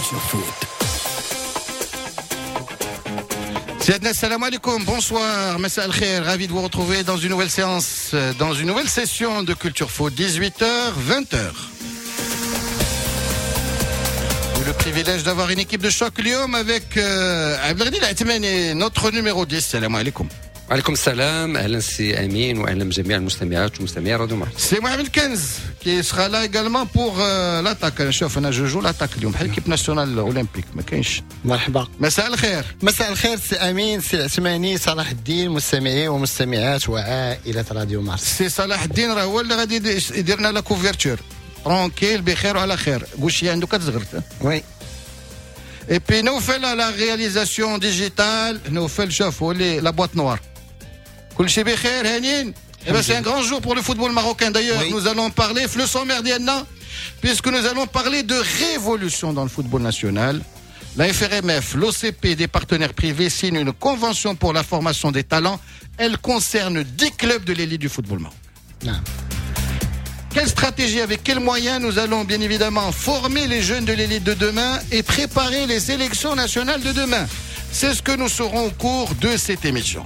Culture Foot. سيادنا السلام عليكم, bonsoir, مساء الخير, ravi de vous retrouver dans une nouvelle séance, dans une nouvelle session de Culture Foot, 18h, 20h. Le privilège d'avoir une équipe de choc اليوم avec Abdelghani Al-Atmani, notre numéro 10. السلام عليكم. وعليكم السلام, اهلا سي امين واهلا بجميع المستمعات ومستمعي راديو مارس. C'est Mohamed Kenz qui sera là également pour l'attaque. شوف انا je joue l'attaque اليوم بحال l'équipe nationale olympique ما كاينش. مرحبا. مساء الخير. مساء الخير سي امين, سي العثماني, صلاح الدين, مستمعي ومستمعات وعائلة راديو مارس. سي صلاح الدين راه هو اللي غادي يدير لنا la couverture. Tranquille, بخير وعلى خير. gaucher عنده كتزغرت. Oui. Et puis نوفل à la réalisation digitale, نوفل شوف هو اللي la boîte noire. كل شيء بخير هانيين. Eh ben, c'est un grand jour pour le football marocain. D'ailleurs, nous allons parler, le sommaire ديالنا, puisque nous allons parler de révolution dans le football national. La FRMF, l'OCP et des partenaires privés signent une convention pour la formation des talents. Elle concerne 10 clubs de l'élite du football marocain. Quelle stratégie, avec quels moyens nous allons bien évidemment former les jeunes de l'élite de demain et préparer les sélections nationales de demain? C'est ce que nous saurons au cours de cette émission.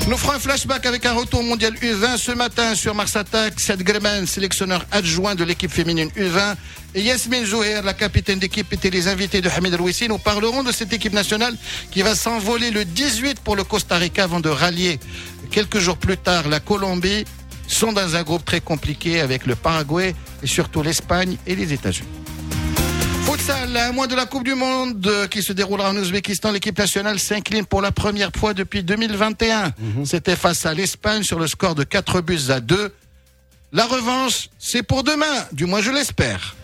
Nous ferons un flashback avec un retour mondial U20 ce matin sur Mars Attack. Saad Greman, sélectionneur adjoint de l'équipe féminine U20, et Yasmine Zouher, la capitaine d'équipe, étaient les invités de Hamid Rouissi. Nous parlerons de cette équipe nationale qui va s'envoler le 18 pour le Costa Rica avant de rallier quelques jours plus tard la Colombie. Sont dans un groupe très compliqué avec le Paraguay et surtout l'Espagne et les États-Unis. Futsal, à un mois de la Coupe du Monde qui se déroulera en Ouzbékistan, l'équipe nationale s'incline pour la première fois depuis 2021. C'était face à l'Espagne sur le score de 4 buts à 2. La revanche, c'est pour demain, du moins je l'espère.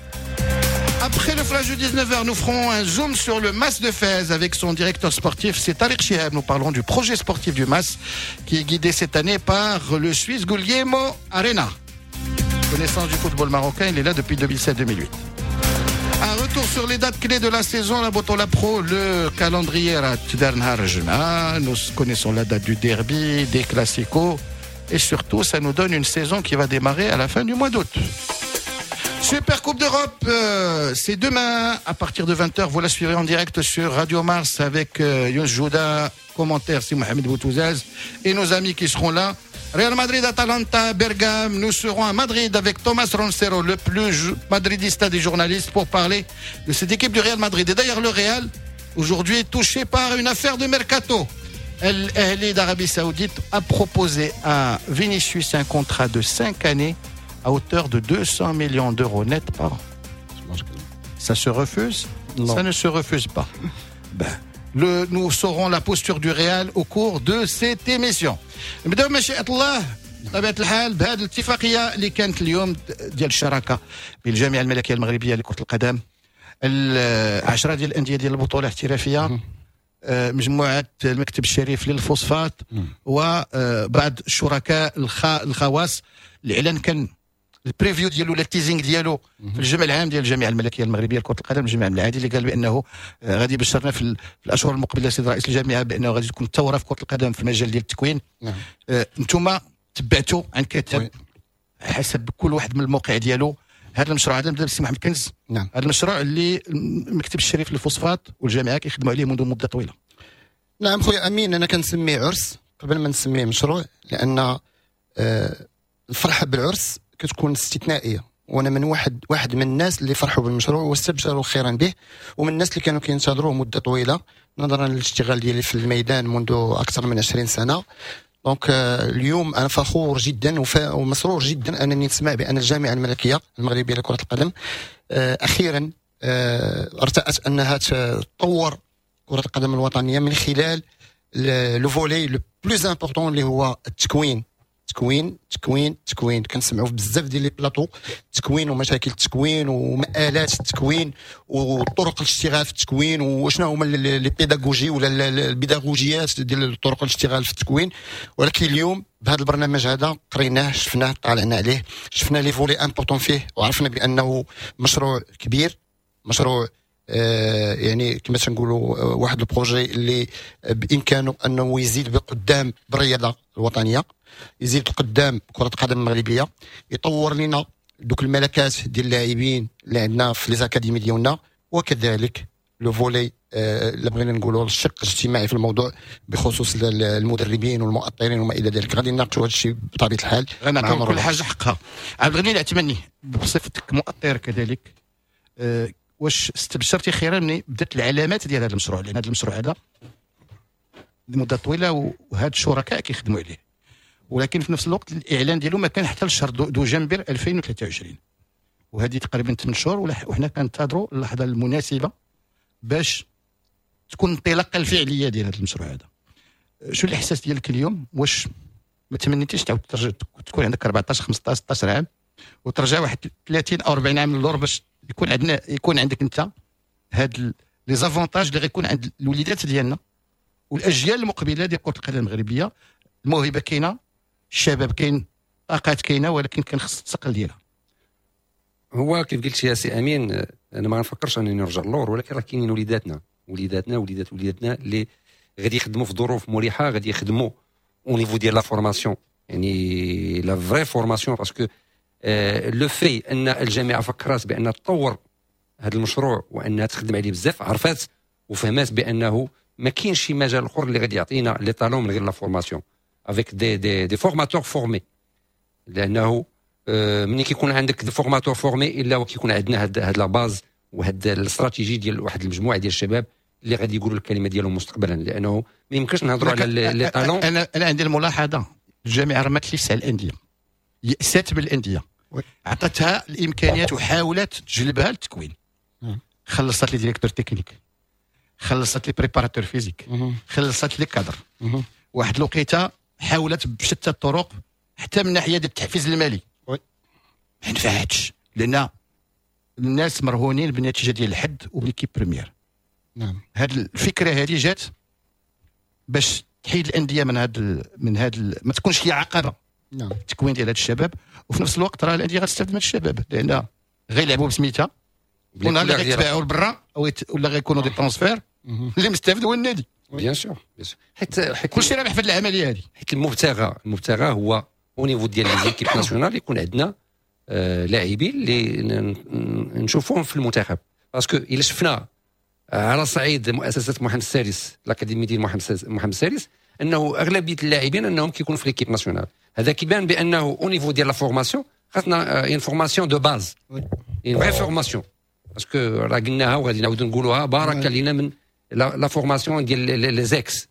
Après le flash de 19h, nous ferons un zoom sur le MAS de Fès avec son directeur sportif, c'est Tariq Chihab. Nous parlerons du projet sportif du MAS qui est guidé cette année par le Suisse Guglielmo Arena. Connaissance du football marocain, il est là depuis 2007-2008. Un retour sur les dates clés de la saison, la Botola Pro, le calendrier à, nous connaissons la date du derby, des classicos, et surtout, ça nous donne une saison qui va démarrer à la fin du mois d'août. Super Coupe d'Europe, c'est demain à partir de 20h. Vous la suivrez en direct sur Radio Mars avec Younes Jouda, commentaire سي Mohamed Boutouzaz et nos amis qui seront là. Real Madrid, Atalanta, Bergame. Nous serons à Madrid avec Thomas Roncero, le plus madridista des journalistes, pour parler de cette équipe du Real Madrid. Et d'ailleurs, le Real, aujourd'hui, est touché par une affaire de mercato. El Ahly d'Arabie Saoudite a proposé à Vinicius un contrat de 5 années à hauteur de 200 millions d'euros net par an. Ça se refuse? Non. Ça ne se refuse pas. Ben, nous saurons la posture du Real au cours de cette émission. نبداو مشيئة الله بطبيعة الحال بهذه الاتفاقية اللي كانت اليوم ديال الشراكة بين الجامعة الملكية المغربية لكرة القدم, 10 ديال الأندية ديال البطولة الاحترافية, مجموعة المكتب الشريف للفوسفات وبعض الشركاء الخواص. الإعلان كان ال preview ديالو ولا ال teasing ديالو في الجمع العام ديال الجامعة الملكية المغربية لكرة القدم, الجمع العادي, اللي قال بانه غادي يبشرنا في الاشهر المقبلة سيد رئيس الجامعة بانه غادي تكون ثورة في كره القدم في المجال ديال التكوين. انتم تبعتوا عن كثب حسب كل واحد من الموقع ديالو هذا المشروع هذا. نبدا بالسي محمد كنز. هذا المشروع اللي المكتب الشريف للفوسفات والجامعة كيخدموا عليه منذ مده طويله. نعم خويا امين, انا كنسميه عرس قبل ما نسميه مشروع, لان الفرحة بالعرس كتكون استثنائيه, وانا من واحد من الناس اللي فرحوا بالمشروع واستبشروا خيرا به, ومن الناس اللي كانوا كينتظروه مده طويلة نظرا للاشتغال ديالي في الميدان منذ اكثر من 20 سنه. donc اليوم انا فخور جدا ومسرور جدا انني نسمع بان الجامعة الملكية المغربية لكرة القدم اخيرا ارتأت انها تطور كره القدم الوطنية من خلال le volet le plus important اللي هو التكوين, تكوين, تكوين, تكوين. كنسمعوا في بزاف ديال les plateaux التكوين ومشاكل التكوين ومآلات التكوين وطرق الاشتغال في التكوين وشنو هما les pédagogies ولا البيداغوجيات ديال طرق الاشتغال في التكوين. ولكن اليوم بهذا البرنامج هذا قريناه, شفناه, طالعنا عليه, شفنا les volets importants فيه, وعرفنا بانه مشروع كبير, مشروع يعني كما تنقولوا واحد ال projet اللي بامكانه انه يزيد بقدام بالرياضة الوطنيه, يزيد قدام كره القدم المغربيه, يطور لنا دوك الملكات ديال اللاعبين اللي عندنا في les académies ديالنا. وهذا وكذلك le volet اللي بغينا نقولوا الشق الاجتماعي في الموضوع بخصوص المدربين والمؤطرين وما الى ذلك. غادي نناقشوا هذا الشيء بطبيعة الحال. غنعطيو كل حاجة حقها. عبد الغني العثماني، بصفتك مؤطر كذلك، واش استبشرتي خيرا ملي بدات العلامات ديال هذا المشروع؟ لان هذا المشروع هذا لمدة طويلة وهاد الشركاء كيخدموا عليه، ولكن في نفس الوقت الاعلان ديالو ما كان حتى لشهر دجنبر 2023، وهذه تقريبا 8 شهور وحنا كنتظروا اللحظة المناسبة باش تكون الانطلاقة الفعلية ديال هذا المشروع هذا. شو الاحساس ديالك اليوم؟ واش ما تمنيتيش تعاود ترجع تكون عندك 14 15 16 عام وترجع واحد 30 او 40 عام للور باش يكون عندك انت هاد les avantages اللي غيكون عند الوليدات ديالنا والاجيال المقبلة ديال كره القدم المغربية؟ الموهبة كاينه، الشباب كاين، طاقات كاينه، ولكن كان خص الثقل ديالها. هو كيف قلت يا سي امين، انا ما نفكرش انني نرجع للور، ولكن راه كاينين وليداتنا وليداتنا وليدات وليداتنا اللي غادي يخدموا في ظروف مريحه، غادي يخدموا au niveau ديال la formation، يعني la vraie formation، parce que le fait ان الجامعة فكرت بان تطور هذا المشروع وانها تخدم عليه بزاف، عرفات وفهمات بانه ما كاينش شي مجال اخر اللي غادي يعطينا les talents من غير la formation avec des formateurs formés، لانه ملي كيكون عندك des formateurs formés الا وكيكون عندنا هاد la base وهاد الاستراتيجي ديال واحد المجموعة ديال الشباب اللي غادي يقولوا الكلمة ديالهم مستقبلا، لانه ما يمكنش نهضروا على les talents. انا عندي الملاحظة، الجامعة رمت لي على الاندية، يأست بالاندية، عطتها الامكانيات وحاولت تجلبها للتكوين، خلصت les directeurs techniques، خلصت les préparateurs physiques، خلصت les cadres. واحد الوقيته حاولت بشتى الطرق حتى من ناحية ديال التحفيز المالي، ما نفعتش لان الناس مرهونين بالنتيجة ديال الحد وب l'équipe première. هذه الفكرة هذه جات باش تحيد الاندية من هاد ما تكونش هي عقبه التكوين ديال هاد الشباب، وفي نفس الوقت راه الاندية غتستافد من الشباب لان غيلعبوا بسميتها، ونهار اللي غيتباعوا لبرا او ولا غيكونوا des transferts، اللي مستافد هو النادي. bien sûr، bien sûr، حيت كلشي رابح في هذه العملية هذه. حيت المبتغى هو au niveau ديال les équipes nationales يكون عندنا لاعبين اللي نشوفوهم في المنتخب، parce que الا شفنا على صعيد مؤسسة محمد السادس، l'académie ديال محمد السادس، انه اغلبية اللاعبين انهم كيكونوا في l'équipe nationale. هذا كيبان بانه au niveau ديال la formation خاصنا une formation de base، une vraie formation، parce que راه قلناها وغادي نعاودوا نقولوها، بارك لينا من la formation ديال les ex.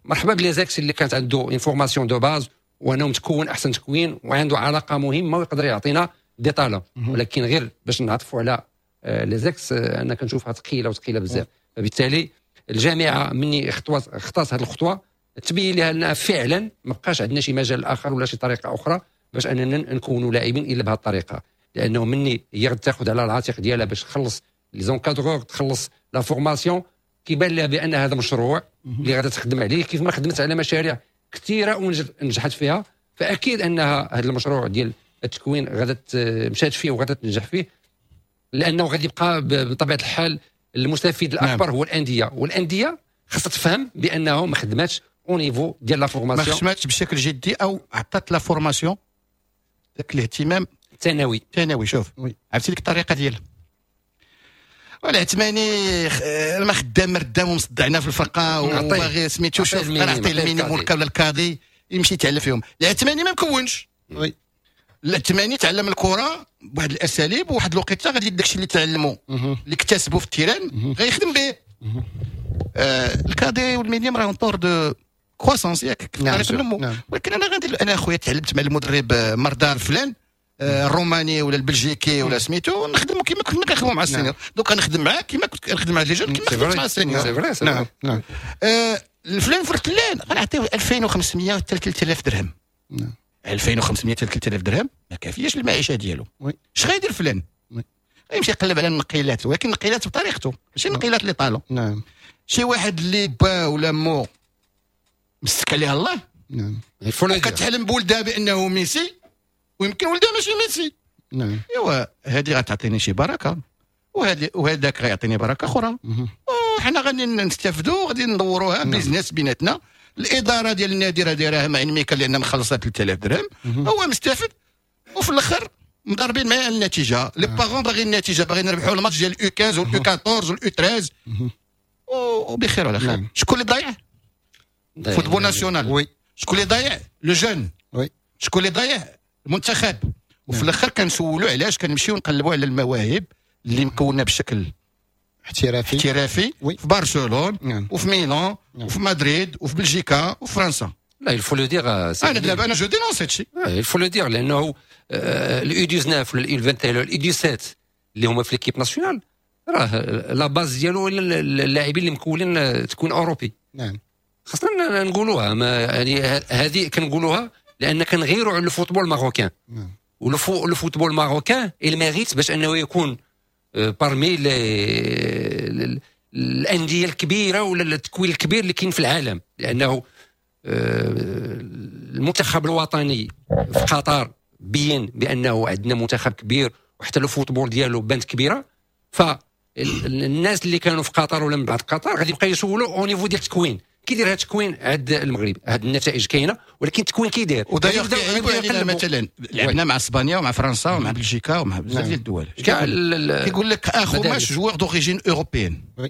مرحبا ب les ex اللي كانت عنده une formation de base وانه متكون احسن تكوين وعنده علاقة مهمة ويقدر يعطينا des talents، ولكن غير باش نعطفوا على les ex، انا كنشوفها ثقيلة وثقيله بزاف. فبالتالي الجامعة مني خطات هذه الخطوة تبين لها انها فعلا ما بقاش عندنا شي مجال اخر ولا شي طريقه اخرى باش اننا نكونوا لاعبين الا بهذه الطريقه، لانه مني هي تاخذ على العاتق ديالها باش تخلص les encadreurs، تخلص la formation، كيبان لها بان هذا مشروع اللي غادي تخدم عليه كيف ما خدمت على مشاريع كثيرة ونجحت فيها. فاكيد انها هذا المشروع ديال التكوين غادا مشات فيه وغادا تنجح فيه، لانه غادي يبقى بطبيعة الحال المستفيد الاكبر هو الانديه، والاندية خاصها تفهم بانه ما خدماتش au niveau ديال la formation. ما خدماتش بشكل جدي او عطات la formation ذاك الاهتمام. ثانوي. ثانوي. شوف، عرفتي ديك الطريقة ديال والعثماني ما خدام مردام ومصدعنا في الفرقة وباغي سميتو، شوف نعطيه ال minime ولا ال cadet يمشي يتعلم فيهم. العثماني ما مكونش. العثماني تعلم الكره بواحد الاساليب، وواحد الوقيته غادي داكشي اللي تعلمو اللي اكتسبوا في ال terrain غيخدم به. ال cadet وال minime راه en cours de croissance، ياك؟ النمو. ولكن انا غادي انا اخويا تعلمت مع المدرب مردار فلان الروماني ولا البلجيكي ولا سميتو، نخدمو كيما كنا كنخدمو مع ال seniors. Donc نخدم معاه كيما كنت كنخدم مع les jeunes، كيما خدمت مع ال seniors. c'est vrai. نعم. الفلان فرتلان غنعطيو 2500 حتى 3000 درهم. 2500 حتى 3000 درهم ما كافياش المعيشة ديالو. اش غيدير فلان؟ غيمشي يقلب على النقيلات، ولكن النقيلات بطريقته، ماشي النقيلات اللي طالو. شي واحد اللي با ولا مو مسك عليها الله وكتحلم بولدها بانه ميسي، ويمكن ولدها ماشي ميسي. ايوا هذه غتعطيني شي بركة وهذه وهذاك غيعطيني بركة اخرى، وحنا غادي نستافدوا، غادي ندوروها business بيناتنا. الادارة ديال النادي راه دايرها مع ميكا لان مخلصها 3000 درهم، هو مستافد، وفي الاخر مضاربين معايا على النتيجه، les parents باغيين النتيجه، باغيين نربحوا الماتش ديال ال U 15 وال U 14 وال U 13 وبخير وعلى خير. شكون اللي ضايع؟ football national. شكون اللي ضايع؟ le jeune. شكون اللي ضايع؟ المنتخب. وفي الاخر كنسولوا علاش كنمشيو نقلبوا على المواهب اللي مكونة بشكل احترافي احترافي في برشلونة وفي ميلان وفي مدريد وفي بلجيكا وفرنسا. لا، il faut le dire. انا دابا انا je dénonce هادشي. il faut le dire، لانه ال U 19 ولا ال U 21 ولا ال U 17 اللي هما في l'équipe nationale، راه la base ديالو اللاعبين اللي مكونين تكون اوروبي. خاصنا نقولوها، ما يعني هذه كنقولوها لان كنغيروا على ال football marocain. و le football marocain il mérite باش انه يكون parmi الاندية الكبيرة ولا التكوين الكبير اللي كاين في العالم، لانه المنتخب الوطني في قطر بين بانه عندنا منتخب كبير، وحتى le football ديالو بانت كبيره. فالناس اللي كانوا في قطر ولا من بعد قطر غادي يبقى يسولوا au niveau ديال التكوين، كيدير هذا التكوين عند المغرب؟ هذه النتائج كاينه، ولكن التكوين كيدير؟ و d'ailleurs مثلا لعبنا مع اسبانيا ومع فرنسا ومع بلجيكا ومع بزاف ديال الدول، كيقول لك اخوماش joueur d'origine européenne،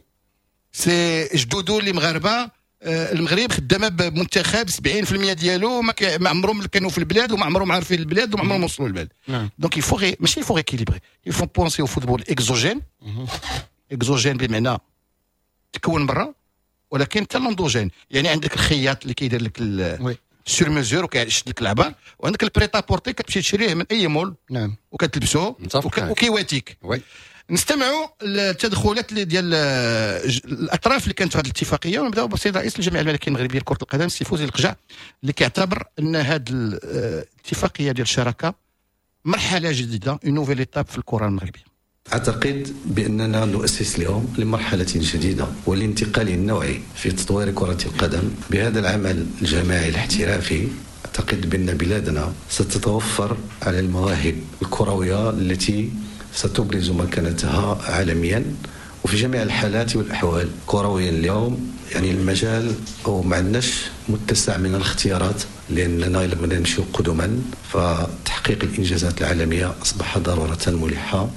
c'est جدودو اللي مغاربه. المغرب خدامه بمنتخب 70% ديالو ما عمرهم كانوا في البلاد وما عمرهم عارفين البلاد وما عمرهم وصلوا للبلاد. donc il faut، ماشي il faut rééquilibrer، il faut penser au football exogène، exogène بمعنى تكون برا، ولكن حتى l'endogène، يعني عندك الخياط اللي كيدير لك sur mesure وكيشد لك العبار، وعندك ال prêt-à-porter كتمشي تشريه من اي مول وكتلبسو وكيواتيك. نستمعوا التدخلات اللي ديال الاطراف اللي كانت في هذه الاتفاقيه، ونبداو بالسيد رئيس الجامعة الملكية المغربية لكرة القدم السي فوزي القجع، اللي كيعتبر ان هذه الاتفاقية ديال الشراكة مرحلة جديده، une nouvelle étape في الكره المغربية. أعتقد بأننا نؤسس اليوم لمرحلة جديدة والانتقال النوعي في تطوير كرة القدم بهذا العمل الجماعي الاحترافي. أعتقد بأن بلادنا ستتوفر على المواهب الكروية التي ستبرز مكانتها عالميا وفي جميع الحالات والأحوال. كرويا اليوم يعني المجال أو ما عندناش متسع من الاختيارات، لأننا إلا بغينا نمشيو قدما فتحقيق الإنجازات العالمية أصبح ضرورة ملحة.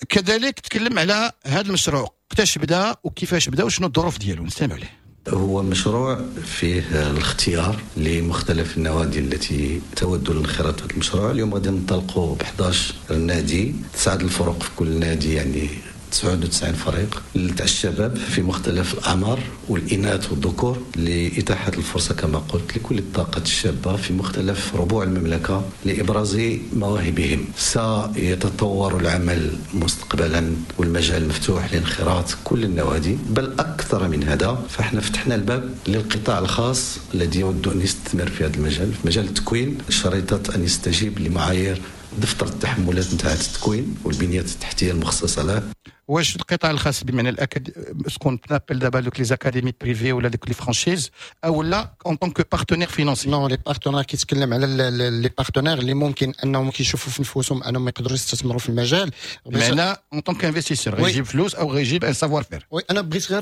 كذلك تكلم على هذا المشروع، وقتاش بدا وكيفاش بدا وشنو الظروف ديالو، نستمع له. هو مشروع فيه الاختيار لمختلف النوادي التي تود الانخراط في هذا المشروع. اليوم غادي ننطلقوا ب 11 نادي، تسعة الفرق في كل نادي، يعني 99 فريق تاع الشباب في مختلف الاعمار والاناث والذكور، لاتاحه الفرصة كما قلت لكل الطاقات الشابة في مختلف ربوع المملكة لابراز مواهبهم. سيتطور العمل مستقبلا والمجال مفتوح لانخراط كل النوادي، بل اكثر من هذا، فاحنا فتحنا الباب للقطاع الخاص الذي يود ان يستثمر في هذا المجال، في مجال التكوين، شريطه ان يستجيب لمعايير دفتر التحملات نتاع التكوين والبنيات التحتية المخصصة له. واش القطاع الخاص بمعنى ce qu'on appelle دابا دوك les académies privées ولا دوك les franchises، او لا en tant que partenaire financier؟ non، les partenaires، كيتكلم على les partenaires اللي ممكن انهم كيشوفوا في نفوسهم انهم يقدروا يستثمروا في المجال. بمعنى en tant qu'investisseur، غيجيب فلوس او غيجيب un savoir-faire. oui، انا بغيت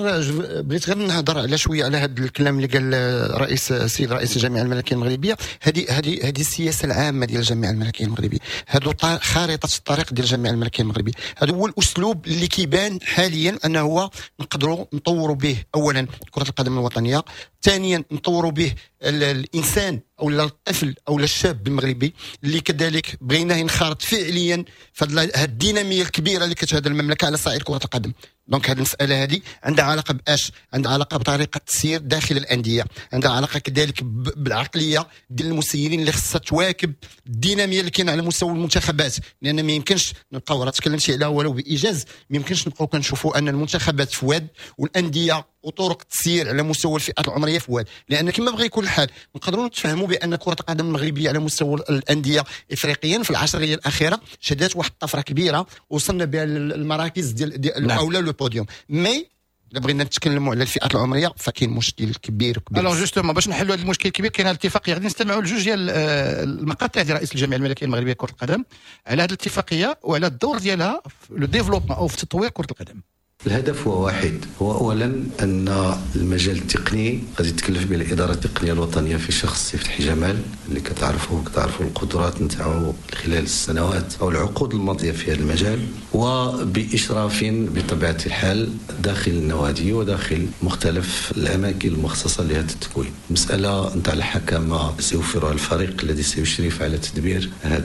غير نهضر على شوية على هذا الكلام اللي قال رئيس السيد رئيس الجامعة الملكية المغربيه. هذه السياسة العامة ديال الجامعة الملكية المغربيه، هذو خارطة الطريق ديال الجامعة الملكية المغربيه. هذا هو الاسلوب اللي كيبان حاليا انه هو نقدروا نطوروا به اولا كره القدم الوطنيه، ثانيا نطوروا به الانسان او الطفل او الشاب المغربي اللي كذلك بغيناه ينخرط فعليا في هذه الديناميه الكبيرة اللي كتشهد المملكة على صعيد كره القدم. donc هذه المسالة هذه عندها علاقة باش؟ عندها علاقة بطريقة التسيير داخل الانديه، عندها علاقة كذلك بالعقليه ديال المسيرين اللي خصها تواكب الديناميه اللي كاينه على مستوى المنتخبات، لان ما يمكنش نبقاو، راه تكلمتي عليها ولو بايجاز، ما يمكنش نبقاو كنشوفوا ان المنتخبات في واد والاندية وطرق التسيير على مستوى الفئات العمرية في واد، لان كما بغى يكون الحال نقدروا نتفهموا بان كره القدم المغربية على مستوى الاندية افريقيا في العشريه الاخيرة شهدت واحد الطفرة كبيرة وصلنا بها المراكز ديال او le podium، mais الا بغينا نتكلموا على الفئات العمرية فكاين مشكل كبير كبير. alors justement، باش نحلوا هذا المشكل الكبير كاين الاتفاقيه. غادي نستمعوا لجوج ديال المقاطع ديال رئيس الجامعة الملكية المغربية لكرة القدم على هذه الاتفاقية وعلى الدور ديالها في le développement او في تطوير كره القدم. الهدف هو واحد، هو اولا ان المجال التقني غادي تكلف به الادارة التقنية الوطنية في شخص سي فتحي جمال، اللي كتعرفوا القدرات نتاعو خلال السنوات او العقود الماضية في هذا المجال، وباشراف بطبيعة الحال داخل النوادي وداخل مختلف الاماكن المخصصة لهذا التكوين. المسالة نتاع الحكامه سيوفرها الفريق الذي سيشرف على تدبير هذه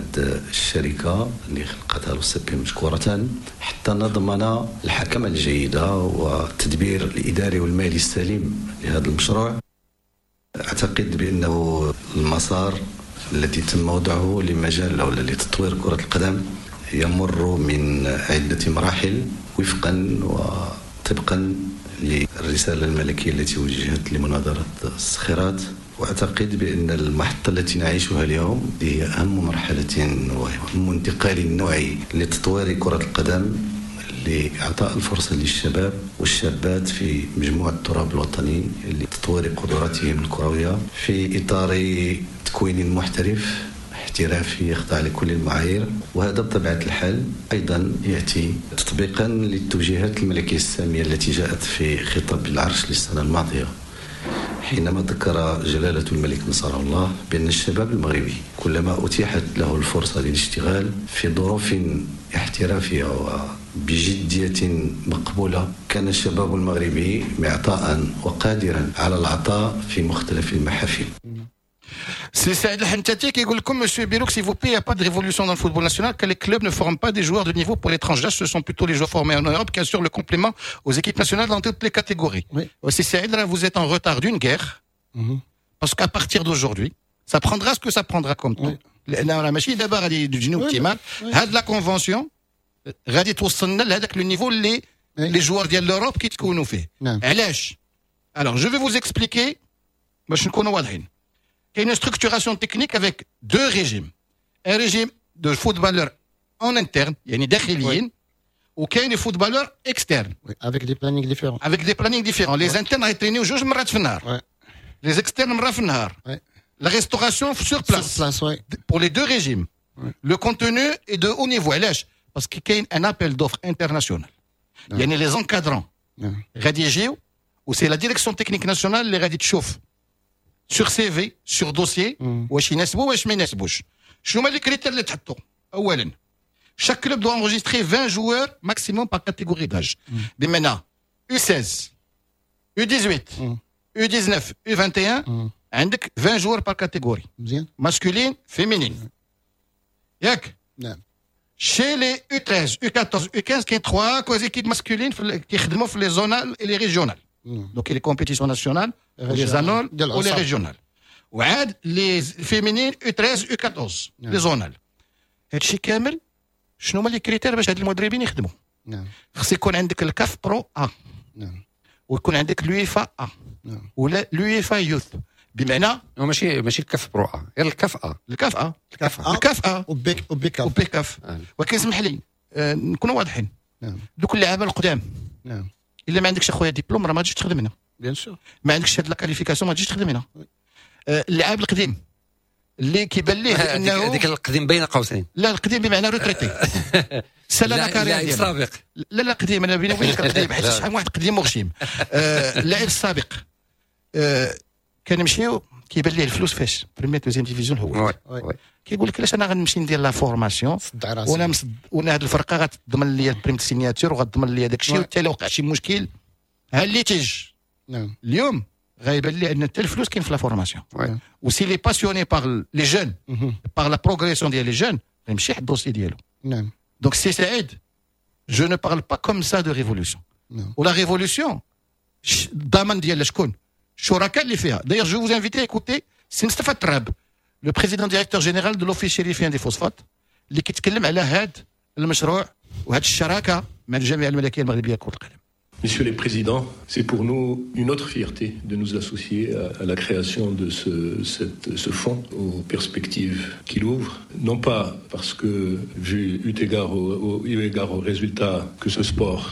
الشركة اللي خلقتها l'OCP مشكورة، حتى نضمن الحكامه الجيدة والتدبير الإداري والمالي السليم لهذا المشروع. أعتقد بأنه المسار الذي تم وضعه لمجال أو لتطوير كرة القدم يمر من عدة مراحل وفقا وطبقا للرسالة الملكية التي وجهت لمناظرة الصخيرات. وأعتقد بأن المحطة التي نعيشها اليوم هي أهم مرحلة وأهم انتقال نوعي لتطوير كرة القدم، لإعطاء الفرصة للشباب والشابات في مجموع التراب الوطني لتطوير قدراتهم الكروية في إطار تكوين محترف احترافي يخضع لكل المعايير. وهذا بطبيعة الحال أيضا يأتي تطبيقا للتوجيهات الملكية السامية التي جاءت في خطاب العرش للسنة الماضية، حينما ذكر جلالة الملك نصره الله بأن الشباب المغربي كلما أتيحت له الفرصة للاشتغال في ظروف احترافية وبجدية مقبولة، كان الشباب المغربي معطاء وقادرا على العطاء في مختلف المحافل. سي سعيد الحنتاتي كيقول لكم monsieur Birouk, s'il vous plaît, il n'y a pas de révolution dans le football national car les clubs ne forment pas des joueurs de niveau pour l'étranger, ce sont plutôt les joueurs formés en Europe qui assurent le complément aux équipes nationales dans toutes les catégories. Oui. سي Saïd, là vous êtes en retard d'une guerre, parce qu'à partir d'aujourd'hui, ça prendra ce que ça prendra comme temps. لان ماشي دابا غادي تجيني optimal هاد la convention غادي توصلنا لهذاك le niveau اللي les joueurs ديال l'Europe كيتكونوا فيه. علاش؟ Alors je vais vous expliquer باش نكونوا واضحين. كاين une structuration technique avec deux régimes. Un régime de footballeurs en interne, يعني داخليين, وكاين footballeurs externes. Oui, avec des plannings différents. Avec des plannings différents. Les internes غيترينيو جوج مرات في النهار. Les externes مرة في النهار. La restauration sur place. Sur place, oui. Pour les deux régimes. Le contenu est de haut niveau. علاش؟ Parce que كاين un appel d'offres international. يعني les encadrants غادي يجيو، و c'est la direction technique nationale اللي غادي تشوف sur CV, sur dossier, واش يناسبوا واش ما يناسبوش. شنو هما les critères اللي تحطوا؟ اولا chaque club doit enregistrer 20 joueurs maximum par catégorie d'âge. بمعنى U16, U18, U19, U21, عندك 20 joueurs par catégorie. مزيان. Masculine, féminine. ياك؟ نعم. Chez les U13, U14, U15, كاين 3 équipes masculines كيخدموا في les zonales et les régionales. Donc les compétitions nationales, les zonales ou les régionales. وعاد les féminines U13, U14, les zonales. هادشي كامل شنو هما les critères باش هاد المدربين يخدموا؟ خص يكون عندك ال CAF Pro A. ويكون عندك l'UEFA A. ولا l'UEFA Youth. بمعنى ماشي ال CAF Pro A، غير ال CAF A. ال CAF A. ال CAF A. ال CAF A و B و B CAF. و B CAF. ولكن اسمح لي نكونوا واضحين. دوك اللعابه القدام. الا ما عندكش اخويا ديبلوم راه ما تجيش تخدم هنا. Bien sûr. ما عندكش هاد la qualification ما تجيش تخدم هنا. اللاعب القديم اللي كيبان ليه انه هذيك القديم بين قوسين. لا، القديم بمعنى retraité، سالا la carrière اللاعب السابق. لا لا، قديم، انا بيني وبينك القديم، حيت شحال من واحد قديم وغشيم. اللاعب السابق كان يمشيو كيبان ليه الفلوس فاش première deuxième division هو كيقول لك علاش انا غنمشي ندير la formation وانا وانا هذه الفرقة غتضمن لي ال prime signature وغتضمن لي داك الشيء، وحتى لو وقع شي مشكل ها اللي تيج. اليوم غيبان لي ان حتى الفلوس كاين في la formation، و s'il est passionné par les jeunes, par la progression ديال les jeunes، غيمشي يحط ال dossier ديالو. Donc سي سعيد، je ne parle pas comme ça de révolution. و la révolution الضمان ديال شكون؟ الشركاء اللي فيها. D'ailleurs, je vous invite à écouter سي مصطفى التراب، le président directeur général de l'Office chérifien des phosphates، اللي كيتكلم على هذا المشروع وهذه الشراكة مع الجامعة الملكية المغربية لكرة القدم. Messieurs les présidents, c'est pour nous une autre fierté de nous associer à la création de ce fonds, aux perspectives qu'il ouvre, non pas parce que, vu eu égard aux résultats que ce sport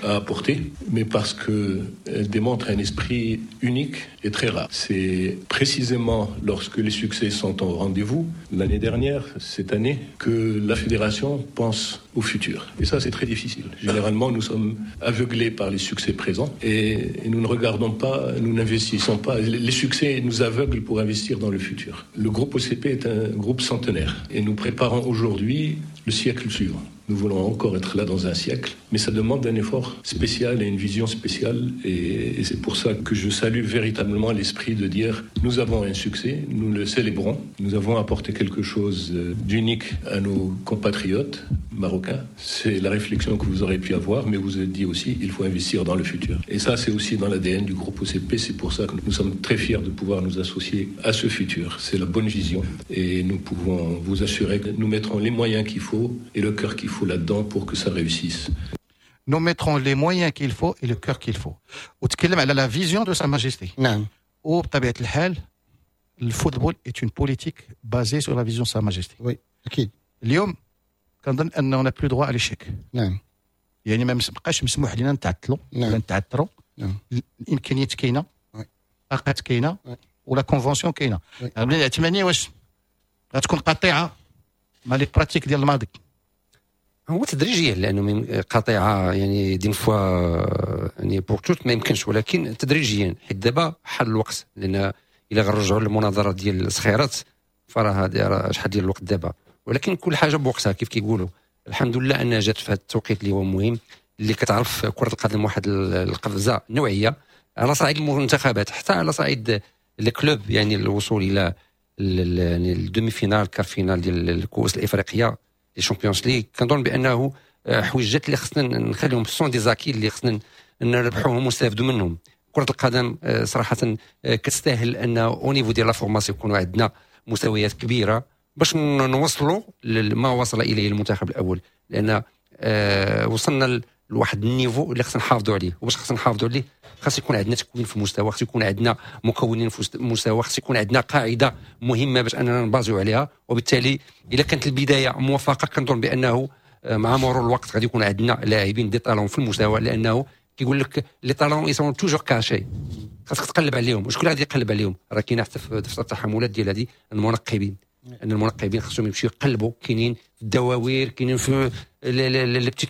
a apporté, mais parce qu'elle démontre un esprit unique et très rare. C'est précisément lorsque les succès sont au rendez-vous, l'année dernière, cette année, que la fédération pense au futur. Et ça, c'est très difficile. Généralement, nous sommes aveuglés par les succès présents et nous ne regardons pas, nous n'investissons pas. Les succès nous aveuglent pour investir dans le futur. Le groupe OCP est un groupe centenaire et nous préparons aujourd'hui le siècle suivant. Nous voulons encore être là dans un siècle, mais ça demande un effort spécial et une vision spéciale. Et c'est pour ça que je salue véritablement l'esprit de dire nous avons un succès, nous le célébrons, nous avons apporté quelque chose d'unique à nos compatriotes marocains. C'est la réflexion que vous aurez pu avoir, mais vous avez dit aussi il faut investir dans le futur. Et ça, c'est aussi dans l'ADN du groupe OCP. C'est pour ça que nous sommes très fiers de pouvoir nous associer à ce futur. C'est la bonne vision et nous pouvons vous assurer que nous mettrons les moyens qu'il faut et le cœur qu'il faut là-dedans pour que ça réussisse. Nous mettrons les moyens qu'il faut et le cœur qu'il faut. وتكلم على la vision de Sa Majesté. وبطبيعة الحال le football est une politique basée sur la vision de Sa Majesté. Oui, اكيد. اليوم كنظن ان on n'a plus droit à l'échec. يعني ما بقاش مسموح لنا نتعطلوا ولا نتعثروا. الامكانيات كاينه، الطاقات كاينه، و la convention كاينه. بني العثماني، واش غتكون قطيعة مع les pratiques ديال الماضي؟ هو تدريجيا، لانه من قطيعة يعني d'une fois يعني pour toutes ما يمكنش، ولكن تدريجيا، حيت دابا حل الوقت، لان الا غنرجعوا للمناظره ديال الصخيرات فراه هذه شحال ديال الوقت دابا، ولكن كل حاجة بوقتها كيف كيقولوا. الحمد لله انها جات في هذا التوقيت اللي هو مهم، اللي كتعرف كره القدم واحد القفزة نوعية على صعيد المنتخبات، حتى على صعيد les clubs، يعني الوصول الى يعني ال demi-finale، quart finale ديال الكؤوس الافريقيه، les Champions League. كنظن بانه حويجات اللي خصنا نخليهم sont des acquis اللي خصنا نربحوهم ونستافدوا منهم. كره القدم صراحة كتستاهل ان au niveau ديال la formation يكونوا عندنا مستويات كبيرة باش نوصلوا لما وصل اليه المنتخب الاول، لان وصلنا لواحد ال niveau اللي خصنا نحافظوا عليه، وباش خصنا نحافظوا عليه خاص يكون عندنا تكوين في المستوى، خاص يكون عندنا مكونين في المستوى، خاص يكون عندنا قاعدة مهمة باش اننا نبازيو عليها. وبالتالي اذا كانت البداية موفقه، كنظن بانه مع مرور الوقت غادي يكون عندنا لاعبين des talents في المستوى، لانه كيقول لك les talents ils sont toujours cachés، خاصك تقلب عليهم. وشكون غادي يقلب عليهم؟ راه كاين حتى في دفتر التحملات ديال هذه المنقبين، ان المنقبين خصهم يمشيو يقلبوا، كاينين في الدواوير، كاينين في les petits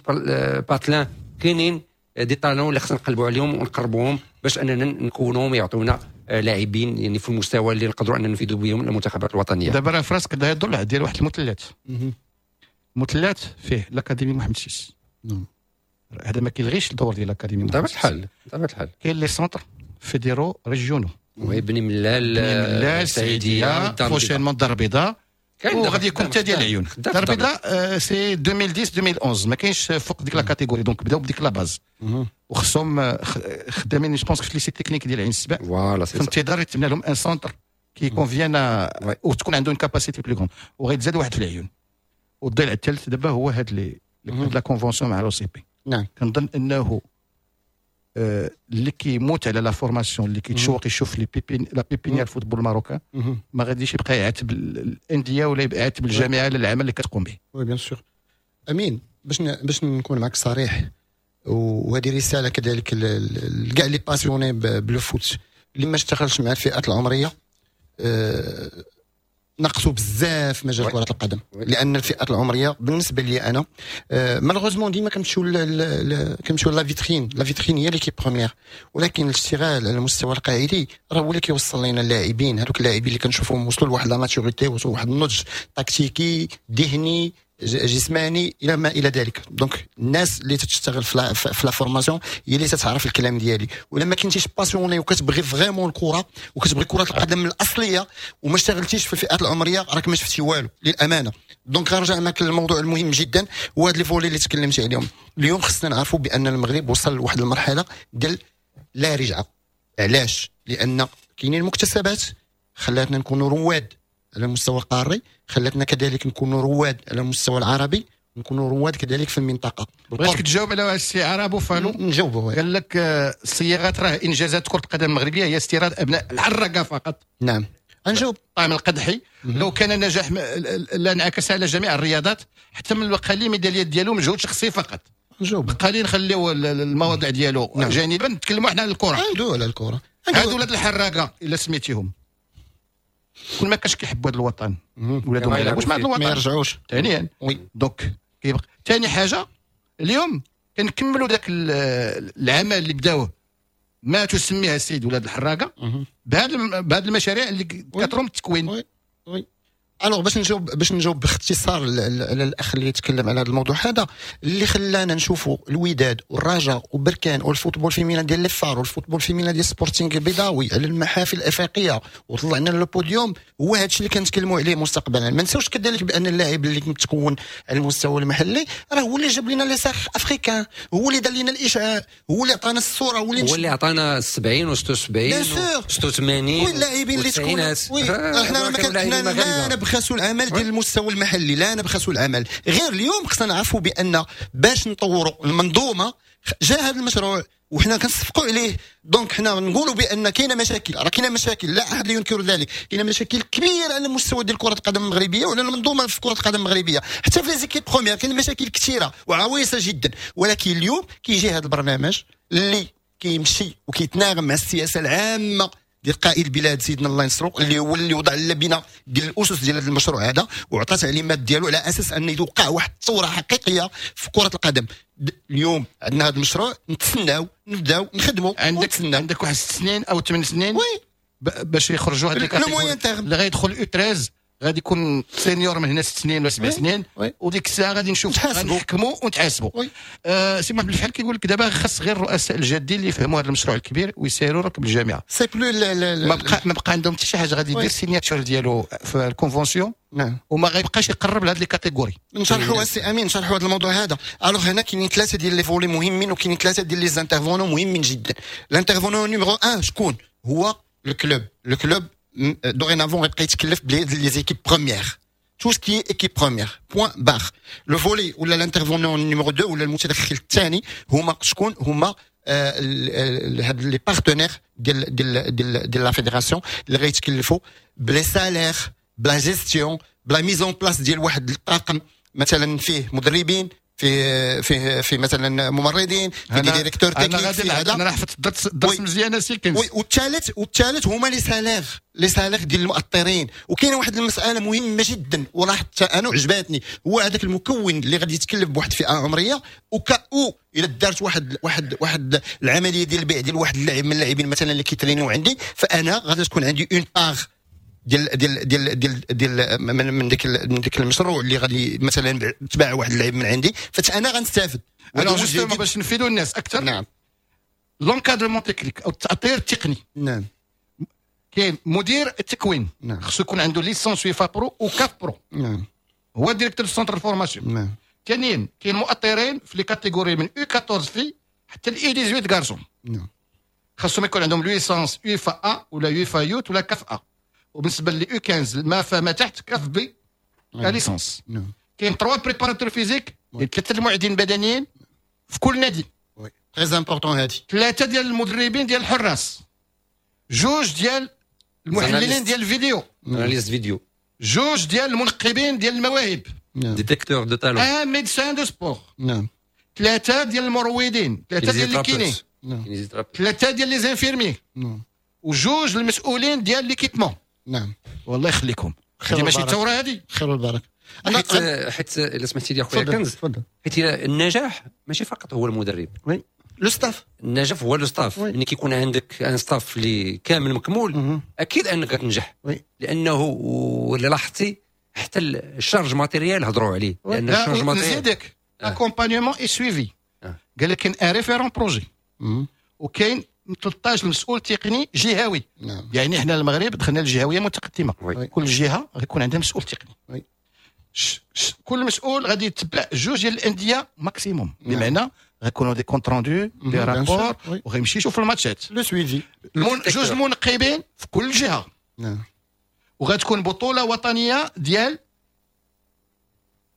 patelins، كاينين des talents اللي خصنا نقلبوا عليهم ونقربوهم باش اننا نكونوهم يعطونا لاعبين يعني في المستوى اللي نقدروا اننا نفيدوا بهم المنتخبات الوطنيه. دابا راه فراسك داير الضلع ديال واحد المثلث، المثلث فيه l'académie محمد six. هذا ما كيلغيش الدور ديال l'académie. بطبيعة الحال، بطبيعة الحال. كاين les centres fédéraux régionaux. oui، بني ملال. بني ملال، السعيديه، prochainement الدار البيضاء، وغادي يكون حتى ديال العيون. الدار البيضاء c'est 2010 2011، ما كاينش فوق ديك la catégorie، donc بداو بديك la base وخصهم خدامين je pense في lycée technique ديال عين السبع. voilà. في انتظار يتبنى لهم un centre qui convienne وتكون عندهم capacité plus grande، وغيتزاد واحد في العيون. والضلع الثالث دابا هو هاد les هاد la convention مع l'OCP. كنظن انه اللي كيموت على la formation، اللي كيتشوق يشوف les la pépinière football marocain، ما غاديش يبقى يعاتب الاندية ولا يبقى يعاتب الجامعة على العمل اللي كتقوم به. oui bien sûr امين، باش نكون معك صريح، وهذه رسالة كذلك لكاع les passionnés ب le foot، اللي ما اشتغلش مع الفئات العمرية نقصوا بزاف مجال كره القدم، لان الفئات العمرية بالنسبة لي انا malheureusement ديما كنمشيو la vitrine، la vitrine هي l'équipe première، ولكن الاشتغال على المستوى القاعدي راه هو اللي كيوصل لنا اللاعبين، هذوك اللاعبين اللي كنشوفوهم وصلوا لواحد la maturité، وصلوا لواحد النضج تكتيكي، ذهني، جسماني، الى ما الى ذلك. donc الناس اللي تشتغل في la formation هي اللي تتعرف الكلام ديالي. ولا ما كنتيش passionné وكتبغي vraiment الكره وكتبغي كره القدم الاصلية وما اشتغلتيش في الفئات العمريه، راك ما شفتي والو للامانه. donc غنرجع معك للموضوع المهم جدا، هو هاد les volets اللي تكلمتي عليهم. اليوم خصنا نعرفوا بان المغرب وصل لواحد المرحلة ديال لا رجعه. علاش؟ لان كاينين مكتسبات خلاتنا نكونوا رواد على المستوى القاري، خلاتنا كذلك نكونوا رواد على المستوى العربي، نكونوا رواد كذلك في المنطقه. بغيتك تجاوب على السي عرب فالو. نجاوبه. قال لك الصياغات راه انجازات كره القدم المغربية هي استيراد ابناء الحراقه فقط. نعم، نجاوب. طعم القدحي لو كان النجاح لا انعكس على جميع الرياضات، حتى من القليل ميداليات ديالو مجهود شخصي فقط. نجاوب. بقى لي نخليو المواضيع ديالو جانبا، نتكلموا حنا على الكره. ندويو على الكره. هادو ولاد الحراقه الا سميتيهم، كل ما كانش كيحبوا هذا الوطن، ولادهم ما يلعبوش مع هذا الوطن، ما يرجعوش. ثانيا oui. donc كيبقى ثاني حاجه، اليوم كنكملوا ذاك العمل اللي بداوه ما تسميها السيد ولاد الحراقه بهذه المشاريع اللي كتروم التكوين. oui oui. alors باش نجاوب باختصار على الاخ اللي يتكلم على هذا الموضوع هذا، اللي خلانا نشوفوا الوداد والرجاء وبركان وال football féminin ديال les FAR وال football féminin ديال سبورتينغ البيضاوي على المحافل الافريقية وطلعنا le podium، هو هذا الشيء اللي كنتكلموا عليه مستقبلا. ما نساوش كذلك بان اللاعب اللي متكون على المستوى المحلي راه هو اللي جاب لنا les sacres africains، هو اللي دار لنا الاشعاع، هو اللي عطانا الصوره، هو اللي هو اللي عطانا 70 و 76 و 86. واللاعبين اللي تكون، oui، احنا لا نبخسوا العمل ديال المستوى المحلي، لا نبخسوا العمل. غير اليوم خصنا نعرفوا بان باش نطوروا المنظومة جاء هذا المشروع وحنا كنصفقوا عليه. donc حنا نقولوا بان كاينه مشاكل، راه كاينه مشاكل، لا احد ينكر ذلك، كاينه مشاكل كبيرة على المستوى ديال كره القدم المغربية وعلى المنظومة في كره القدم المغربيه، حتى في les équipes premières كاين مشاكل كثيرة وعويصه جدا. ولكن اليوم كيجي هذا البرنامج اللي كيمشي وكيتناغم مع السياسة العامة ديال قائد البلاد سيدنا الله ينصرو، اللي هو اللي وضع اللبنة ديال الاسس ديال هذا المشروع هذا وعطى تعليمات ديالو على اساس ان يوقع واحد الثورة حقيقية في كره القدم. اليوم عندنا هذا المشروع، نتسناو نبداو نخدموا. عندك واحد 6 سنين او 8 سنين oui باش يخرجوا هاد le moyen terme. اللي غيدخل U 13 غادي يكون senior من هنا 6 سنين ولا 7 سنين، وديك الساعة غادي نشوف، نحكموا ونتحاسبوا. سي محمد الفحل كيقول لك دابا خاص غير الرؤساء الجادين اللي يفهموا هذا المشروع الكبير ويسيروا ركب الجامعه. c'est plus ما بقى عندهم حتى شي حاجه، غادي يدير signature ديالو في ال convention وما غيبقاش يقرب لهاد les catégories. نشرحوا السي امين، نشرحوا هذا الموضوع هذا. alors هنا كاينين ثلاثة ديال les volets مهمين وكاينين ثلاثة ديال les intervenants مهمين جدا. l'intervenant numéro 1 شكون هو؟ ال club. le club dorénavant غيبقى يتكلف ب les équipes premières، tout ce qui est équipe première، point barre. le volet ولا l'intervenant numéro 2 ولا المتدخل الثاني هما شكون؟ هما هاد les partenaires ديال la fédération اللي غيتكلفوا ب les salaires، ب la gestion، ب la mise en place ديال واحد الطاقم، مثلا فيه مدربين، في مثلا ممرضين، في des directeurs techniques، في هذا. انا حفظت الدرس، درس مزيان سي كنز. والثالث هما les salaires ديال المؤطرين. وكاينه واحد المسالة مهمة جدا ولاحظت انا وعجباتني، هو هذاك المكون اللي غادي يتكلف بواحد الفئة عمريه، au cas où الا دارت واحد العملية ديال البيع ديال واحد اللاعب من اللاعبين مثلا اللي كيترينيو عندي، فانا غادي تكون عندي une part ديال من ديك المشروع اللي غادي مثلا تباع واحد اللاعب من عندي، فانا غنستافد. alors justement باش نفيدوا الناس اكثر، l'encadrement technique او التاطير التقني، كاين مدير التكوين، خصو يكون عنده licence UEFA Pro و CAF Pro، هو directeur centre formation. ثانيا كاين مؤطرين في les catégories من U 14 filles حتى ال U 18 garçons، خاصهم يكون عندهم licence UEFA A ولا UEFA Youth ولا CAF A، وبالنسبة ل U 15 ما فما تحت CAF B licence. كاين 3 préparateurs physiques، ثلاثة المعدين البدنيين في كل نادي. très important هادي. ثلاثة ديال المدربين ديال الحراس، جوج ديال المحللين ديال الفيديو، analystes vidéo، جوج ديال المنقبين ديال المواهب، détecteurs de talents، un médecin de sport، ثلاثة ديال المروضين، ثلاثة ديال les kinés، ثلاثة ديال les infirmiers، وجوج المسؤولين ديال l'équipement. والله يخليكم، هذه ماشي الثورة هذه؟ خير والبركه. انا حيت الا سمحتي لي اخويا كنز، حيت النجاح ماشي فقط هو المدرب. oui، le staff. النجاح هو le staff. ملي كيكون عندك un staff اللي كامل مكمول، اكيد انك غتنجح، لانه ولا لاحظتي حتى ال charge matérielle هضروا عليه، لان ال charge matérielle، نزيدك accompagnement et suivi، قال لك كاين un référent projet وكاين 13 مسؤول تقني جهوي. يعني احنا المغرب دخلنا الجهوية متقدمه، كل جهة غيكون عندها مسؤول تقني. كل مسؤول غادي يتبع جوج ديال الاندية maximum، بمعنى غيكونوا des comptes rendus، des rapports، وغيمشي يشوف الماتشات. le suivi. جوج منقبين في كل جهه. وغتكون بطوله وطنية ديال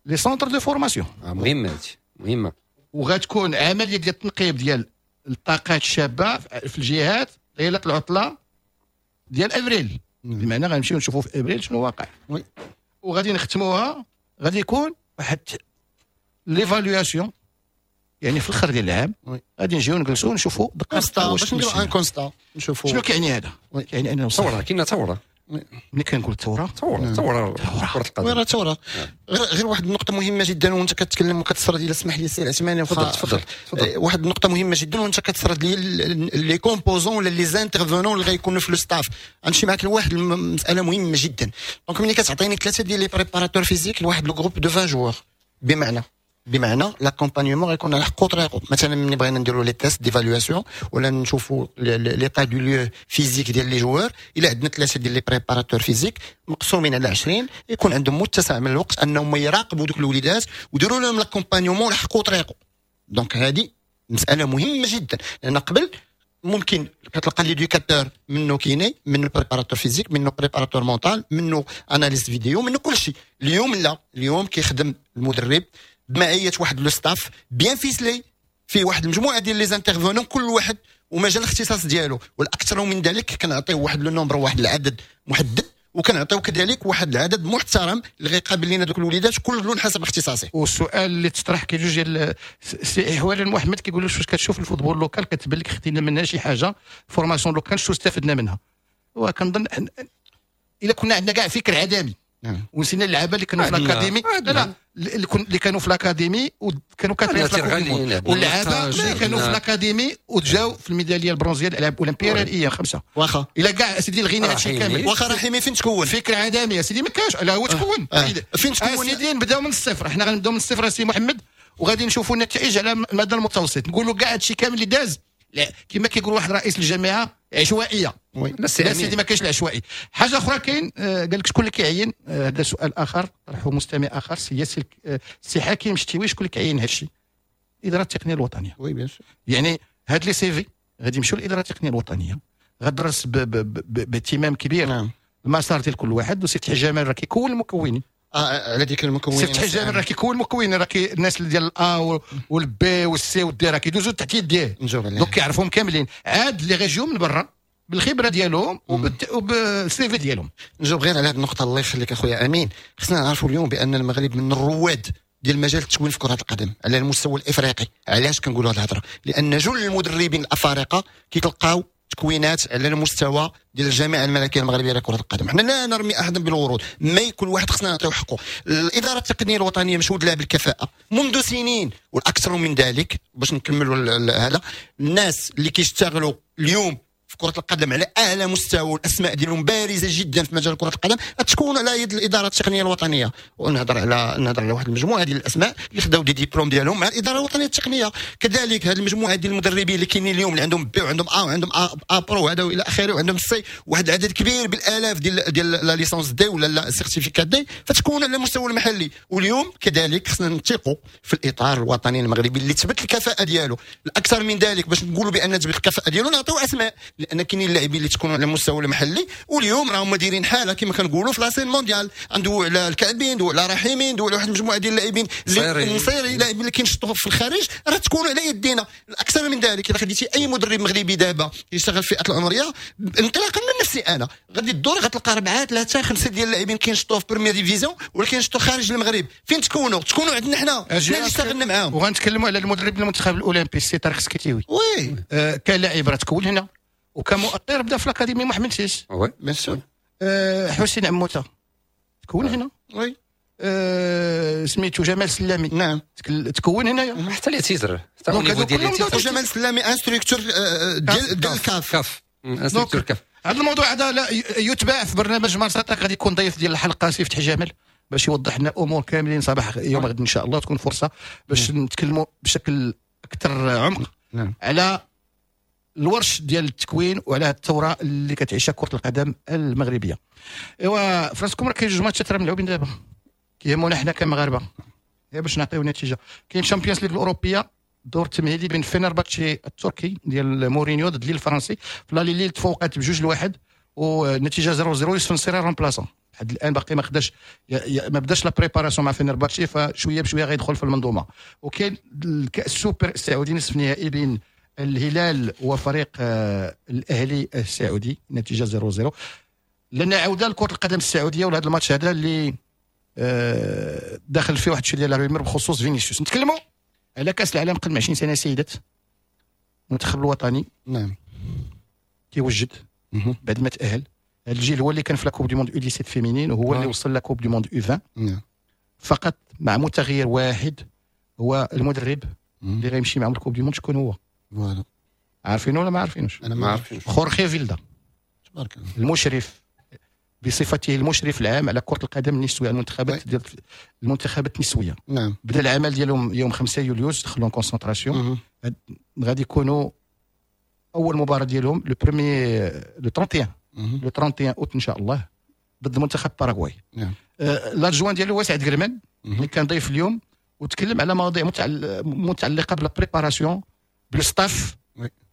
les centres de formation. مهمة هادشي، مهمه. وغتكون عملية ديال التنقيب ديال الطاقات الشابة في الجهات ليلة العطلة ديال افريل، بمعنى غنمشيو نشوفوا في ابريل شنو واقع. وغادي نختموها، غادي يكون واحد l'évaluation. يعني في الاخر ديال العام غادي نجيو نجلسوا نشوفوا دقه واش نديروا un constat، نشوفوا شنو كيعني هذا. كيعني انه ثورة، كاينه ثورة. ملي كنقول ثورة ثورة كره القدم، oui ثورة. غير واحد النقطة مهمة جدا وانت كتكلم وكتسرد، الا سمح لي سي العثماني. تفضل تفضل. واحد النقطة مهمة جدا وانت كتسرد لي les composants ولا les intervenants اللي غيكونوا في le staff. غنمشي معاك لواحد المسالة مهمة جدا. donc ملي كتعطيني ثلاثة ديال les préparateurs physiques لواحد le groupe de 20 joueurs، بمعنى l'accompagnement غيكون على حقو طريقو. مثلا ملي بغينا نديرو les tests d'évaluation ولا نشوفوا l'état du lieu physique ديال les joueurs، الا عندنا ثلاثة ديال les préparateurs physiques مقسومين على 20، يكون عندهم متسع من الوقت انهم يراقبوا دوك الوليدات ويديروا لهم l'accompagnement على حقو طريقو. donc هذه مسالة مهمة جدا، لان قبل ممكن كتلقى l'éducateur منه kiné، منه préparateur physique، منه préparateur mental، منه analyste vidéo، منه كل شيء. اليوم لا، اليوم كيخدم المدرب بمعية واحد le staff bien ficelé فيه واحد المجموعة ديال les intervenants، كل واحد ومجال الاختصاص ديالو. والاكثر من ذلك كنعطيو واحد le nombre، واحد العدد محدد، وكنعطيو كذلك واحد العدد محترم اللي غيقابل لنا دوك الوليدات كل حسب اختصاصه. والسؤال اللي تطرح كاين جوج ديال سي احوال محمد كيقول واش كتشوف ال football local كتبان لك خدينا منها شي حاجة، formation locale شنو استفدنا منها؟ وكنظن الا كنا عندنا كاع فكر عدمي ونسينا اللعابه اللي كانوا في l'académie، لا اللي كانوا في l'académie وكانوا كاتبين في l'académie، واللعابه اللي كانوا في l'académie وتجاو في الميداليه البرونزيه الالعاب الاولمبية الايام 5. واخا الا كاع سيدي الغينا هادشي كامل. واخا رحيمي فين تكون؟ فكر عدمي يا سيدي ما كاش. لا هو تكون فين تكون سيدي؟ نبداو من الصفر، حنا غنبداو من الصفر سي محمد، وغادي نشوفوا النتائج على المدى المتوسط. نقولوا كاع هادشي كامل اللي داز كما كيقول واحد رئيس الجامعة عشوائية. لا سيدي ما كاينش العشوائي. حاجة اخرى كاين، قال لك شكون اللي كيعين؟ هذا سؤال اخر طرحه مستمع اخر، سي سي حكيم شتيوي، شكون اللي كيعين هذا الشيء؟ الادارة التقنية الوطنية. oui bien sûr. يعني هاد les CV غادي يمشيو للادارة التقنية الوطنية، غدرس باهتمام كبير. نعم. المسار ديال كل واحد. وسي فتحي جمال راه كيكون المكونين. على ديك المكونين سي فتحي جمال راه كيكون المكونين، راه الناس ديال الا والبي والسي والدي راه كيدوزو تحت يديه، donc كيعرفهم كاملين. عاد اللي غيجيو من برا بالخبرة ديالهم وبال CV ديالهم. نجاوب غير على هذه النقطة الله يخليك اخويا امين. خصنا نعرفوا اليوم بان المغرب من الرواد ديال مجال التكوين في كره القدم على المستوى الافريقي. علاش كنقولوا هذه الهضرة؟ لان جل المدربين الافارقة كيتلقاو تكوينات على المستوى ديال الجامعة الملكية المغربية لكرة القدم. حنا لا نرمي احدا بالورود، mais كل واحد خصنا نعطيو حقه. الادارة التقنية الوطنية مشهود لها بالكفاءه منذ سنين، والاكثر من ذلك باش نكملوا هذا، الناس اللي كيشتغلوا اليوم في كرة القدم على أعلى مستوى والأسماء ديالهم بارزة جدا في مجال كرة القدم تكون على يد الإدارة التقنية الوطنية. ونهضر على واحد المجموعة ديال الأسماء اللي خداو des diplômes ديالهم مع الإدارة الوطنية التقنية. كذلك هذه المجموعة ديال المدربين اللي كاينين اليوم اللي عندهم B وعندهم A وعندهم A pro وهذا والى آخره وعندهم C، واحد العدد كبير بالآلاف ديال la licence D ولا la certificat D، فتكون على المستوى المحلي. واليوم كذلك خصنا نثقوا في الإطار الوطني المغربي اللي تثبت الكفاءة ديالو. الأكثر من ذلك باش نقولوا بأن تثبت الكفاءة ديالو نعطيو أسماء، لان كاينين اللاعبين اللي تكونوا على المستوى المحلي واليوم راهم دايرين حاله كما كنقولوا في la scène mondiale. ندوي على الكعبي، ندوي على رحيمي، ندوي على واحد المجموعة ديال اللاعبين النصيري، اللاعبين اللي كينشطوا في الخارج راه تكونوا على يدينا. الاكثر من ذلك الا خديتي اي مدرب مغربي دابا يشتغل في الفئات العمرية، انطلاقا من نفسي انا غادي الدور غتلقى 4 3 5 ديال اللاعبين كينشطوا في première division ولا كينشطوا خارج المغرب. فين تكونوا؟ تكونوا عندنا حنا اللي اشتغلنا معاهم. وغنتكلموا على المدرب المنتخب الاولمبي السي طارق سكيتيوي. oui كلاعب راه تكون هنا، وكمؤطر بدا في l'académie محمد six. oui bien sûr. حسين عموتة تكون هنا. oui سميتو جمال سلامي. نعم تكون هنايا. حتى les titres، حتى au niveau ديال les titres. جمال سلامي instructeur ديال ال CAF. CAF instructeur CAF. هذا الموضوع هذا لا يتباع في برنامج مارساتاك. غادي يكون ضيف ديال الحلقة سي فتحي جمال باش يوضح لنا امور كاملين صباح يوم غد ان شاء الله. تكون فرصة باش نتكلموا بشكل اكثر عمق على الورش ديال التكوين وعلى الثورة اللي كتعيشها كره القدم المغربية. ايوا فراسكم راه كاين جوج ماتشات راه ملعوبين دابا كيهمونا حنا كمغاربه باش نعطيو نتيجة. كاين Champions League الاوروبية، الدور التمهيدي بين فينرباتشي التركي ديال مورينيو ضد ليل الفرنسي. في l'aller ليل تفوقات ب2-1 والنتيجة 0-0. يوسف نصيري remplaçant لحد الان باقي ما خداش، ما بداش la préparation مع فينرباتشي، فشوية بشوية غيدخل في المنظومة. وكاين الكاس السوبر السعودي نصف النهائي بين الهلال وفريق الاهلي السعودي، نتيجة 0-0. لنا عوده لكرة القدم السعودية ولهذا الماتش هذا اللي داخل فيه واحد الشيء ديال la rumeur بخصوص فينيسيوس. نتكلموا على كاس العالم قبل 20 سنة سيدات، المنتخب الوطني كيوجد بعد ما تاهل. هذا الجيل هو اللي كان في la Coupe du monde U17 féminine، وهو اللي وصل la Coupe du monde U20. فقط مع متغير واحد، هو المدرب اللي غيمشي معهم ال Coupe du monde. شكون هو؟ voilà. عارفينه ولا ما عارفينوش؟ انا ما عارفينش. خورخي فيلدا. تبارك الله. المشرف، بصفته المشرف العام على كره القدم النسويه، المنتخبات ديال المنتخبات النسويه. بدا العمل ديالهم يوم 5 يوليوز، دخلوا concentration. غادي يكونوا اول مباراة ديالهم le premier le 31 le 31 اوت ان شاء الله ضد منتخب باراغواي. L'adjoint ديالو هو سعد قرمان اللي كان ضيف اليوم وتكلم على مواضيع متعلقه ب la préparation، بال staff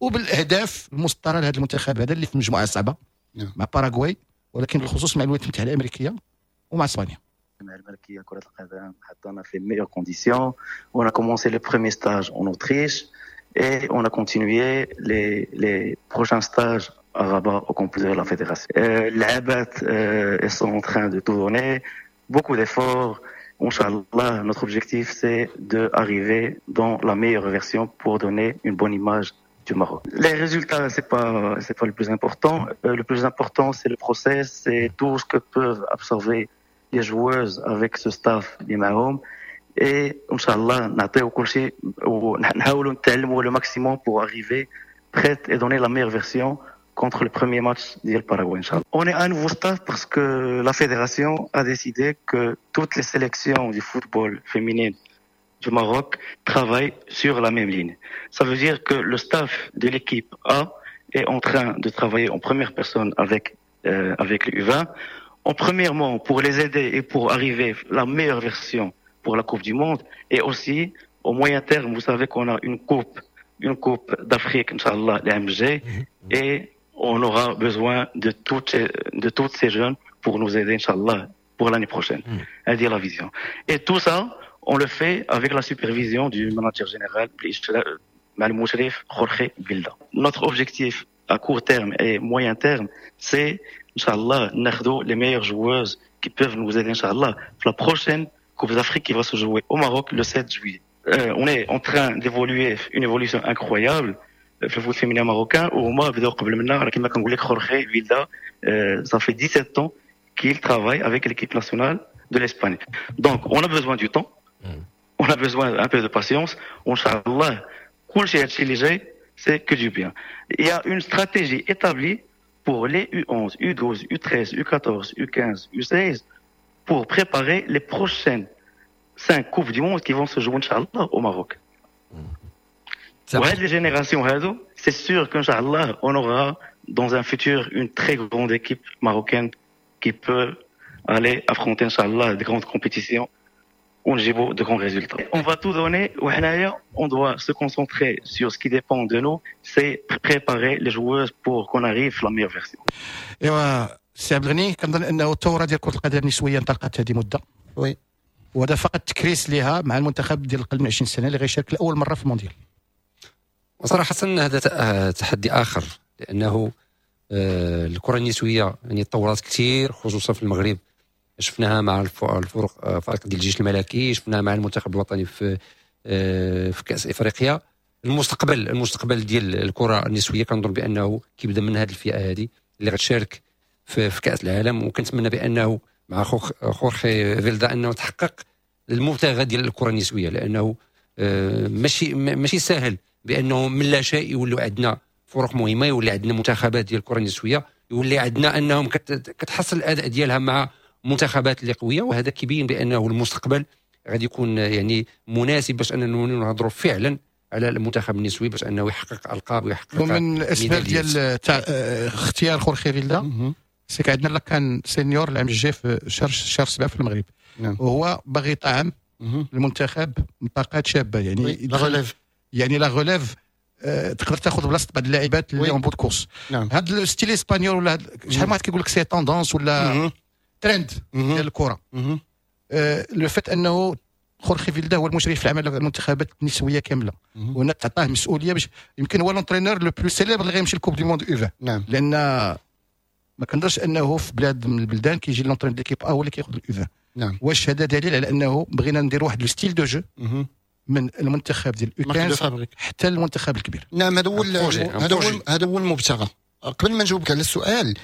وبالاهداف المسطره لهذا المنتخب هذا اللي في مجموعة صعبة مع باراغواي، ولكن بالخصوص مع الولايات المتحدة الامريكية ومع اسبانيا. الملكية كرة القدم حطنا في meilleures conditions. On a commencé le premier stage en Autriche et on a continué les prochains stages à Rabat au campus de la fédération. اللعابات elles sont en train de tout donner, beaucoup d'efforts. إن شاء الله, notre objectif, c'est d'arriver dans la meilleure version pour donner une bonne image du Maroc. Les résultats, c'est pas le plus important. Le plus important, c'est le process, c'est tout ce que peuvent absorber les joueuses avec ce staff اللي معاهم. Et إن شاء الله, نعطيو كل شيء ونحاولوا نتعلموا le maximum pour arriver prête et donner la meilleure version contre le premier match ديال Paraguay, إن شاء الله. On est un nouveau staff parce que la fédération a décidé que toutes les sélections du football féminin du Maroc travaillent sur la même ligne. Ça veut dire que le staff de l'équipe A est en train de travailler en première personne avec les U20. En premièrement, pour les aider et pour arriver la meilleure version pour la Coupe du Monde. Et aussi, au moyen terme, vous savez qu'on a une coupe d'Afrique, إن شاء الله, العام الجاي, et on aura besoin de toutes ces jeunes pour nous aider, إن شاء الله, pour l'année prochaine. هذه la vision. Et tout ça, on le fait avec la supervision du manager général, مع المشرف Jorge Vilda. Notre objectif à court terme et moyen terme, c'est, إن شاء الله, ناخدو les meilleures joueuses qui peuvent nous aider, إن شاء الله, pour la prochaine Coupe d'Afrique qui va se jouer au Maroc le 7 juillet. On est en train d'évoluer, une évolution incroyable في ال foot féminin marocain. وهما بداو قبل منا. راه كما كنقول لك، خورخي فيلدا ça fait 17 ans qu'il travaille avec l'équipe nationale de l'Espagne. Donc on a besoin du temps, on a besoin un peu de patience. وإن شاء الله كلشي هادشي اللي جاي c'est que du bien. Il y a une stratégie établie pour les U11, U12, U13, U14, U15, U16 pour préparer les prochaines cinq Coupes du Monde qui vont se jouer, إن شاء الله, au Maroc. وهاد les générations هادو، c'est sûr qu' إن شاء الله, on aura dans un futur une très grande équipe marocaine qui peut aller affronter, إن شاء الله, de grandes compétitions ونجيبوا de grands résultats. On va tout donner وحنايا on doit se concentrer sur ce qui dépend de nous, c'est préparer les joueuses pour qu'on arrive à la meilleure version. ايوا سي عبد الغني، كنظن انه الثورة ديال كره القدم النسوية انطلقت هذه مده. وهذا فقط تكريس لها مع المنتخب ديال اقل من 20 سنة اللي غيشارك لاول مرة في المونديال. وصراحة هذا تحدي اخر، لانه الكره النسوية يعني تطورت كثير، خصوصا في المغرب. شفناها مع الفرق فريق ديال الجيش الملكي، شفناها مع المنتخب الوطني في كاس افريقيا. المستقبل ديال الكره النسوية كنظن بانه كيبدا من هذه الفئة هذه اللي غتشارك في كاس العالم، وكنتمنى بانه مع خورخي فيلدا انه تحقق المبتغى ديال الكره النسويه، لانه ماشي سهل بانه من لا شيء يولوا عندنا فرق مهمه، يولي عندنا منتخبات ديال الكره النسويه، يولي عندنا انهم كتحسن الاداء ديالها مع منتخبات اللي قويه. وهذا كيبين بانه المستقبل غادي يكون يعني مناسب باش اننا نهضروا فعلا على المنتخب النسوي باش انه يحقق القاب ويحقق ومن الاسباب ديال تاع اختيار خورخي فيلدا، c'est que عندنا la CAN senior العام الجاي في شهر 7 في المغرب. وهو باغي يطعم المنتخب طاقات شابه، يعني la relève. يعني la relève تقدر تاخذ بلاصة بعض اللاعبات اللي en bout de course. هذا ال style espagnol ولا شحال من واحد كيقول لك c'est tendance ولا ترند ديال الكره. le fait انه خورخي فيلدا هو المشرف العام على المنتخبات النسوية كامله، وهنا تعطاه مسؤولية باش يمكن هو l'entraîneur le plus célèbre اللي غيمشي ال Coupe du monde U20. لان ما كنظنش انه في بلاد من البلدان كيجي l'entraîneur d'équipe A هو اللي كياخذ ال U20. واش هذا دليل على انه بغينا ندير واحد le style de jeu؟ من المنتخب ديال U 15 حتى المنتخب الكبير. نعم، هذا هو المبتغى. قبل ما نجاوبك على السؤال،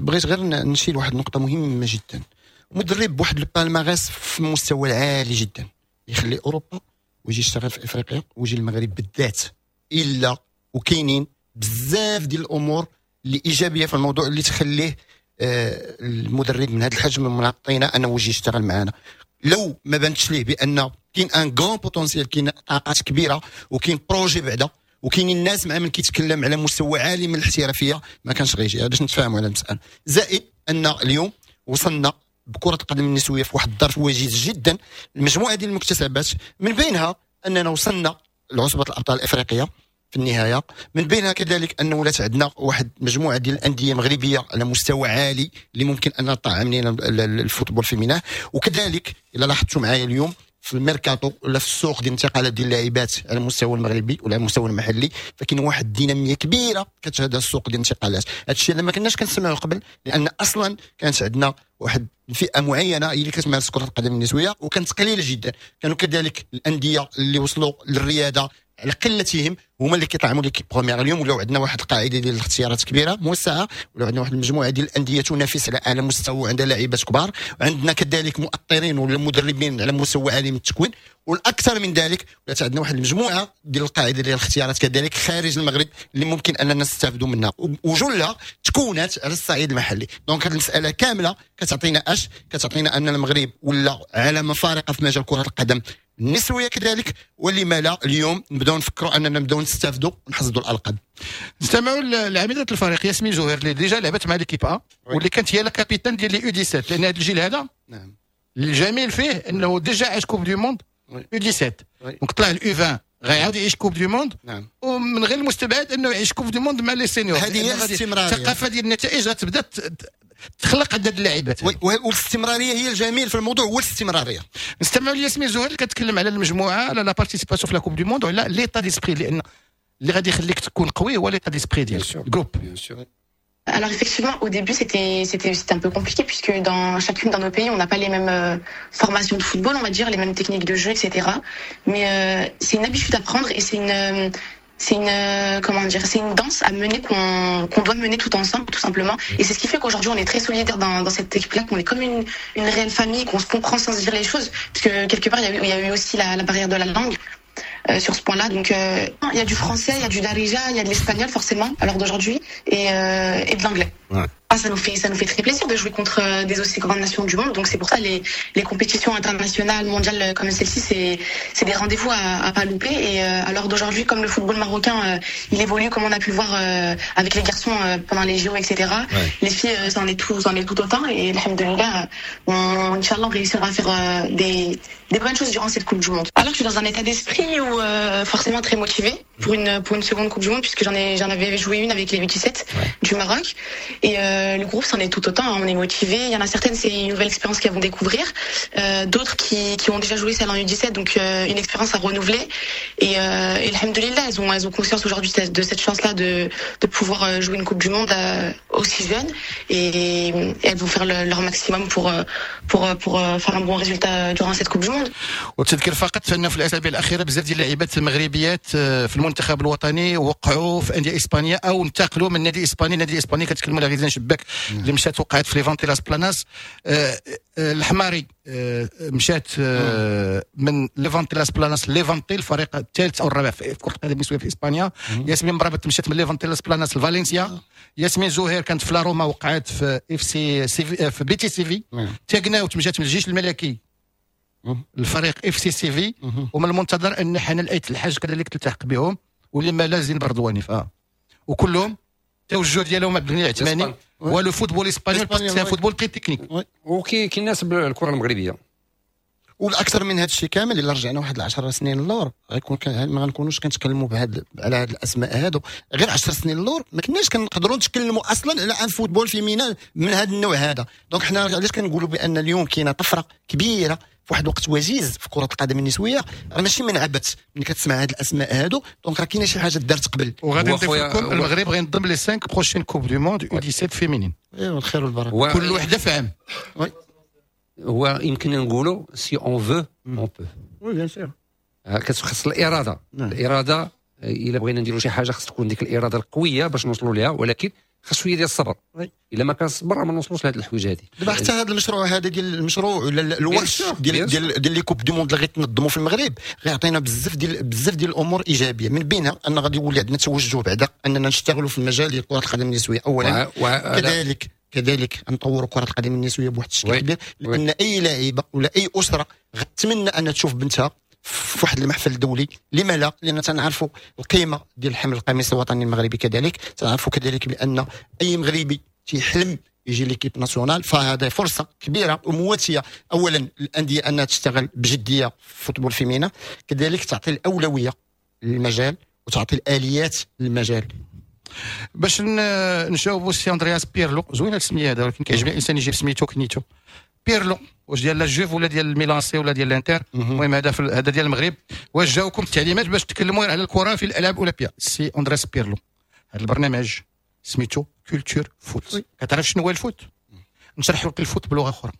بغيت غير نشير واحد النقطة مهمة جدا. مدرب بواحد ال palmarès في المستوى العالي جدا يخلي اوروبا ويجي يشتغل في افريقيا ويجي المغرب بالذات، الا وكاينين بزاف ديال الامور اللي ايجابية في الموضوع اللي تخليه المدرب من هذا الحجم من الطينه انه يجي يشتغل معنا. لو ما بانتش ليه بان كاين un grand potentiel، كاين طاقات كبيره، وكاين projet بعدا، وكاينين الناس مع من كيتكلم على مستوى عالي من الاحترافيه، ما كانش غيجي. باش نتفاهموا على المساله. زائد ان اليوم وصلنا بكره القدم النسوية في واحد الظرف وجيز جدا المجموعة ديال المكتسبات، من بينها اننا وصلنا لعصبه الابطال الافريقية في النهايه، من بينها كذلك ان ولات عندنا واحد مجموعة ديال الاندية المغربية على مستوى عالي اللي ممكن ان تطعم لنا ال football féminin. وكذلك الا لاحظتوا معايا اليوم في الميركاتو ولا في السوق ديال الانتقالات ديال اللاعبات على المستوى المغربي ولا على المستوى المحلي، فكاين واحد الديناميه كبيرة كتشهدها السوق ديال الانتقالات. هذا الشيء اللي ما كناش كنسمعوا قبل، لان اصلا كانت عندنا واحد الفئة معينة هي اللي كتمارس كره القدم النسوية وكانت قليله جدا. كانوا كذلك الاندية اللي وصلوا للرياده على قلتهم هما اللي كيطعموا l'équipe première. اليوم ولاو عندنا واحد القاعدة ديال الاختيارات كبيرة موسعه، ولاو عندنا واحد المجموعة ديال الاندية تنافس على اعلى مستوى وعندها لاعبات كبار، وعندنا كذلك مؤطرين ولا مدربين على مستوى عالي من التكوين. والاكثر من ذلك، ولات عندنا واحد المجموعة ديال القاعدة ديال الاختيارات كذلك خارج المغرب اللي ممكن اننا نستافدوا منها، وجلها تكونت على الصعيد المحلي. donc هذه المسالة كاملة كتعطينا اش؟ كتعطينا ان المغرب ولا علامة فارقه في مجال كره القدم النسوية كذلك، ولما لا اليوم نبداو نفكروا اننا نبداو نستافدوا ونحصدوا الالقاب. نستمعوا لعميده الفريق ياسمين زهير، اللي déjà لعبت مع l'équipe A واللي كانت هي la capitaine ديال les U17، لان هذا الجيل هذا الجميل فيه انه déjà عاش Coupe du monde U17، donc طلع ال U20 غيعاود يعيش Coupe du monde. ومن غير المستبعد انه يعيش Coupe du monde مع les seniors. هذه هي الاستمراريه. الثقافة ديال النتائج غتبدا تخلق عند اللاعبات. والاستمرارية هي الجميل في الموضوع، هو الاستمراريه. نستمعوا لياسمين زهير اللي كتكلم على المجموعه، على la participation في la Coupe du monde وعلى l'état d'esprit، لان اللي غادي يخليك تكون قوي هو l'état d'esprit ديال ال groupe. Alors effectivement, au début, c'était un peu compliqué puisque dans chacune dans nos pays, on n'a pas les mêmes formations de football, on va dire, les mêmes techniques de jeu, etc. Mais c'est une habitude à prendre et c'est une comment dire, c'est une danse à mener qu'on doit mener tout ensemble, tout simplement. Et c'est ce qui fait qu'aujourd'hui on est très solidaire dans cette équipe-là, qu'on est comme une réelle famille, qu'on se comprend sans se dire les choses, puisque quelque part il y a eu aussi la barrière de la langue sur ce point-là. Donc il y a du français, il y a du darija, il y a de l'espagnol forcément à l'heure d'aujourd'hui et de l'anglais. Ah, ça nous fait très plaisir de jouer contre des aussi grandes nations du monde. Donc c'est pour ça les compétitions internationales, mondiales comme celle-ci, c'est des rendez-vous à pas louper. Et à l'heure d'aujourd'hui, comme le football marocain, il évolue comme on a pu le voir avec les garçons pendant les JO, etc. Les filles, ça en est tout autant. Et الحمد لله, إن شاء الله, on réussira à faire des bonnes choses durant cette Coupe du Monde. Alors je suis dans un état d'esprit où forcément très motivée pour une seconde Coupe du Monde, puisque j'en avais joué une avec les U17 du Maroc et le groupe c'en est tout autant, hein, on est motivé. Il y en a certaines, c'est une nouvelle expérience qu'elles vont découvrir, d'autres qui ont déjà joué celle en U17, donc une expérience à renouveler et الحمد لله, elles ont conscience aujourd'hui de cette chance-là de pouvoir jouer une Coupe du Monde aussi jeune et elles vont faire leur maximum pour faire un bon résultat durant cette Coupe du Monde. وتذكر فقط انه في الاسابيع الاخيرة بزاف ديال اللاعبات المغربيات في المنتخب الوطني وقعوا في اندية اسبانيا او انتقلوا من نادي اسباني لنادي اسباني. كتكلموا على غزلان شباك اللي مشات وقعت في ليفانتي لاس بلاناس، الحماري مشات من ليفانتي لاس بلاناس ليفانتي، الفريق الثالث او الرابع في كره القدم النسوية في اسبانيا. ياسمين مرابط مشات من ليفانتي لاس بلاناس لفالنسيا. ياسمين زهير كانت في لا روما، وقعت في FC سيفي، في بيتيس سيفي. تاكناوت مشات من الجيش الملكي الفريق FC سيفي. ومن المنتظر ان حنان ايت الحاج كذلك تلتحق بهم، ولما لا زين بردواني. وكلهم التوجه ديالهم عبد الغني العثماني هو le football espagnol، c'est football très technique. وكي كيناسب الكره المغربيه. والاكثر من هذا الشيء كامل، الا رجعنا واحد 10 سنين اللور، غيكون ما غنكونوش كنتكلموا بهاد على هاد الاسماء هادو. غير 10 سنين اللور ما كناش كنقدروا نتكلموا اصلا على un football féminin من هذا النوع هذا. donc حنا علاش كنقولوا بان اليوم كاينه طفرة كبيرة في واحد الوقت وجيز في كره القدم النسويه، راه ماشي من عبث ملي كتسمع هاد الاسماء هادو، donc راه كاينه شي حاجة دارت قبل. وغادي نضيف لكم، المغرب غينظم les 5 prochaines Coupes du monde U17 féminines. ايوا الخير والبركه. كل وحده في عام. هو يمكن نقولوا si on veut, on peut. oui, bien sûr. خص الارادة. نعم. الارادة الا بغينا نديروا شي حاجة خص تكون ديك الارادة القوية باش نوصلوا لها، ولكن خص شوية ديال الصبر. الا ما كان الصبر ما نوصلوش لهاد الحوايج هادي. دابا حتى هذا المشروع هذا ديال المشروع ولا الورش ديال ديال ديال les coupes du monde اللي غيتنظموا في المغرب غيعطينا بزاف ديال الامور ايجابية، من بينها ان غادي يولي عندنا توجه بعدا اننا نشتغلوا في المجال ديال كره القدم النسوية اولا، كذلك نطوروا كره القدم النسوية بواحد الشكل كبير، لان اي لاعبه ولا اي اسره غتمنى ان تشوف بنتها في واحد المحفل الدولي. لما لا؟ لان تنعرفوا القيمة ديال حمل القميص الوطني المغربي، كذلك تنعرفوا كذلك بان اي مغربي تيحلم يجي l'équipe nationale، فهذا فرصة كبيرة ومواتيه اولا الاندية انها تشتغل بجدية في football féminin، كذلك تعطي الاولوية للمجال وتعطي الاليات للمجال. باش نجاوبوا سي اندرياس بيرلو، زوينة السمية هذا، ولكن كيعجبني الانسان يجيب سميتو كنيتو. بيرلو واش ديال la Juve ولا ديال الميلان سي ولا ديال الانتر؟ المهم هذا ديال المغرب. واش جاوكم التعليمات باش تكلموا على الكره في الالعاب الاولمبية؟ سي اندرياس بيرلو، هذا البرنامج سميتو Culture Foot. كتعرف شنو هو ال foot؟ نشرح لك ال foot بلغه اخرى،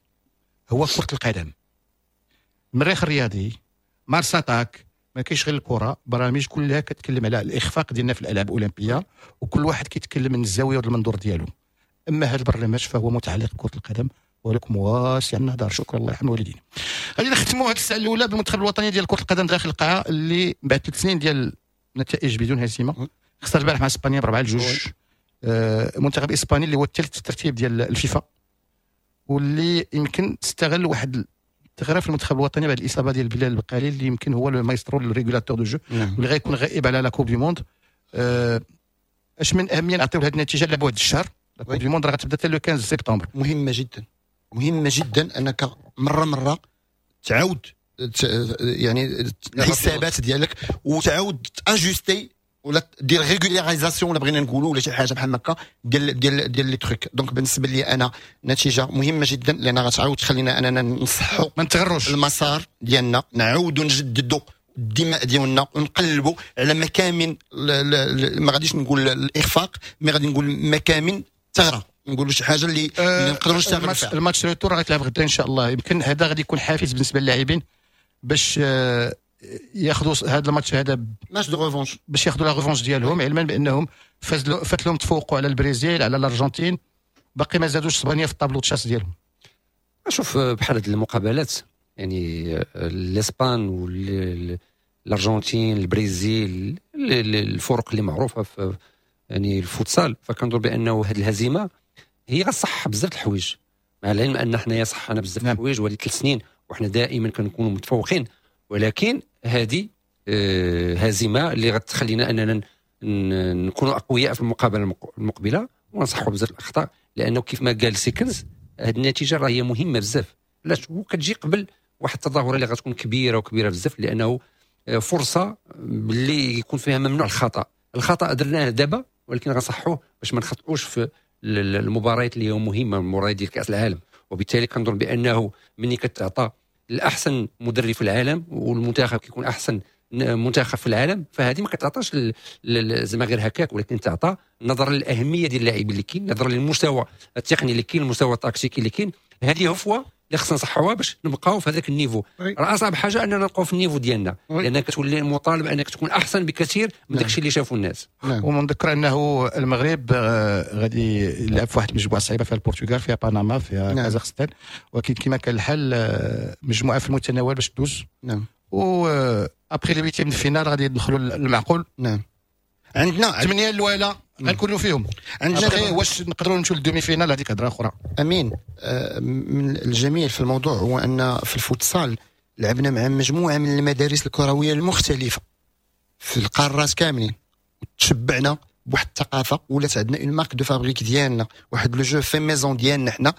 هو كره القدم. المريخ الرياضي، مارس اتاك، ما كاينش غير الكره، برامج كلها كتكلم على الاخفاق ديالنا في الالعاب الاولمبية، وكل واحد كيتكلم من الزاوية والمنظور ديالو. اما هذا البرنامج فهو متعلق بكره القدم ولكم واسع النهضر. شكرا، الله يرحم الوالدين. غادي نختموا هذه الساعة الاولى بالمنتخب الوطني ديال كره القدم داخل القاعة اللي بعد 3 سنين ديال نتائج بدون هزيمة خسر البارح مع اسبانيا ب4-2. منتخب اسباني اللي هو الثالث الترتيب ديال الفيفا، واللي يمكن تستغل واحد الثغرة في المنتخب الوطني بعد الاصابة ديال بلال البقالي اللي يمكن هو ال maestro ال régulateur de jeu واللي غيكون غائب على la Coupe du Monde. اش من اهمية نعطيو لهذه النتيجة لعبوا هذا الشهر؟ la Coupe du Monde راه غتبدا حتى le 15 سبتمبر. مهمة جدا، مهمة جدا انك مرة تعاود يعني الحسابات ديالك وتعاود ajuster ولا دير régularisation ولا بغينا نقولوا ولا شي حاجة بحال هكا ديال ديال ديال les trucs. donc بالنسبة لي انا نتيجة مهمة جدا، لان غتعاود تخلينا اننا نصحوا ما نتغروش المسار ديالنا، نعاودوا نجددوا الدماء ديالنا ونقلبوا على مكامن، ما غاديش نقول الاخفاق، mais غادي نقول مكامن ثغره، نقولوا شي حاجة اللي نقدروا نشتغلوا فيها. ال match retour غيتلعب غدا ان شاء الله، يمكن هذا غادي يكون حافز بالنسبة للاعبين باش ياخذوا هذا الماتش، هذا match de revanche، باش ياخذوا la revanche ديالهم، علما بانهم فات لهم تفوقوا على البرازيل على الارجنتين، باقي ما زادوش اسبانيا في ال tableau de chasse ديالهم. شوف بحال هذه المقابلات يعني الاسبان والارجنتين البرازيل الفرق اللي معروفة في يعني الفوتسال، فكنظن بانه هذه الهزيمة هي غتصح بزاف الحوايج، مع العلم ان حنايا صحنا بزاف الحوايج وهذه 3 سنين وحنا دائما كنكونوا متفوقين، ولكن هذه هزيمة اللي غتخلينا اننا نكونوا اقوياء في المقابلة المقبلة ونصحوا بزاف الاخطاء، لانه كيف ما قال سيكنز هذه النتيجة راه هي مهمة بزاف، علاش وكتجي قبل واحد التظاهرة اللي غتكون كبيرة وكبيره بزاف، لانه فرصة باللي يكون فيها ممنوع الخطا، الخطا درناه دابا ولكن غنصحوه باش ما نخطئوش في المباريات اللي هي مهمة، المباريات ديال كاس العالم. وبالتالي كنظن بانه ملي كتعطى الاحسن مدرب في العالم والمنتخب كيكون احسن منتخب في العالم، فهذه ما كتعطاش زعما غير هكاك، ولكن تعطى نظرا للاهميه ديال اللاعبين اللي كاين، نظرا للمستوى التقني اللي كاين، المستوى التكتيكي اللي كاين. هذه هفوة اللي خصنا نصحوها باش نبقاو في هذاك ال niveau. راه اصعب حاجة اننا نبقاو في ال niveau ديالنا، لان كتولي مطالب انك تكون احسن بكثير من داكشي اللي شافوا الناس. ومنذكر انه المغرب غادي يلعب في واحد المجموعة صعيبة، فيها البرتغال، فيها بنما، فيها كازاخستان، ولكن كما كان الحال مجموعة في المتناول باش تدوز. و après les huitièmes finale غادي يدخلوا المعقول. عندنا 8 الاولى غنكونوا فيهم. عندنا واش نقدروا نمشيو لل demi-finale، هذيك هضره اخرى. امين. من الجميل في الموضوع هو ان في الفوتسال لعبنا مع مجموعة من المدارس الكروية المختلفة في القارات كاملين، وتشبعنا بواحد الثقافة، ولات عندنا une marque de fabrique ديالنا، واحد le jeu fait maison ديالنا حنا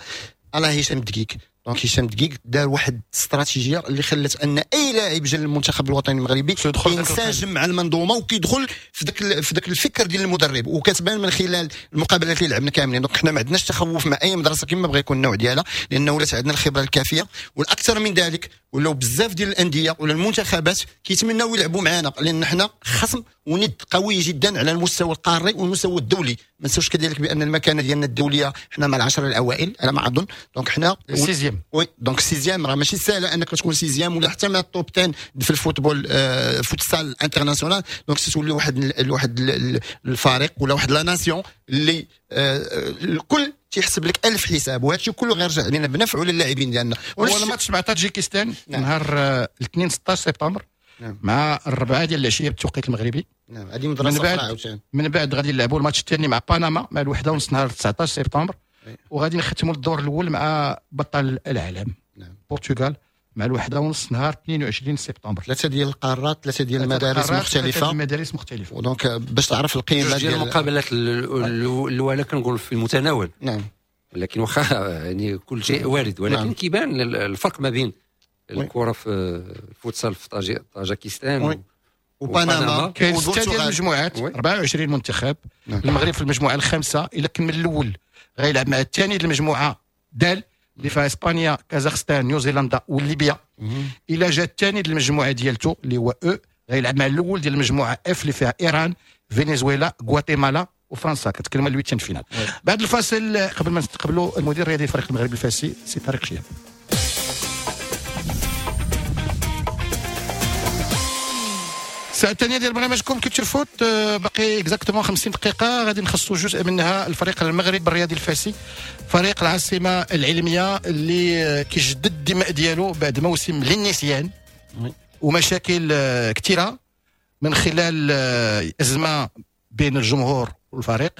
على هشام الدقيق. donc هشام الدقيق دار واحد الاستراتيجية اللي خلت ان اي لاعب جا للمنتخب الوطني المغربي ينسجم مع المنظومة وكيدخل في ذاك الفكر ديال المدرب، وكتبان من خلال المقابلات اللي لعبنا كاملين. donc حنا ما عندناش تخوف مع اي مدرسه كما بغى يكون النوع ديالها، لانه ولات عندنا الخبرة الكافيه. والاكثر من ذلك ولاو بزاف ديال الاندية ولا المنتخبات كيتمناو يلعبوا معنا، لان حنا خصم وند قوي جدا على المستوى القاري والمستوى الدولي. ما نساوش كذلك بان المكانة ديالنا الدولية حنا مع العشرة الاوائل على ما اظن، donc حنا sixième. oui، donc sixième راه ماشي سهلة انك تكون sixième ولا حتى مع ال top 10 في ال football futsal international. donc تولي واحد الفريق ولا واحد la nation اللي الكل تيحسب لك ألف حساب، وهذا الشيء كله غيرجع علينا بنفع للاعبين ديالنا. هو الماتش مع تاجيكستان. نعم. نهار الاثنين 16 سبتمبر. نعم. مع 4 ديال العشية بالتوقيت المغربي. نعم، هذه مدرسه اخرى عاوتاني. من بعد غادي نلعبوا الماتش الثاني مع بنما مع 1:30 نهار 19 سبتمبر. وغادي نختموا الدور الاول مع بطل العالم. نعم. البرتغال مع 1:30 نهار 22 سبتمبر. ثلاثة ديال القارات، ثلاثة ديال المدارس مختلفة، المدارس مختلفة. و donc باش تعرف القيمة ديال المقابلات الاولى كنقول في المتناول. نعم، لكن واخا يعني كل شيء وارد، ولكن نعم. كيبان الفرق ما بين الكره في الفوتسال في طاجكستان وبنما. كاين 6 ديال المجموعات، 24 منتخب. نعم. المغرب في المجموعة الخامسة، الا كمل الاول غيلعب مع الثاني ديال المجموعة دال اللي فيها اسبانيا، كازاخستان، نيوزيلندا وليبيا. الى جا الثاني ديال المجموعة ديالته اللي هو E غيلعب مع الاول ديال المجموعة F اللي فيها ايران، فنزويلا، غواتيمالا وفرنسا. كتكلم على ال huitième finale. بعد الفاصل قبل ما نستقبلوا المدير الرياضي لفريق المغرب الفاسي سي طارق شهاب. الساعة الثانية ديال برنامجكم Culture Foot، باقي exactement 50 دقيقة غادي نخصصوا جزء منها الفريق المغرب الرياضي الفاسي، فريق العاصمة العلمية اللي كيجدد الدماء ديالو بعد موسم للنسيان ومشاكل كثيرة من خلال أزمة بين الجمهور والفريق،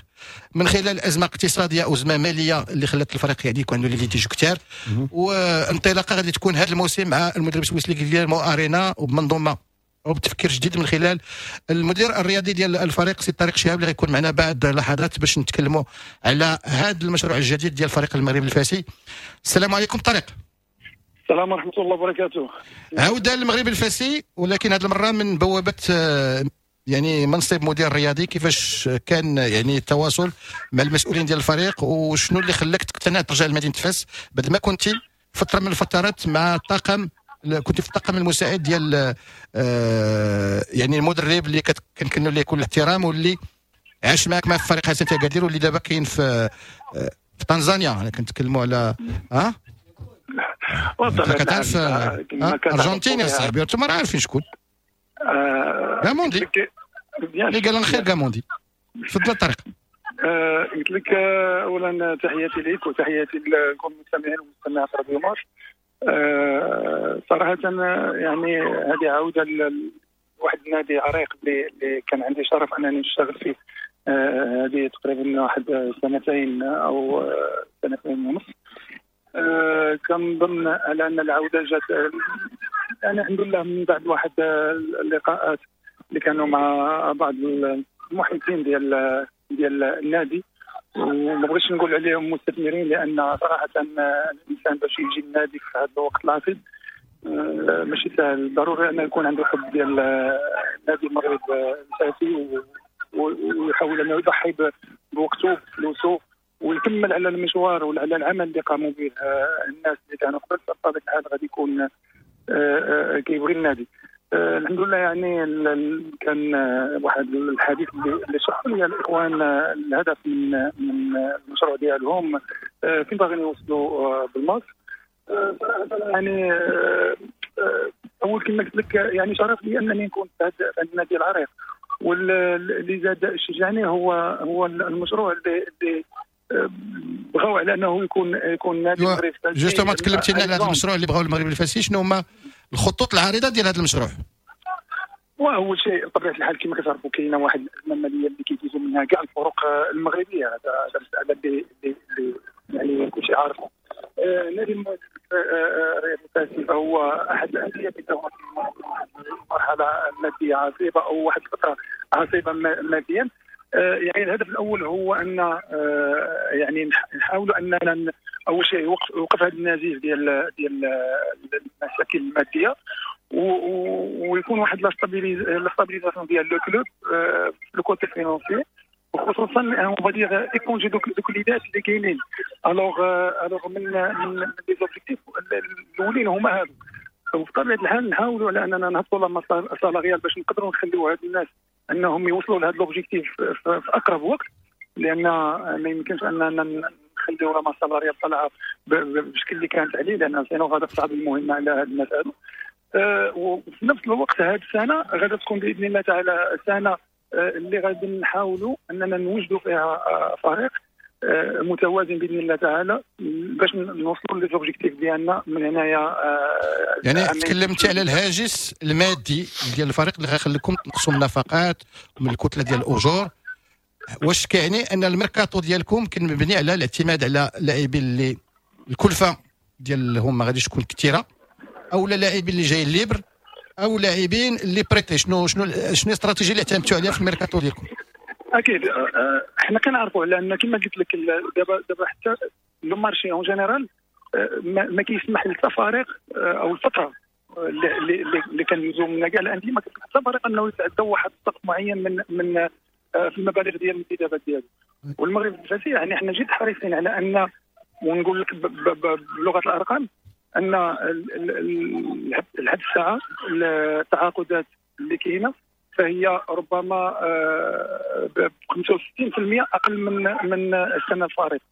من خلال أزمة اقتصادية أو أزمة مالية اللي خلت الفريق يعني يكون عنده les litiges كثار. وانطلاقة غادي تكون هذا الموسم مع المدرب السويسري غيليرمو أرينا وبمنظومة وبتفكير جديد من خلال المدير الرياضي ديال الفريق سي طارق شهاب اللي غيكون معنا بعد لحظات باش نتكلموا على هذا المشروع الجديد ديال فريق المغرب الفاسي. السلام عليكم طارق. السلام ورحمة الله وبركاته. عودة للمغرب الفاسي، ولكن هذه المرة من بوابة يعني منصب مدير رياضي. كيفاش كان يعني التواصل مع المسؤولين ديال الفريق، وشنو اللي خلاك تقتنع ترجع لمدينة فاس بعد ما كنتي فترة من الفترات مع الطاقم، كنت في الطاقم المساعد ديال يعني المدرب اللي كنكنوا ليه كل الاحترام واللي عاش معك مع فريق حسن اكادير واللي دابا كاين في تنزانيا. انا كنتكلموا على ها كتعرف ارجنتين يا صاحبي، انتم راه عارفين شكون غاموندي اللي قال الخير غاموندي. تفضل طارق. قلت لك اولا تحياتي لك وتحياتي لكل المستمعين والمستمعات راديو مارس. صراحة يعني هذه عودة لواحد النادي عريق اللي كان عندي شرف أنني نشتغل فيه هذه تقريبا واحد سنتين أو سنتين ونص. كنظن على أن العودة جات يعني الحمد لله من بعد واحد اللقاءات اللي كانوا مع بعض المحيطين ديال النادي، وما بغيتش نقول عليهم مستثمرين لان صراحة الانسان باش يجي النادي في هذا الوقت العصيب ماشي سهل. ضروري انه يكون عنده حب ديال النادي المغرب الفاسي ويحاول انه يضحي بوقته بفلوسه ويكمل على المشوار وعلى العمل اللي قاموا به الناس اللي كانوا قبل. بطبيعة الحال غادي يكون كيبغي النادي. الحمد لله يعني كان واحد الحديث اللي شرحوا لي الاخوان الهدف من المشروع ديالهم، فين باغيين يوصلوا بالماس. يعني اول كما قلت لك يعني شرف لي انني نكون في هذا النادي العريق، واللي زاد شجعني هو المشروع اللي بغاو على انه يكون نادي المغرب الفاسي. justement تكلمتي لنا على هذا المشروع اللي بغاو المغرب الفاسي، شنو هما الخطوط العريضة ديال هذا المشروع؟ واول شيء بطبيعة الحال كما كتعرفوا كاينه واحد الازمة المالية اللي كيدوزوا منها كاع الفرق المغربية، هذا مسالة اللي يعني كلشي عارفه. نادي المغرب الفاسي هو احد الاندية اللي في مرحلة مادية عصيبة او واحد الفترة عصيبة ماديا. يعني الهدف الاول هو ان يعني نحاولوا اننا اول شيء يوقف هذا النزيف ديال المشاكل المادية، ويكون واحد la stabilisation ديال le club le côté financier، وخصوصا on va dire éponger دوك ليدات اللي كاينين. alors من les objectifs الاولين هما هادو. وبطبيعة الحال نحاولوا على اننا نهبطوا la masse salariale باش نقدروا نخليو هاد الناس انهم يوصلوا لهذا l'objectif في اقرب وقت، لان ما يمكنش اننا نخليو la masse salariale طالعه بالشكل اللي كانت عليه، لان sinon غادا تصعب المهمة على هاد الناس هادو. وفي نفس الوقت هذه السنة غادا تكون باذن الله تعالى سنة اللي غادي نحاولوا اننا نوجدوا فيها فريق متوازن باذن الله تعالى باش نوصلوا les objectifs ديالنا من هنايا. يعني تكلمتي على الهاجس المادي ديال الفريق اللي غيخليكم تنقصوا من النفقات ومن الكتلة ديال الاجور. واش كيعني ان الميركاتو ديالكم كان مبني على الاعتماد على لاعبين اللي الكلفة ديالهم ما غاديش تكون كثيرة، او لاعبين اللي جايين libres، او لاعبين اللي prêtés؟ شنو شنو شنو الاستراتيجية اللي اعتمدتوا عليها في الميركاتو ديالكم؟ اكيد حنا كنعرفوا على ان كما قلت لك دابا حتى le marché en général ما كيسمح لحتى فريق، او الفترة اللي كندوزو منها كاع الاندية ما كيسمح حتى فريق انه يتعدى واحد السقف معين من في المبالغ ديال الانتدابات ديالو. والمغرب الفاسي يعني حنا جد حريصين على ان، ونقول لك بلغه الارقام، ان لحد الساعة التعاقدات اللي كاينه فهي ربما ب 65% اقل من السنة الفارطه.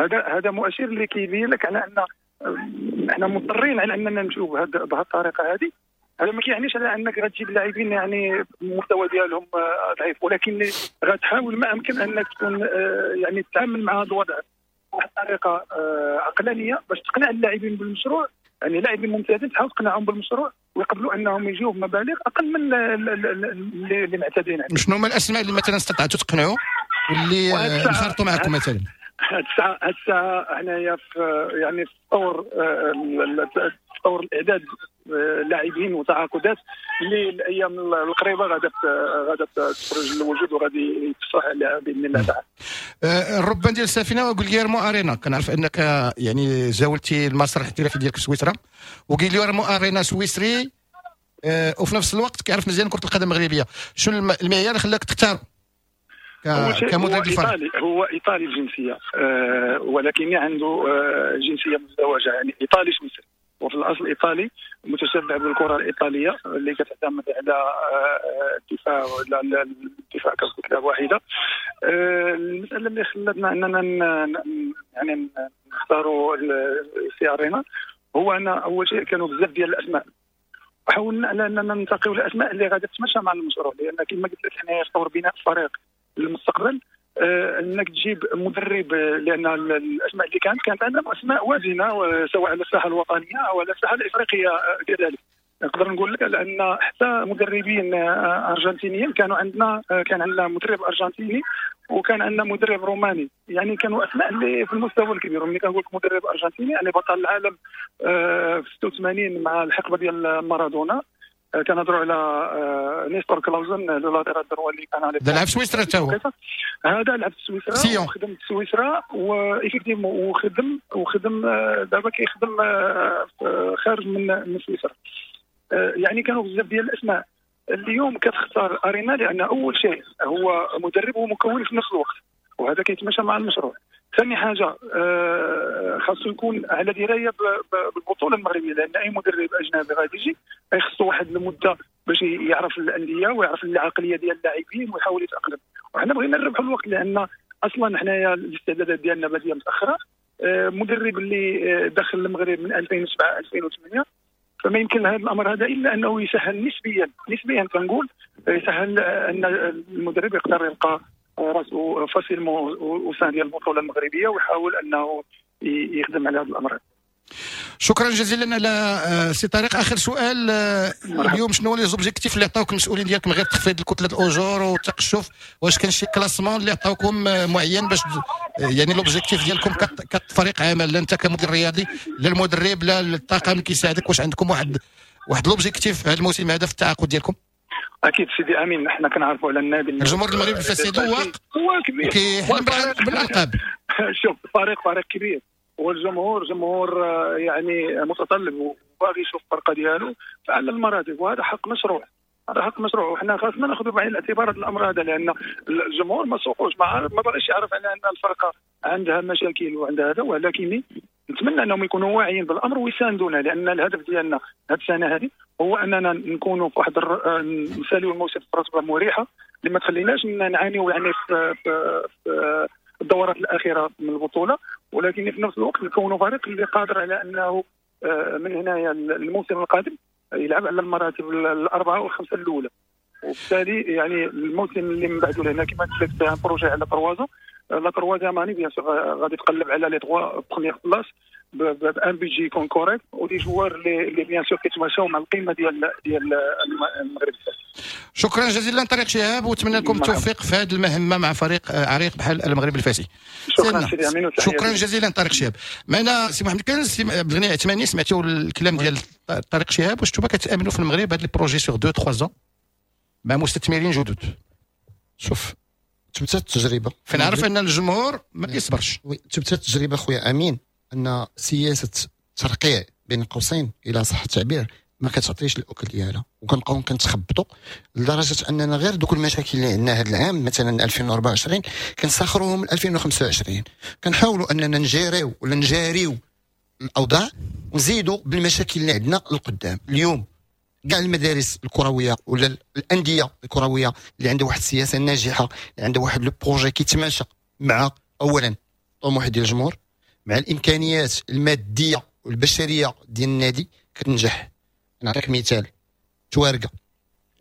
هذا مؤشر اللي كيبين لك على ان احنا مضطرين على اننا نمشيو بهذه الطريقة هذه. هذا ما كيعنيش على انك غتجيب لاعبين يعني المستوى ديالهم ضعيف، ولكن غتحاول ما امكن انك تكون يعني تتعامل مع هذا الوضع بواحد الطريقة عقلانية باش تقنع اللاعبين بالمشروع. يعني لاعبين ممتازين تحاول تقنعهم بالمشروع ويقبلوا انهم يجيو بمبالغ اقل من اللي معتادين عليه. شنو هما الاسماء اللي مثلا استطعتوا تقنعوا واللي انخرطوا معكم مثلا؟ هاد الساعة حنايا في يعني في طور الاعداد لاعبين وتعاقدات اللي الايام القريبة غادا تخرج للوجود وغادي يتصرح عليها باذن الله تعالى. الربان ديال السفينة وغيليرمو ارينا، كنعرف انك يعني زاولتي المسار الاحترافي ديالك في سويسرا، وغيليرمو ارينا سويسري وفي نفس الوقت كيعرف مزيان كره القدم المغربية. شنو المعيار اللي خلاك تختار كمدرب الفريق؟ هو ايطالي الجنسية، ولكن عنده جنسية مزدوجة، يعني ايطالي سويسري، وفي الاصل ايطالي متشبع بالكرة الايطالية اللي كتعتمد على الدفاع ولا الدفاع ككتله واحدة. المسالة اللي خلتنا اننا يعني نختاروا سي ارينا هو ان اول شيء كانوا بزاف ديال الاسماء، وحاولنا على اننا ننتقيو الاسماء اللي غادي تتماشى مع المشروع، لان كما قلت لك حنايا في طور بناء فريق للمستقبل. انك تجيب مدرب، لان الاسماء اللي كانت عندنا اسماء وازنه سواء على الساحة الوطنية او على الساحة الافريقية كذلك. نقدر نقول لك لان حتى مدربين ارجنتينيين كانوا عندنا، كان عندنا مدرب ارجنتيني وكان عندنا مدرب روماني، يعني كانوا اسماء اللي في المستوى الكبير. وملي كنقول لك مدرب ارجنتيني يعني بطل العالم في 86 مع الحقبة ديال مارادونا، كنهضروا على نيستور كلاوزن le latéral droit اللي كان على لعب في سويسرا حتى هو. هذا لعب في سويسرا وخدم في سويسرا و effectivement وخدم دابا كيخدم خارج من سويسرا. يعني كانوا بزاف ديال الاسماء. اليوم كتختار ارينا لان اول شيء هو مدرب ومكون في نفس الوقت، وهذا كيتماشى مع المشروع. ثاني حاجة خاصو يكون على دراية بالبطولة المغربية، لان اي مدرب اجنبي غادي يجي خصو واحد المدة باش يعرف الاندية ويعرف العقلية ديال اللاعبين ويحاول يتاقلم. وحنا بغينا نربحوا الوقت، لان اصلا حنايا الاستعدادات ديالنا باديه متاخرة. مدرب اللي دخل المغرب من 2007 2008، فما يمكن هذا الامر هذا الا انه يسهل نسبيا كنقول يسهل ان المدرب يقدر يلقى راسو facilement au sein ديال البطولة المغربية ويحاول انه يخدم على هذا الامر. شكرا جزيلا على سي طارق. اخر سؤال، اليوم شنو les objectifs اللي عطاوك المسؤولين ديالك من غير تخفيض الكتلة الاجور والتقشف؟ واش كان شي classement اللي عطاوكم معين باش يعني l'objectif ديالكم كفريق عمل، لا انت كمدير رياضي لا المدرب لا الطاقم اللي كيساعدك، واش عندكم واحد l'objectif هذا الموسم هذا في التعاقد ديالكم؟ اكيد سيدي امين، حنا كنعرفوا على النادي الجمهور المغربي الفاسد هو كبير كيحلم بالالقاب. شوف فريق كبير، والجمهور جمهور يعني متطلب وباغي يشوف الفرقة ديالو فعلى المراتب، وهذا حق مشروع، هذا حق مشروع، وحنا خاصنا ناخذ بعين الاعتبار هذا الامر هذا، لان الجمهور ما سوقوش، ما باغيش يعرف على ان الفرقة عندها مشاكل وعندها هذا، ولكن انت نتمنى انهم يكونوا واعيين بالامر ويساندونا، لان الهدف ديالنا هذه السنة هذه هو اننا نكونوا في واحد نساليو الموسم في رتبه مريحه اللي ما تخليناش نعانيو يعني في الدورات الاخيرة من البطولة، ولكن في نفس الوقت نكونوا فريق اللي قادر على انه من هنايا الموسم القادم يلعب على المراتب الاربعة والخمسة الاولى. وبالتالي يعني الموسم اللي من بعده لهنا كما قلت لك un projet على 3 ans، la troisième année bien sûr غادي تقلب على les 3 premières places ب un budget يكون correct و des joueurs اللي bien sûr كيتماشاو مع القيمة ديال المغرب. شكرا جزيلا طارق شهاب، ونتمنى لكم التوفيق في هذه المهمة مع فريق عريق بحال المغرب الفاسي. شكرا سيدي امين، شكرا جزيلا طارق شهاب. معنا سي محمد كنز، سي عبد الغني عثماني، سمعتوا الكلام ديال طارق شهاب، واش نتوما كتامنوا في المغرب هذا ال projet sur 2 3 ans مع مستثمرين جدد؟ شوف، تبتات التجربة، فنعرف ان الجمهور ما كيصبرش. oui، تبتات التجربة خويا امين ان سياسة الترقيع بين قوسين الى صح التعبير ما كتعطيش الاكل ديالها، وكنبقاو كنتخبطوا لدرجة اننا غير دوك المشاكل اللي عندنا هذا العام مثلا 2024 كنسخروهم ل 2025، كنحاولوا اننا نجيريو ولا نجاريو الاوضاع ونزيدوا بالمشاكل اللي عندنا للقدام. اليوم كاع المدارس الكروية ولا الاندية الكروية اللي عندها واحد السياسة ناجحة، اللي عندها واحد le projet كيتماشى مع اولا الطموح ديال الجمهور، مع الامكانيات المادية والبشريه ديال النادي، كتنجح. نعطيك مثال، توارقه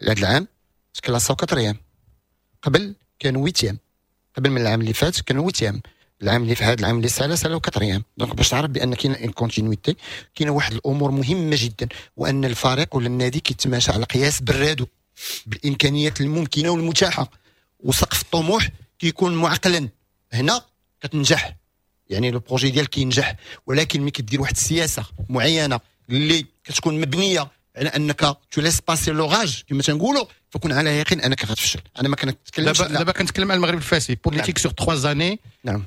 هذا العام تكلاساو quatrième، قبل كانوا huitième، قبل من العام اللي فات كانوا huitième، العام اللي في هذا العام اللي سالا سالاو quatrième. donc باش تعرف بان كاينه une continuité، كاينه واحد الامور مهمة جدا، وان الفريق ولا النادي كيتماشى على قياس برادو بالامكانيات الممكنة والمتاحه، وسقف الطموح كيكون معقلا. هنا كتنجح، يعني le projet ديالك كينجح. ولكن ملي كدير واحد السياسة معينة اللي كتكون مبنية على انك tu laisses passer l'orage كما تنقولوا، فكون على يقين انك غتفشل. انا ما كنتكلمش دابا كنتكلم على المغرب الفاسي politique sur 3 années. نعم،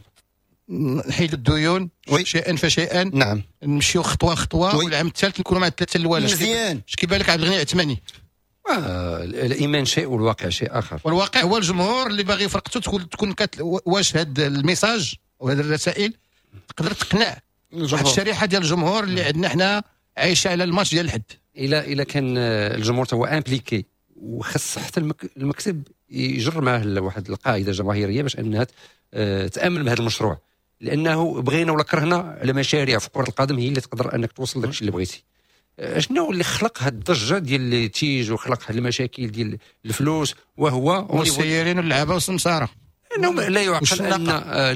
نحيد الديون شيئا فشيئا. نعم، نمشيو خطوة خطوة، والعام الثالث نكونوا مع الثلاثة الاولى. مزيان. اش كيبان لك عبد الغني عثماني؟ الايمان شيء والواقع شيء اخر. والواقع هو الجمهور اللي باغي فرقته تكون واش هذا ال message وهذه الرسائل تقدر تقنع واحد الشريحة ديال الجمهور اللي عندنا حنا عايشه على الماتش ديال الحد. الى كان الجمهور هو impliqué، وخص حتى المكتب يجر معه واحد القاعدة جماهيرية باش انها تامن بهذا المشروع، لانه بغينا ولا كرهنا على مشاريع في كره القدم هي اللي تقدر انك توصل لك اللي بغيتي. شنو اللي خلق هاد الضجة ديال les litiges وخلق هاد المشاكل ديال الفلوس؟ وهو والسيارين واللعابه والسمساره. انه لا يعقل ان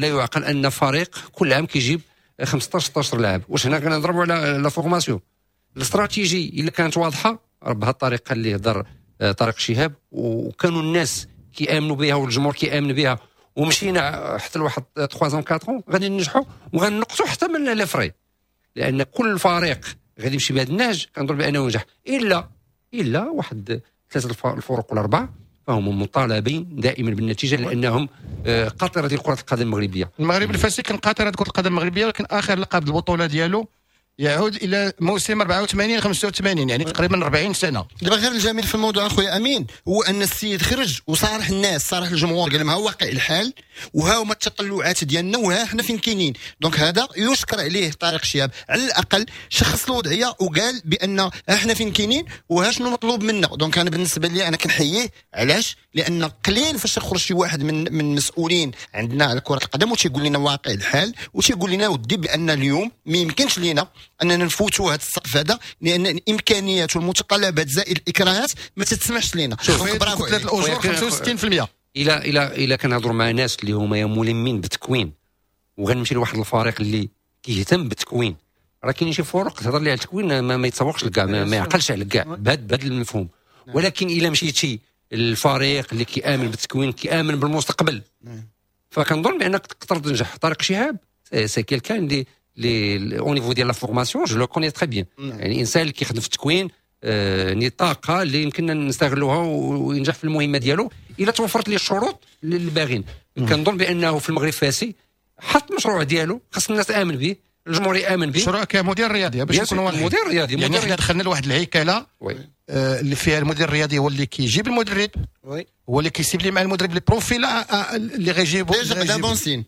لا يعقل ان فريق كل عام كيجيب 15 16 لاعب. واش هنا كنضربوا على la formation؟ الاستراتيجي الا كانت واضحة بهذه الطريقة اللي هضر طارق شهاب، وكانوا الناس كيامنوا بها والجمهور كيامن بها، ومشينا حتى لواحد 3 ans 4 ans غادي ننجحوا وغنقصوا حتى من les frais، لان كل فريق غادي يمشي بهذا النهج كنظن بانه ينجح، الا واحد ثلاثة الفرق ولا اربعة فهم مطالبين دائما بالنتيجة، لانهم قاطره ديال كره القدم المغربية. المغرب الفاسي كان قاطره كره القدم المغربية، ولكن اخر لقب البطولة ديالو يعود الى موسم 84 85، يعني تقريبا 40 سنة. دابا غير الجميل في الموضوع اخويا امين هو ان السيد خرج وصارح الناس، صارح الجمهور، قال لهم ها واقع الحال وها هما التطلعات ديالنا وها حنا فين كاينين. donc هذا يشكر عليه طارق شهاب، على الاقل شخص الوضعية وقال بان احنا فين كاينين وها شنو مطلوب منا. donc انا بالنسبة لي انا كنحييه. علاش؟ لان قليل فاش يخرج شي واحد من المسؤولين عندنا على كره القدم وتيقول لنا واقع الحال وتيقول لنا ودي بان اليوم ما يمكنش لينا اننا نفوتوا هذا السقف هذا، لان الامكانيات والمتطلبات زائد الاكراهات ما تتسمحش لنا. برافو. ثلاث الاجور 65%. الى الى الى كنهضروا مع ناس اللي هما ملمين بالتكوين، وغنمشي لواحد الفريق اللي كيهتم بالتكوين، راه كاين شي فرق تهضر لي على التكوين ما يتسوقش لكاع، ما يعقلش على كاع بهذا المفهوم. ولكن الى مشيتي الفريق اللي كيامن بالتكوين، كيامن بالمستقبل، فكنظن بانك تقدر تنجح. طارق شهاب c'est quelqu'un اللي au niveau ديال la formation je le connais très bien، يعني انسان اللي كيخدم في التكوين، نطاقه اللي يمكننا نستغلوها وينجح في المهمة ديالو الا توفرت ليه الشروط اللي باغين. كنظن بانه في المغرب فاسي حط المشروع ديالو، خاص الناس تامن به، الجمهور يامن به. مشروع كمدير رياضي باش نكونوا واضحين، مدير رياضي، يعني حنا دخلنا لواحد الهيكله اللي فيها المدير الرياضي هو اللي كيجيب المدرب، هو اللي كيسيب لي مع المدرب les profils اللي غيجيبو. déjà bon signe،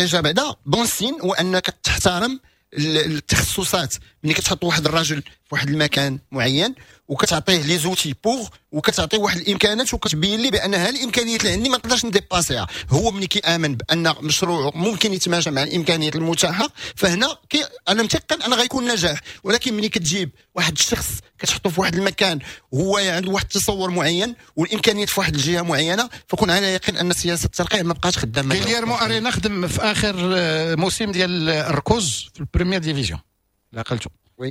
déjà بعدا bon signe هو انك تحترم التخصصات. ملي كتحط واحد الرجل في واحد المكان معين وكتعطيه les outils pour، وكتعطيه واحد الامكانات وكتبين لي بان ها الامكانيات اللي عندي ما نقدرش ن dépasser ها، هو ملي كيامن بان مشروعه ممكن يتماشى مع الامكانيات المتاحة، فهنا انا متيقن ان غيكون نجاح. ولكن ملي كتجيب واحد الشخص كتحطه في واحد المكان وهو عنده واحد التصور معين والامكانيات في واحد الجهة معينة، فكون على يقين ان سياسة الترقيع ما بقاش خدامه. غيليرمو ارينا خدم في اخر موسم ديال الركوز في ال première division، لا عقلتو. oui.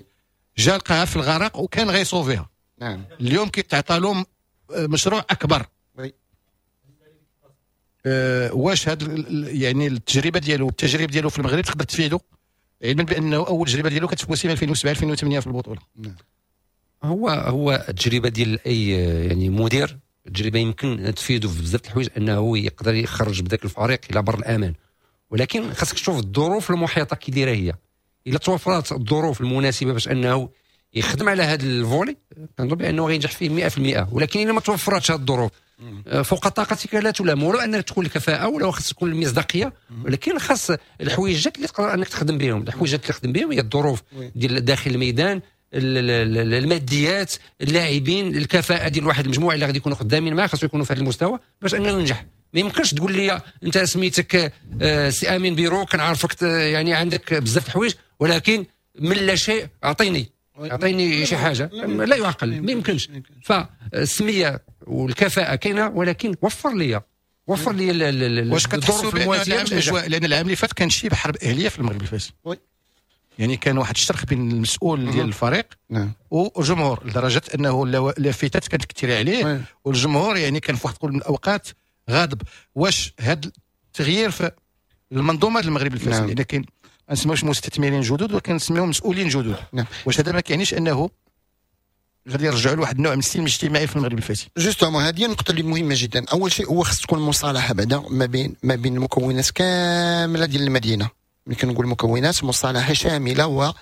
جا لقاها في الغرق وكان غي sauver ها. اليوم كيتعطى لهم مشروع اكبر. oui. واش هاد يعني التجربة ديالو، التجربة ديالو في المغرب تقدر تفيدو، علما بانه اول تجربه ديالو كانت في موسم 2007 2008 في البطوله؟ هو التجربة ديال اي يعني مدير، التجربة يمكن تفيدو في بزاف الحوايج، انه يقدر يخرج بداك الفريق الى بر الامان، ولكن خاصك تشوف الظروف المحيطة كي دايرة هي. الا توفرت الظروف المناسبة باش انه يخدم على هذا ال volet، كنظن بانه غينجح فيه 100%. ولكن الا ما توفرتش هذه الظروف، فوق طاقتك لا تلام، ولو انك تكون الكفاءة ولا خاص تكون المصداقيه، ولكن خاص الحويجات اللي تقدر انك تخدم بهم. الحويجات اللي تخدم بهم هي الظروف ديال داخل الميدان، الماديات، اللاعبين، الكفاءة ديال واحد المجموعة اللي غادي يكونوا خدامين معاه، خاصو يكونوا في هذا المستوى باش انه ينجح. ما يمكنش تقول لي انت سميتك سي امين بيرو، كنعرفك يعني عندك بزاف الحوايج، ولكن من لا شيء اعطيني شي حاجه، لا يعقل، ما يمكنش. فالسميه والكفاءة كاينه، ولكن وفر لي واش كتحسوا بان الاجواء، لان العام اللي فات كان شي بحرب اهليه في المغرب الفاسي، يعني كان واحد الشرخ بين المسؤول ديال الفريق والجمهور، لدرجة انه اللافتات كانت كثيرة عليه، والجمهور يعني كان في واحد من الاوقات غاضب. واش هذا التغيير في المنظومة المغرب الفاسي، لان كاين ما نسميوش مستثمرين جدد ولكن نسميهم مسؤولين جدد، واش هذا ما كيعنيش انه غادي يرجعوا لواحد النوع من السلم الاجتماعي في المغرب الفاسي؟ justement هذه النقطة اللي مهمة جدا. اول شيء هو خص تكون مصالحه بعدا ما بين المكونات كاملة ديال المدينه. ملي كنقول مكونات، مصالحه شاملة و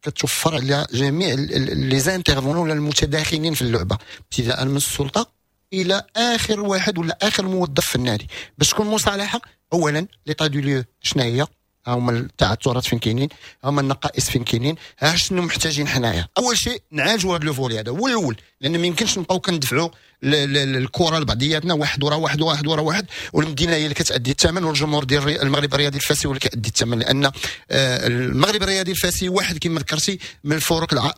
كتوفر على جميع les intervenants ولا المتداخلين في اللعبه، ابتداء من السلطة الى اخر واحد ولا اخر موظف في النادي، باش تكون مصالحه. اولا l'état des lieux شنو هي، هما التعثرات فين كاينين، هما النقائص فين كاينين، ها شنو محتاجين حنايا. اول شيء نعالجوا هذا le volet هذا هو الاول، لان ما يمكنش نبقاو كندفعوا الكره لبعضياتنا، واحد ورا واحد، واحد ورا واحد، والمدينة هي اللي كتادي الثمن، والجمهور ديال المغرب الرياضي الفاسي هو اللي كيأدي الثمن، لان المغرب الرياضي الفاسي واحد كما ذكرتي من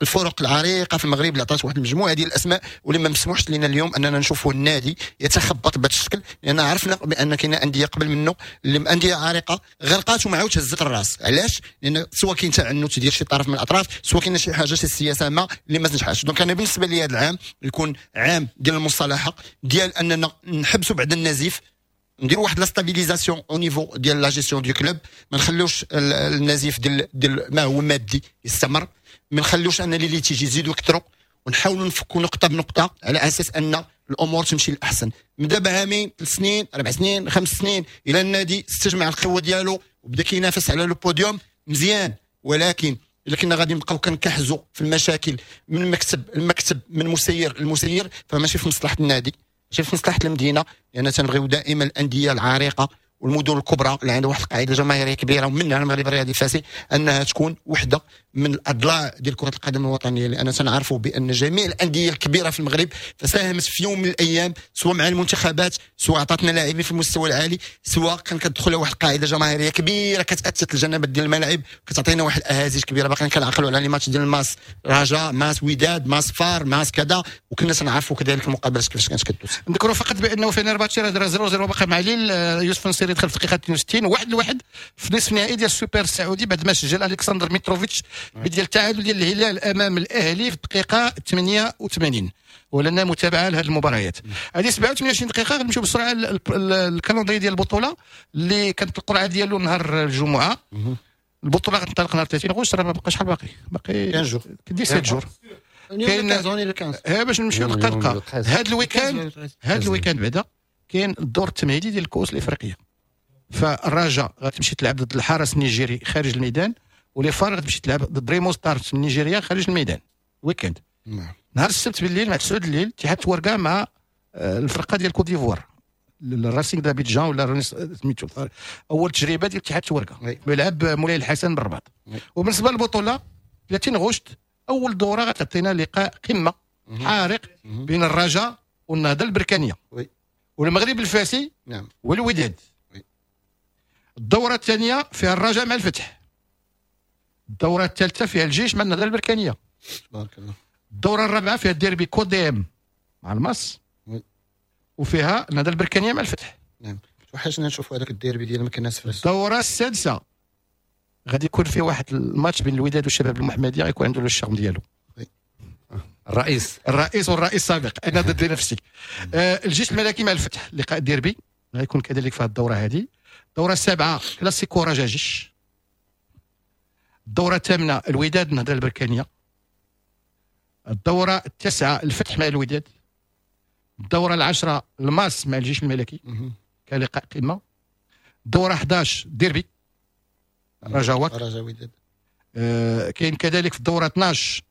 الفرق العريقه في المغرب اللي عطات واحد المجموعة ديال الاسماء، واللي ما مسموحش لنا اليوم اننا نشوفوا النادي يتخبط بهذا الشكل، لان عرفنا بان كاين اندية قبل منه اللي اندية عريقة غرقات وما عاودش هزت الراس. علاش؟ لان سواء كاين تعنت ديال شي طرف من الاطراف، سواء كاين شي حاجه، شي سياسة ما اللي ما تنجحش. donc انا بالنسبة لي هذا العام يكون عام ديال المصالحه، ديال اننا نحبسوا بعد النزيف، نديروا واحد la stabilisation au niveau ديال la gestion du club، ما نخلوش النزيف ديال ما هو مادي يستمر، ما نخلوش ان les litiges يزيدوا يكثروا، ونحاولوا نفكوا نقطة بنقطة على اساس ان الامور تمشي للاحسن. من دابا عامين، 3 سنين، 4 سنين، 5 سنين، الى النادي استجمع القوة ديالو وبدا كينافس على le podium، مزيان. ولكن الا كنا غادي نبقاو كنكحزوا في المشاكل من مكتب المكتب، من مسير المسير، فماشي في مصلحة النادي، ماشي في مصلحة المدينه، لان تنبغيو دائما الاندية العريقه والمدن الكبرى اللي عندها واحد القاعدة جماهيرية كبيره، ومنها المغرب الرياضي الفاسي، انها تكون وحده من الاضلاع ديال كره القدم الوطنيه، لان تنعرفوا بان جميع الاندية الكبيرة في المغرب فساهمت في يوم من الايام، سواء مع المنتخبات، سواء عطاتنا لاعبين في المستوى العالي، سواء كان كتدخل واحد القاعدة جماهيرية كبيرة كتأثث الجنبات ديال الملاعب، كتعطينا واحد الاهازيج كبيره. باقيين كنعقلوا على les matchs ديال الماس رجاء، ماس وداد، ماس فار، ماس كذا، وكنا تنعرفوا كذلك المقابلات كيفاش كانت كدوز. نذكروا فقط بانه فينرباتشي راه 0-0 باقي مع ليل. يوسف نصيري دخل في الدقيقة 62، 1-1 في نصف النهائي ديال السوبر السعودي، بعد ما سجل الكسندر ميتروفيتش بديال التعادل ديال الهلال امام الاهلي في الدقيقة 88. ولنا متابعه لهذه المباريات. هذه 27 دقيقه، غنمشيو بسرعة ال calendrier ديال البطولة اللي كانت القرعة ديالو نهار الجمعه. البطولة غتنطلق نهار 30 غشت. راه ما بقاش شحال باقي، باقي 15 jours. 17 jours. كاين ها باش نمشيو دقه دقه. هذا ال week-end بعدا كاين الدور التمهيدي ديال الكؤوس الافريقيه، فالرجاء غتمشي تلعب ضد الحرس النيجيري خارج الميدان، و les FAR غتمشي تلعب ضد ريمو ستارز من نيجيريا خارج الميدان week-end. نهار السبت بالليل مع 9 الليل اتحاد تواركة مع الفرقة ديال كوت ديفوار. الراسينغ دابيدجان ولا سميتو، اول تجربه ديال اتحاد توركه ملعب مولاي الحسن بالرباط. وبالنسبة للبطولة 30 غشت اول دوره غتعطينا لقاء قمة حارق بين الرجاء والنهضه البركانيه والمغرب الفاسي والوداد. الدورة الثانية فيها الرجاء مع الفتح. الدورة الثالثة فيها الجيش مع النهضة البركانيه. تبارك الله. الدورة الرابعة فيها الديربي كوديم مع الماس وفيها النهضة البركانيه مع الفتح. نعم، توحشنا نشوفوا هذاك الديربي ديال مكناس فاس. الدورة السادسة غادي يكون فيه واحد الماتش بين الوداد والشباب المحمدية، غيكون عنده ال charme ديالو. الرئيس والرئيس السابق، انا ضد نفسي. الجيش الملكي مع الفتح لقاء ديربي غيكون كذلك في هذه الدورة هذه. الدورة السابعة كلاسيكو رجاء جيش. الدورة الثامنة الوداد النهضة البركانيه. الدورة التاسعة الفتح مع الوداد. الدورة العاشرة الماس مع الجيش الملكي كلقاء قمة. الدورة 11 ديربي رجاء وك رجاء وداد. كاين كذلك في الدورة 12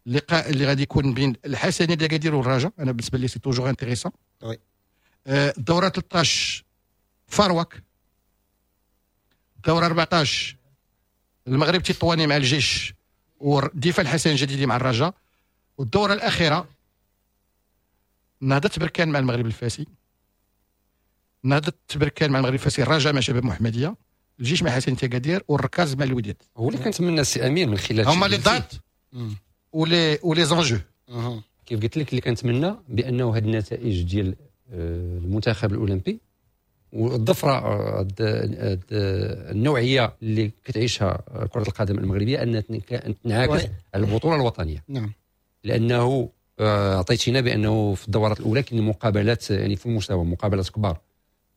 اللقاء اللي غادي يكون بين الحسنيه ديال اكادير والرجاء، انا بالنسبة لي c'est toujours intéressant. الدورة 13 فارواك. الدورة 14 المغرب تطواني مع الجيش والدفاع الحسن الجديدي مع الرجاء. والدوره الاخيرة نهضة بركان مع المغرب الفاسي، نهضة بركان مع المغرب الفاسي، الرجاء مع شباب محمديه، الجيش مع حسن تكادير، والركاز مع الوداد. هو اللي كنتمنى السي امين من خلال هما les dates و les enjeux. كيف قلت لك اللي كنتمنى بانه هذه النتائج ديال المنتخب الاولمبي والظفره النوعية اللي كتعيشها كره القدم المغربية ان تنعكس على البطولة الوطنية. نعم، لانه عطيتينا بانه في الدورات الاولى كاين مقابلات يعني في المستوى، مقابلات كبار،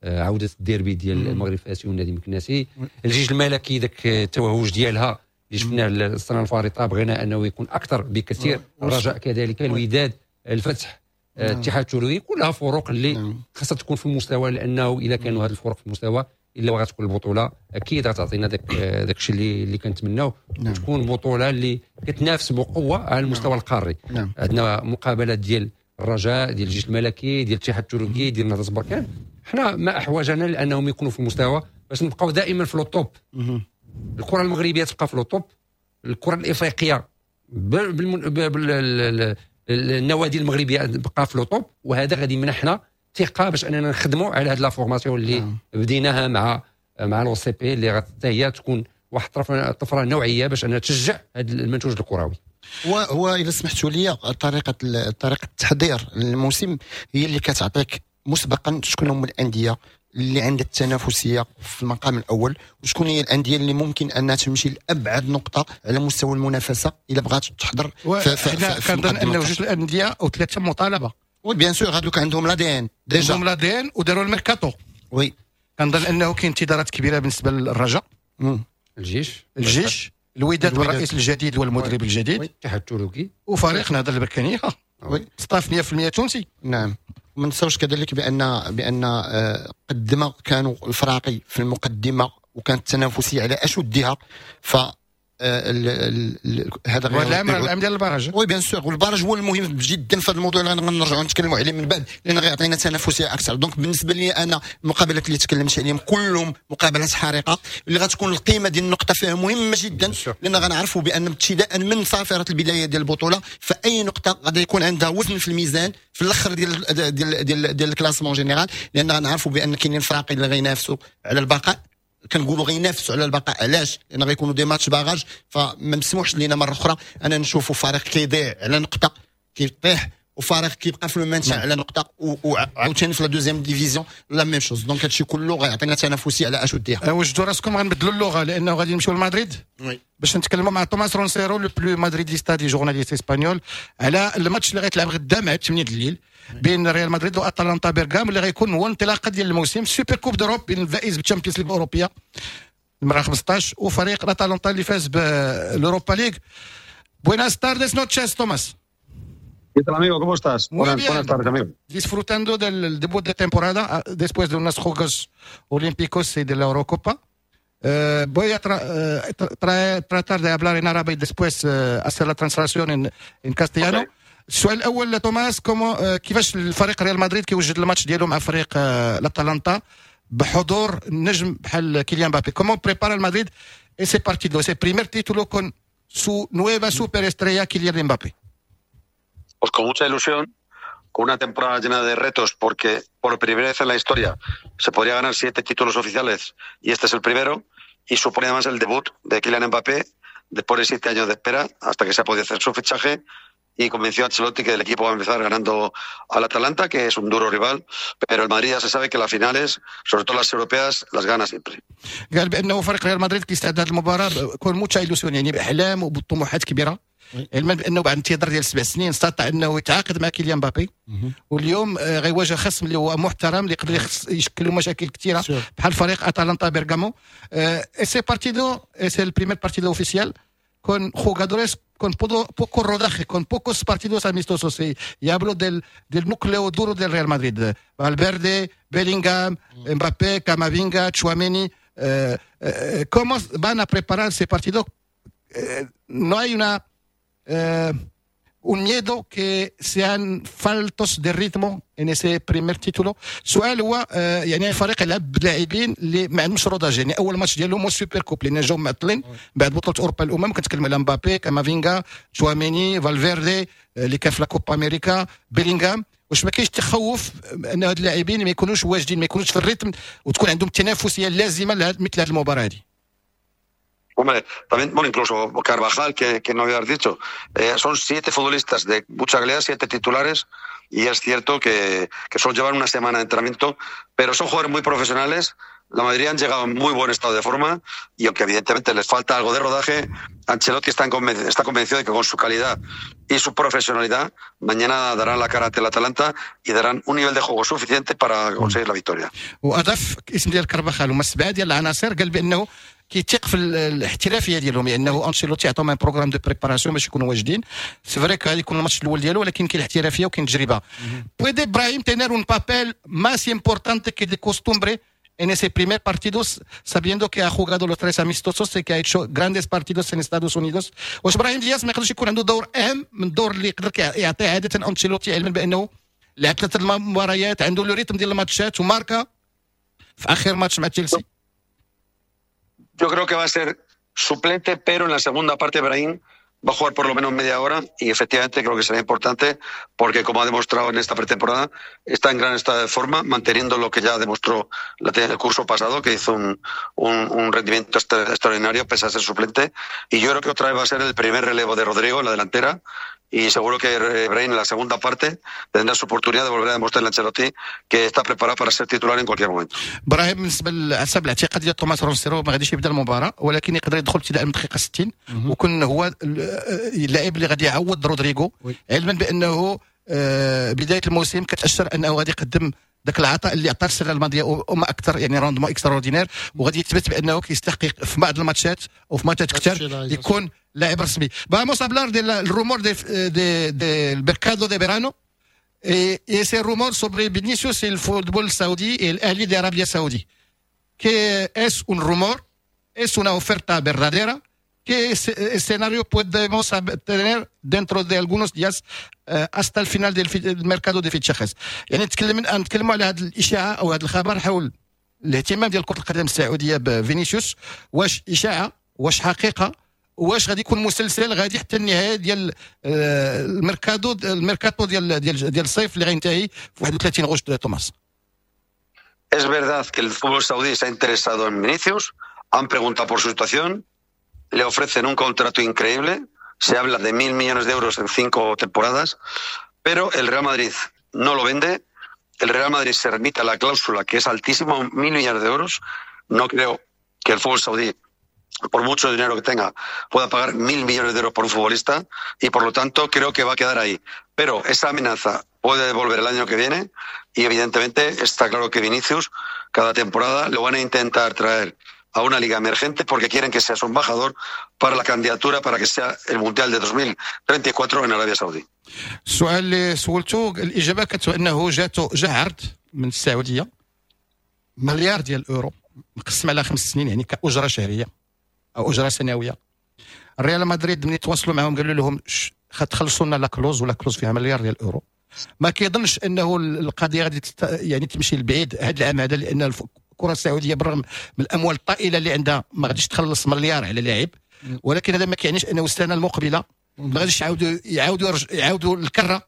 عوده الديربي ديال المغرب الفاسي والنادي المكناسي، الجيش الملكي ذاك التوهج ديالها اللي شفناه السنة الفارطه بغينا انه يكون اكثر بكثير، الرجاء كذلك، الوداد، الفتح، الاتحاد التروي، كلها فروق اللي خاصها تكون في المستوى، لانه اذا كانوا هذه الفروق في المستوى الا وغتكون البطولة اكيد غتعطينا داك الشيء اللي كنتمناو. تكون بطوله اللي كتنافس بقوة على المستوى القاري. عندنا مقابلات ديال الرجاء، ديال الجيش الملكي، ديال الاتحاد التركي، ديال نهضة بركان. حنا ما احوجنا لانهم يكونوا في المستوى باش نبقاو دائما في le top. الكره المغربية تبقى في le top، الكره الافريقية النوادي المغربية تبقى في le top، وهذا غادي يمنحنا ثقة باش اننا نخدموا على هذه la formation اللي بديناها مع l'OCP اللي حتى هي تكون واحد الطفرة نوعية باش انها تشجع هذا المنتوج الكروي. هو اذا سمحتوا لي طريقه التحضير للموسم هي اللي كتعطيك مسبقا شكون هما الاندية اللي عندها التنافسية في المقام الاول، وشكون هي الاندية اللي ممكن انها تمشي لابعد نقطة على مستوى المنافسة الا بغات تحضر. كنظن ان جوج الاندية او ثلاثة مطالبه. oui bien sûr هذوك عندهم l'ADN déjà، عندهم l'ADN وداروا الميركاتو. oui كنظن انه كاين انتظارات كبيرة بالنسبة للرجاء، الجيش، الوداد والرئيس الجديد والمدرب الجديد، الاتحاد التركي، وفريق نهضة البركانيه. oui staff 100% تونسي. نعم، ما ننساوش كذلك بان قد ما كانوا الفراقي في المقدمة وكانت التنافسية على اشدها، ف هذا غير العام ديال ال barrage. oui bien sûr، وال barrage هو المهم جدا في هذا الموضوع اللي غنرجعوا نتكلموا عليه من بعد، لان غيعطينا تنافسية اكثر. donc بالنسبة لي انا المقابلات اللي تكلمت عليهم كلهم مقابلات حارقه اللي غتكون القيمة ديال النقطة فيها مهمة جدا، لان غنعرفوا بان ابتداء من صافرة البداية ديال البطولة فاي نقطة غادي يكون عندها وزن في الميزان في الاخر ديال ديال ديال ديال ال classement général، لان غنعرفوا بان كاينين فراقي اللي غينافسوا على البقاء. كنقولوا غينافسوا على البقاء علاش؟ لان غيكونوا des matchs barrages، فما مسموحش لينا مرة اخرى انا نشوفوا فريق كيضيع على نقطة كيطيح وفريق كيبقى في ال maintien على نقطة، وعاوتاني في la deuxième division la même chose. donc هادشي كله غيعطينا تنافسية على اشدها. وجدوا راسكم غنبدلوا اللغة لانه غادي نمشيو لمدريد باش نتكلموا مع توماس رونسيرو le plus madridista des journalistes espagnols على الماتش اللي غيتلعب غدا مع 8 الليل بين ريال مدريد واتلانتا بيرغام، اللي غيكون هو الانطلاقة ديال الموسم Super Coupe d'Europe بين الفائز بال Champions League الاوروبية المرة 15 وفريق الاتلانتا اللي فاز بال Europa League. Buenas tardes noches توماس. ¿Qué tal, amigo? ¿Cómo estás? Muy bien. Buenas tardes, amigo. Disfrutando del debut de temporada después de unos Juegos Olímpicos y de la Eurocopa. Voy a tratar de hablar en árabe y después hacer la translación en castellano. Okay. السؤال الاول توماس، comment كيفاش الفريق ريال مدريد كيوجد الماتش ديالو مع فريق الاتلانتا بحضور النجم بحال كيليان مبابي؟ Comment prépare el Madrid ese partido, ese primer título con su nueva superestrella Kylian Mbappé? Pues con mucha ilusión, con una temporada llena de retos, porque por primera vez en la historia se podría ganar siete títulos oficiales y este es el primero, y supone además el debut de Kylian Mbappé después de 7 años de espera hasta que se ha podido hacer su fichaje y convenció a Ancelotti que el equipo va a empezar ganando al Atalanta, que es un duro rival, pero el Madrid ya se sabe que las finales, sobre todo las europeas, las gana siempre. قال بانه فريق ريال مدريد كيستعد هذه المباراة con mucha ilusión، يعني باحلام وبطموحات كبيره، علما بانه بعد انتظار ديال 7 سنين استطاع انه يتعاقد مع كيليان مبابي، واليوم غيواجه خصم اللي هو محترم اللي يقدر يشكل له مشاكل كثيرة بحال فريق اتلانتا بيرغامو. Ese partido es el primer partido oficial con jugadores con poco rodaje, con pocos partidos amistosos. Y hablo del núcleo duro del Real Madrid. Valverde, Bellingham, Mbappé, Camavinga, Tchouaméni. ¿Cómo van a preparar ese partido? No hay un miedo que sean faltos de ritmo en ese primer título? سؤال هو يعني فريق يلعب بلاعبين اللي ما عندهمش rodage، يعني اول ماتش ديالهم هو Super Coupe لان جاو معطلين بعد بطوله اوروبا الامم. كنتكلم على مبابي، كامافينغا، تشواميني، فالفيردي اللي كان في la Copa América، بيلينغهام. واش ما كاينش تخوف ان هاد اللاعبين ما يكونوش واجدين، ما يكونوش في ال rythme وتكون عندهم التنافسية اللازمة لمثل هذه المباراة هذه؟ Hombre, también, bueno, incluso Carvajal, que no habías dicho, son siete futbolistas de mucha calidad, siete titulares, y es cierto que solo llevan una semana de entrenamiento, pero son jugadores muy profesionales. La mayoría han llegado en muy buen estado de forma y aunque evidentemente les falta algo de rodaje, Ancelotti está convencido de que con su calidad y su profesionalidad mañana darán la cara ante el Atalanta y darán un nivel de juego suficiente para conseguir la victoria. واضاف اسم ديال كارفاخال، هما سبعة ديال العناصر. قال بانه كيثيق في الاحترافية ديالهم، لانه انشيلوتي عطاهم un programme de préparation باش يكونوا واجدين. C'est vrai غادي يكون الماتش الاول ديالو، ولكن كاين الاحترافية وكاين التجربه. Puede Brahim tener un papel más importante que de costumbre en ese primer partido, sabiendo que ha jugado los tres amistosos y que ha hecho grandes partidos en Estados Unidos? واش ابراهيم دياز ما يقدرش يكون عنده دور اهم من الدور اللي يقدر يعطيه عادة انشيلوتي، علما بانه لعب ثلاثة المباريات، عنده le rythme ديال الماتشات وماركا في اخر ماتش مع تشيلسي؟ Yo creo que va a ser suplente, pero en la segunda parte Brahim va a jugar por lo menos media hora y efectivamente creo que será importante porque, como ha demostrado en esta pretemporada, está en gran estado de forma, manteniendo lo que ya demostró el curso pasado, que hizo un rendimiento extraordinario pese a ser suplente. Y yo creo que otra vez va a ser el primer relevo de Rodrigo en la delantera y seguro que Brahim en la segunda parte tendrá su oportunidad de volver a demostrarle a Ancelotti que está preparado para ser titular en cualquier momento. ابراهيم، بالنسبة حسب الاعتقاد ديال توماس رونسيرو ما غاديش يبدا المباراه، ولكن يقدر يدخل ابتداء من الدقيقة 60 وكون هو اللاعب اللي غادي يعوض رودريغو، علما بانه بداية الموسم كتاشر انه غادي يقدم ذاك العطاء اللي عطاه السنة الماضية وما اكثر، يعني rendement extraordinaire، وغادي يثبت بانه كيستحق في بعض الماتشات وفي ماتشات كثر يكون لاعب رسمي. Vamos a hablar del rumor del mercado de verano y ese rumor sobre Vinicius y el fútbol saudí y el Ahly de Arabia Saudí. Que es un rumor, es una oferta verdadera. ¿Qué escenario podemos tener dentro de algunos días hasta el final del mercado de fichajes؟ يعني نتكلموا على هذه الاشاعة او هذا الخبر حول الاهتمام ديال كره القدم السعودية بفينيسيوس. واش اشاعه؟ واش حقيقه؟ واش غادي يكون مسلسل غادي حتى النهاية ديال الميركاتو ديال الصيف اللي غينتهي في 31 غشت توماس؟ Es verdad que el fútbol saudí se ha interesado en Vinicius, han preguntado por su situación, le ofrecen un contrato increíble, se habla de 1.000 millones de euros en 5 temporadas, pero el Real Madrid no lo vende, el Real Madrid se remite a la cláusula, que es altísima, 1.000 millones de euros. No creo que el fútbol saudí, por mucho dinero que tenga, pueda pagar 1.000 millones de euros por un futbolista y por lo tanto creo que va a quedar ahí. Pero esa amenaza puede volver el año que viene y evidentemente está claro que Vinicius cada temporada lo van a intentar traer a una liga emergente porque quieren que sea su embajador para la candidatura para que sea el Mundial de 2034 en Arabia Saudí. السؤال اللي سولته، الاجابة كانت انه جاتو جا عرض من السعوديه، مليار ديال الاورو مقسم على 5 سنين، يعني كاجره شهرية او اجره سنويه. ريال مدريد ملي تواصلوا معهم قالوا لهم تخلصوا لنا la clause، و la clause فيها مليار ديال الاورو. ما كيظنش انه القضية غادي يعني تمشي لبعيد هذا العام هذا، لان الكره السعودية بالرغم من الاموال الطائلة اللي عندها ما غاديش تخلص مليار على لاعب، ولكن هذا ما كيعنيش انه السنة المقبلة ما غاديش يعاودوا الكره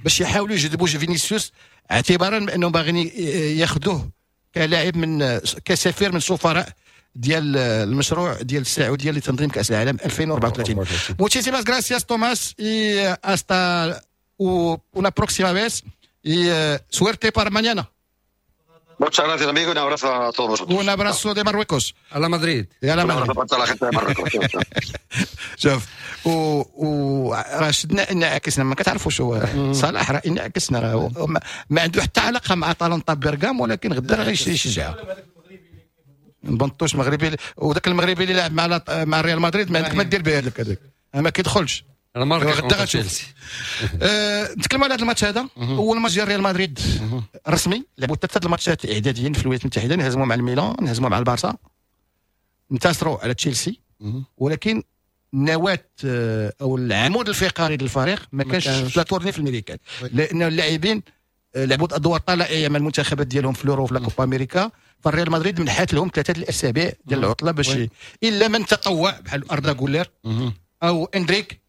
باش يحاولوا يجذبوا فينيسيوس، اعتبارا بانهم باغيين ياخذوه كلاعب من كسفير من سفراء ديال المشروع ديال السعودية لتنظيم كاس العالم 2034. Muchísimas gracias Tomás y hasta una próxima vez y suerte para mañana. Muchas gracias, amigo, y un abrazo a todos vosotros. Un abrazo de Marruecos. Hala Madrid. Hala Un abrazo para toda la gente de Marruecos. شوف و راه شدنا انعكسنا، ما كتعرفوش هو صلاح راه انعكسنا، راه ما عنده حتى علاقة مع اتلانتا بيرغام، ولكن غدا راه غيشجعها. بنطوش مغربي، وذاك المغربي اللي لعب مع ريال مدريد ما عندك ما دير به، هذاك ما كيدخلش. غدا غتشوف. نتكلموا على هذا الماتش هذا، اول ماتش ديال ريال مدريد رسمي، لعبوا ثلاثة الماتشات اعداديين في الولايات المتحدة، انهزموا مع الميلان، انهزموا مع البارسا، انتصروا على تشيلسي، ولكن النواة او العمود الفقري للفريق ما كانش في la tournée في الميريكان، لان اللاعبين لعبوا ادوار طلائعيه مع المنتخبات ديالهم في l'Euro في la Copa América. فالريال مدريد منحات لهم 3 الاسابيع ديال العطلة باش الا من تطوع بحال اردا غولير او اندريك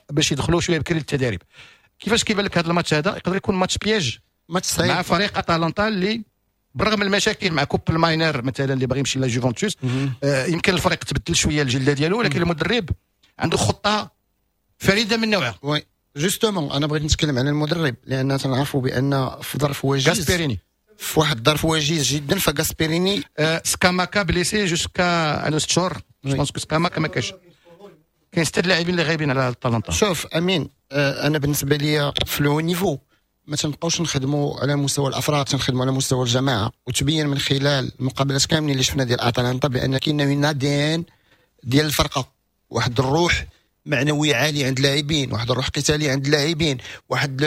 باش يدخلوا شوية بكري للتدريب. كيفاش كيبان لك هذا الماتش هذا؟ يقدر يكون match piège، ماتش صعيب مع فريق اتلانتا اللي بالرغم من المشاكل مع كوب الماينر مثلا اللي باغي يمشي لا جوفنتوس، يمكن الفريق تبدل شوية الجلدة ديالو، ولكن المدرب عنده خطه فريدة من نوعها. oui justement انا بغيت نتكلم على المدرب، لان تنعرفوا بان في ظرف وجيز غاسبيريني، في واحد الظرف وجيز جدا، فغاسبيريني سكاماكا blessé jusqu'à عنده 6 شهور، je pense que سكاماكا ما كاش، كاين 6 لاعبين اللي غايبين على اتلانتا. شوف امين، انا بالنسبة لي في le niveau ما تنبقاوش نخدموا على مستوى الافراد، تنخدموا على مستوى الجماعة، وتبين من خلال المقابلات كاملين اللي شفنا ديال اتلانتا بان كاين un ADN ديال الفرقة، واحد الروح معنوية عالية عند اللاعبين، واحد الروح قتالية عند اللاعبين، واحد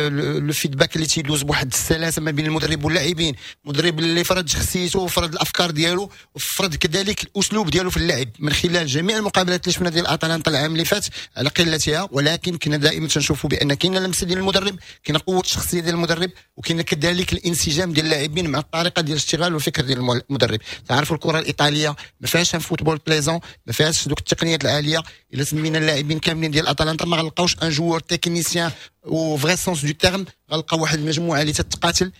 le feedback اللي تيدوز بواحد السلاسة ما بين المدرب واللاعبين، المدرب اللي فرض شخصيته وفرض الافكار ديالو وفرض كذلك الاسلوب ديالو في اللعب من خلال جميع المقابلات اللي شفنا ديال اتلانتا العام اللي فات على قلتها، ولكن كنا دائما تنشوفوا بان كاينه لمسه ديال المدرب، كاينه قوة الشخصية ديال المدرب، وكاين كذلك الانسجام ديال اللاعبين مع الطريقة ديال الاشتغال والفكر ديال المدرب. تعرفوا الكره الايطالية ما فيهاش football plaisant، ما فيهاش دوك التقنيات العالية. الا سمينا اللاعبين كاملين ديال اتلانتا ما غنلقاوش un joueur technicien au vrai sens du terme، غنلقاو واحد المجموعة اللي تتقاتل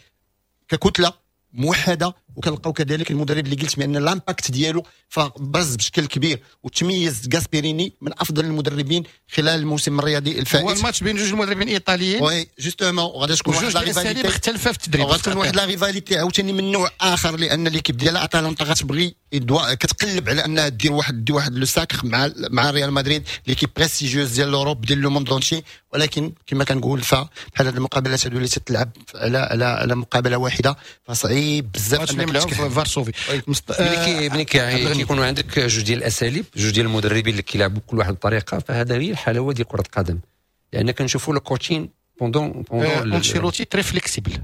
ككتله موحدة، وكنلقاو كذلك المدرب اللي قلت بان l'impact ديالو فبرز بشكل كبير، وتميز غاسبيريني من افضل المدربين خلال الموسم الرياضي الفائت. هو الماتش بين جوج مدربين ايطاليين، oui justement، وغادي تكون واحد la rivalité مختلفة في التدريب، غادي تكون واحد la rivalité عاوتاني من نوع اخر، لان l'équipe ديال اتلانتا غتبغي كتقلب على انها دير واحد le sacre مع ريال مدريد، l'équipe prestigieuse ديال l'Europe ديال le monde entier. ولكن كما كنقول فبحال هذه المقابلات هذو اللي تتلعب على على على مقابله واحدة فصعيب بزاف انك في فارسوفي. ملي كيكونوا عندك جوج ديال الاساليب، جوج ديال المدربين اللي كيلعبوا كل واحد بطريقة، فهذا هي الحلاوة ديال كره القدم، لان كنشوفوا le coaching pendant انشيلوتي très flexible.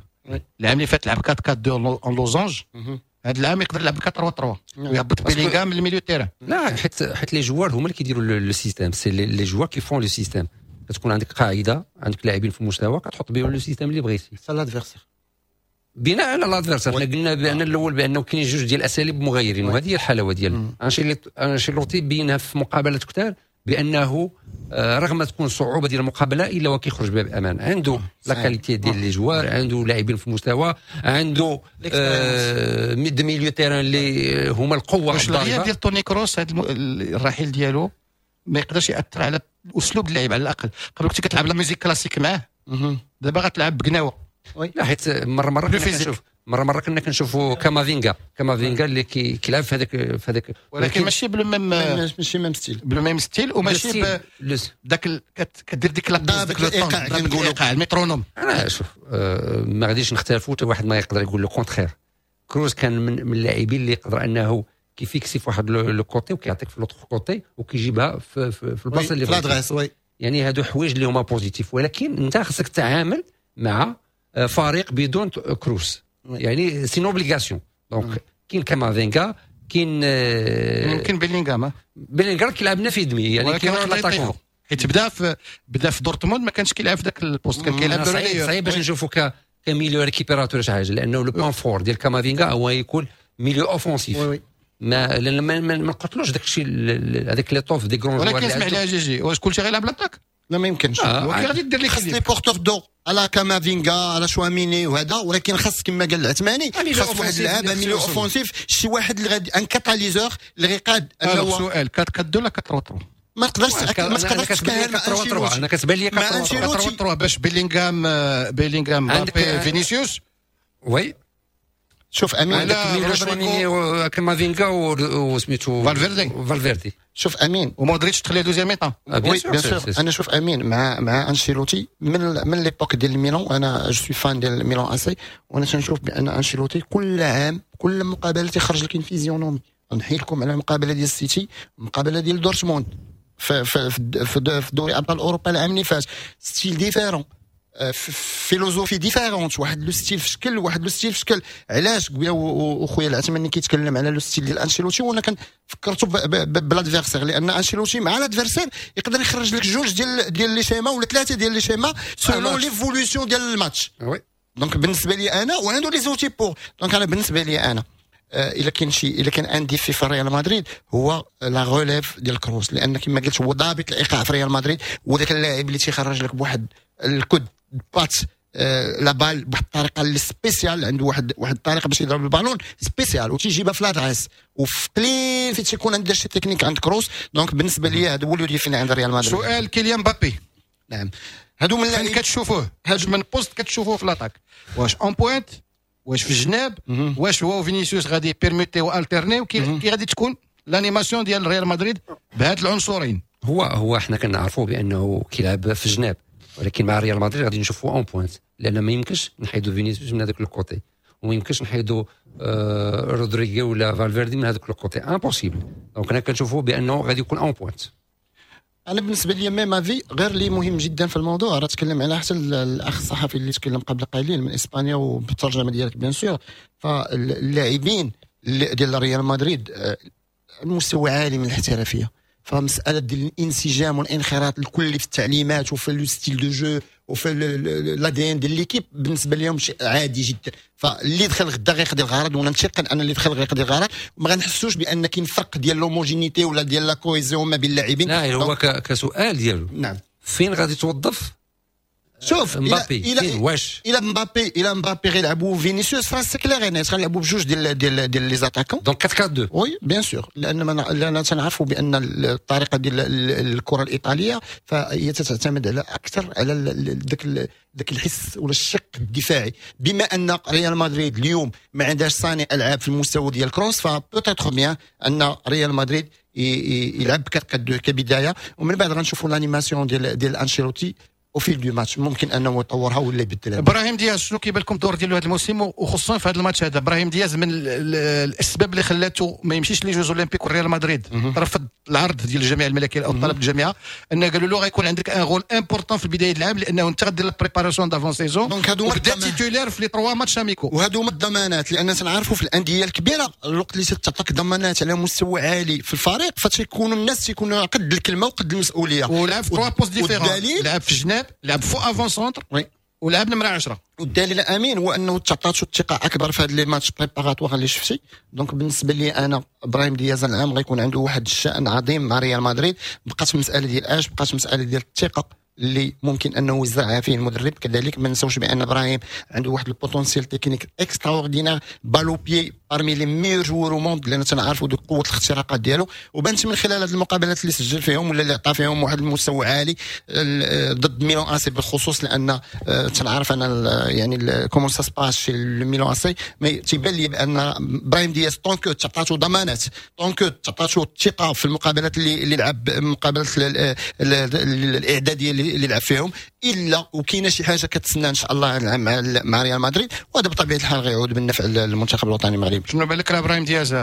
العام اللي فات لعب 4-4-2 en losange، هذا العام يقدر يلعب 4-3-3 ويهبط بيلينغهام من ال milieu terrain. لا حيت les joueurs هما اللي كيديروا le système، c'est les joueurs qui font le système. كتكون عندك قاعدة، عندك لاعبين في المستوى، كتحط بهم le système اللي بغيتي. حتى l'adversaire بناء على l'adversaire. حنا قلنا بان الاول بانه كاين جوج ديال الاساليب مغايرين، وهذه هي الحلاوة ديال انشيلوتي، بينها في مقابلات كثار بانه رغم تكون صعوبة ديال المقابلة الا وكيخرج بها بامان. عنده la qualité ديال les joueurs، عنده لاعبين في المستوى، عنده des milieux terrain اللي هما القوة. واش الغياب ديال توني كروس، هذا الرحيل ديالو ما يقدرش ياثر على اسلوب اللعب؟ على الاقل قبل كنت كتلعب la musique classique معاه، دابا غتلعب بقناوه. لا حيت مرة كنا كنشوفوا كامافينغا اللي كيلعب في هذاك، ولكن ماشي ب le même، ماشي même style، ب le même style، وماشي داك كدير ديك la داك الايقاع كنقولوا المترونوم. انا شوف ما غاديش نختلفوا، حتى واحد ما يقدر يقول le contraire. كروز كان من اللاعبين اللي يقدر انه كيفيكسي في واحد le côté وكيعطيك في l'autre côté وكيجيبها في البلاصة اللي بغيتي. يعني هادو حوايج اللي هما positifs، ولكن انت خصك تتعامل مع فريق بدون كروس، يعني c'est une obligation. donc كاين كامافينغا، كاين يمكن بيلينغهام كيلعب في demi، يعني كاين l'attaquant. حيت بدا في دورتموند ما كانش كيلعب في ذاك ال poste، كان كيلعب. صعيب باش نشوفوا ك milieu récupérateur شي حاجه، لانه le point fort ديال كامافينغا هو يكون milieu offensif. ما لان ما نقتلوش داك الشيء، هذاك l'étoffe des grands. ولكن اسمح لي جي، واش كلشي غيلعب l'attaque؟ لا، ما يمكنش. غادي دير لي خاص les porteurs d'eau à la كامافينغا، à la شواميني وهذا، ولكن خاص كما قال العثماني، خاص واحد اللعابه milieu offensif، شي واحد اللي غادي un catalyseur اللي غيقاد. انه سؤال، 4 4 2 ولا 4 3؟ ما تقدرش، ما تقدرش تكهل. مع انا كتبان لي 4 3، باش بيلينغهام، بيلينغهام، مبابي، فينيسيوس. oui. شوف امين. عندك كامافينغا وسميتو فالفيردي. فالفيردي. شوف امين. ومودريتش تخليه deuxième mi-temps. oui، bien sûr. انا شوف امين، مع انشيلوتي من l'époque ديال ميلان، انا je suis fan ديال ميلان AC، وانا تنشوف بان انشيلوتي كل عام، كل مقابله تيخرج لك physionomie. نحكي لكم على المقابلة ديال السيتي، المقابلة ديال دورتموند في دوري ابطال اوروبا العام اللي فات، style différent، philosophie différente، واحد le style في شكل، واحد le style في شكل. علاش قبيلة وخويا العثماني كيتكلم على le style ديال انشيلوتي وانا كنفكرتو ب l'adversaire، لان انشيلوتي مع l'adversaire يقدر يخرج لك جوج ديال les schémas ولا ثلاثة ديال les schémas selon l'évolution ديال الماتش. donc بالنسبة لي انا، وعنده les outils pour، donc انا بالنسبة لي انا الا كان un défi في ريال مدريد هو la relève ديال كروس، لان كما قلت هو ضابط الايقاع في ريال مدريد، وذاك اللاعب اللي تيخرج لك بواحد ال coup de patte la balle بواحد الطريقة اللي spéciale، عنده واحد الطريقة باش يضرب ال ballon spéciale وتيجيبها في l'adresse، وفي قليل في تيكون عنده شي تكنيك عند كروس. donc بالنسبة لي هذا هو le défi عند ريال مدريد. سؤال، كيليان مبابي. نعم، هادو من فين كتشوفوه؟ هاد من poste كتشوفوه في l'attaque؟ واش en pointe؟ واش في الجناب؟ واش هو فينيسيوس غادي permuter و alterner؟ كي غادي تكون l'animation ديال ريال مدريد بهاد العنصرين؟ هو احنا كنعرفوا بانه كيلعب في الجناب، ولكن مع ريال مدريد غادي نشوفوا en pointe، لان ما يمكنش نحيدوا فينيسيوس من هذاك ال côté وما يمكنش نحيدوا رودريغو ولا فالفيردي من هذاك ال côté، impossible. donc انا كنشوفوا بانه غادي يكون en pointe. انا بالنسبة لي même avis، غير اللي مهم جدا في الموضوع راه تكلم على حتى الاخ الصحفي اللي تكلم قبل قليل من اسبانيا، وبالترجمه ديالك bien sûr. فاللاعبين ديال ريال مدريد المستوى عالي من الاحترافيه، فمسالة ديال الانسجام والانخراط الكلي في التعليمات وفي le style de jeu وفي l'ADN ديال l'équipe بالنسبة لهم شيء عادي جدا. فاللي دخل غدا غيقضي الغرض، وانا متيقن ان اللي دخل غيقضي الغرض، وما غنحسوش بان كاين فرق ديال l'homogénéité ولا ديال la cohésion ما بين اللاعبين. لا، هو كسؤال ديالو. نعم. فين غادي توظف شوف. مبابي؟ الى واش الى مبابي غيلعبوا فينيسيوس راه c'est clair، غنلعبوا بجوج ديال les attaquants. donc 4 4 2. oui، bien sûr، لان تنعرفوا بان الطريقة ديال الكره الايطالية فهي تعتمد على اكثر على ذاك الحس ولا الشق الدفاعي. بما ان ريال مدريد اليوم ما عندهاش صانع العاب في المستوى ديال كروس، ف peut-être bien ان ريال مدريد يلعب 4 كبدايه، ومن بعد غنشوفوا l'animation ديال انشيلوتي au fil du match، ممكن انه يطورها ولا يبدلها. ابراهيم دياز، شنو كيبان لكم الدور ديالو هذا الموسم وخصوصا في هذا الماتش هذا؟ ابراهيم دياز من الاسباب اللي خلاته ما يمشيش les Jeux Olympiques والريال مدريد رفض العرض ديال الجامعة الملكية او طلب الجامعه، ان قالوا له غيكون عندك un rôle important في بداية العام لانه انت غدير la préparation d'avant-saison. donc هادو وبدا titulaire في les trois matchs amicaux. وهادو هما الضمانات، لان تنعرفوا في الاندية الكبيرة الوقت اللي تعطيك ضمانات على مستوى عالي في الفريق فتيكونوا الناس تيكونوا قد الكلمة وقد المسؤوليه. ولعب في trois postes différents، لعب في الجناب، لعب faux avant-centre ولعب نمره 10. والدليل امين هو انه تعطاتو الثقة اكبر في هاد les matchs préparatoires اللي شفتي. donc بالنسبة لي انا ابراهيم دياز العام غيكون عنده واحد الشان عظيم مع ريال مدريد. بقات مسالة ديال اش؟ بقات مسالة ديال الثقة اللي ممكن انه يزرعها فيه المدرب. كذلك ما نساوش بان ابراهيم عنده واحد ال potentiel technique extraordinaire، balle au pied parmi les meilleurs joueurs au monde، لان تنعرفوا دوك قوة الاختراقات ديالو، وبانت من خلال هذه المقابلات اللي سجل فيهم ولا اللي عطى فيهم واحد المستوى عالي ضد ميلان اسي بالخصوص، لان تنعرف انا يعني comment ça se passe chez ميلان اسي. mais تيبان لي بان ابراهيم دياز tant que تعطاتو ضمانات، tant que تعطاتو الثقة في المقابلات اللي لعب، المقابلات الاعدادية اللي لعب فيهم، الا وكاينه شي حاجة كتسنى ان شاء الله مع ريال مدريد، وهذا بطبيعة الحال غيعود بالنفع للمنتخب الوطني المغربي. شنو بالك ابراهيم دياز؟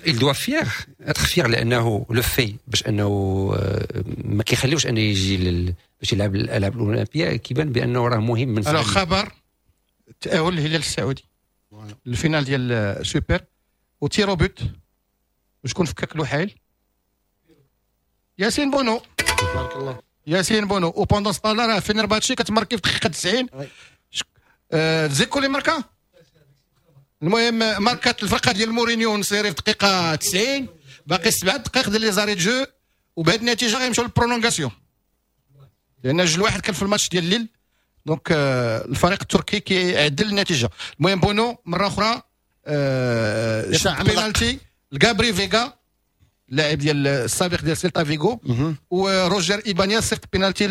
il doit fier être fier، لانه le fait باش انه ما كيخليوش انه يجي باش يلعب الالعاب الاولمبيه، كيبان بانه راه مهم من alors خبر تاهل الهلال السعودي ال finale ديال سوبر و tirs au but، وشكون فكك لوحيل؟ ياسين بونو. تبارك الله ياسين بونو. و pendant ce temps-là راه فينرباتشي كتماركي في دقيقة 90. زيكو اللي ماركا. المهم ماركات الفرقة ديال مورينيو نصيري في دقيقة 90، باقي 7 دقائق ديال les arrêts de jeu، وبهذه النتيجة غيمشيو لل prolongation لان 2-1 كان في الماتش ديال الليل. donc الفريق التركي كيعدل النتيجة. المهم بونو مرة اخرى شاد بينالتي لغابري فيغا اللاعب ديال السابق ديال سيلتا فيغو، وروجر ايبانيا صيفط بينالتي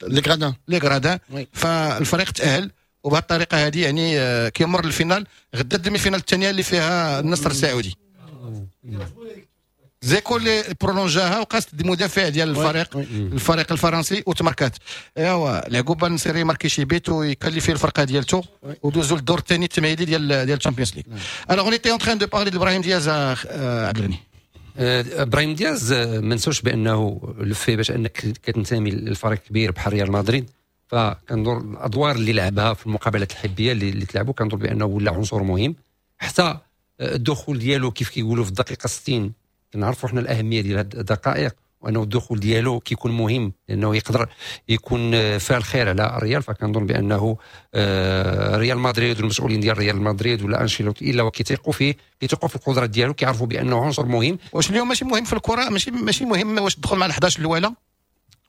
les gradins les gradins. فالفريق تاهل، وبهذه الطريقة هذه يعني كيمر لل finale. غدا ال demi-finale الثانية اللي فيها النصر السعودي. زيكو اللي برولونجاها وقاست المدافع ديال الفريق الفرنسي وتمركات. ايوا العقوبة النصيري ماركي شي بيت ويكاليفي الفرقة ديالته ودوزو للدور الثاني التمهيدي ديال الشامبيونز ليغ. alors on était en train de parler de ابراهيم دياز. عبد الغني، ابراهيم دياز ما نساوش بانه le fait باش انك كتنتمي للفريق كبير بحال ريال مدريد، فكندور الادوار اللي لعبها في المقابلات الحبيه اللي تلعبوا كندور بانه ولا عنصر مهم. حتى الدخول ديالو كيف كيقولوا في الدقيقة 60، كنعرفوا حنا الاهمية ديال هاد الدقائق، وانه الدخول ديالو كيكون مهم لانه يقدر يكون فعل خير على الريال. فكنظن بانه ريال مدريد والمسؤولين ديال ريال مدريد ولا انشيلوتي الا وكيثيقوا فيه، كيثيقوا في القدرات ديالو، كيعرفوا بانه عنصر مهم. واش اليوم ماشي مهم في الكره؟ ماشي مهم واش تدخل مع ال11 الاولى؟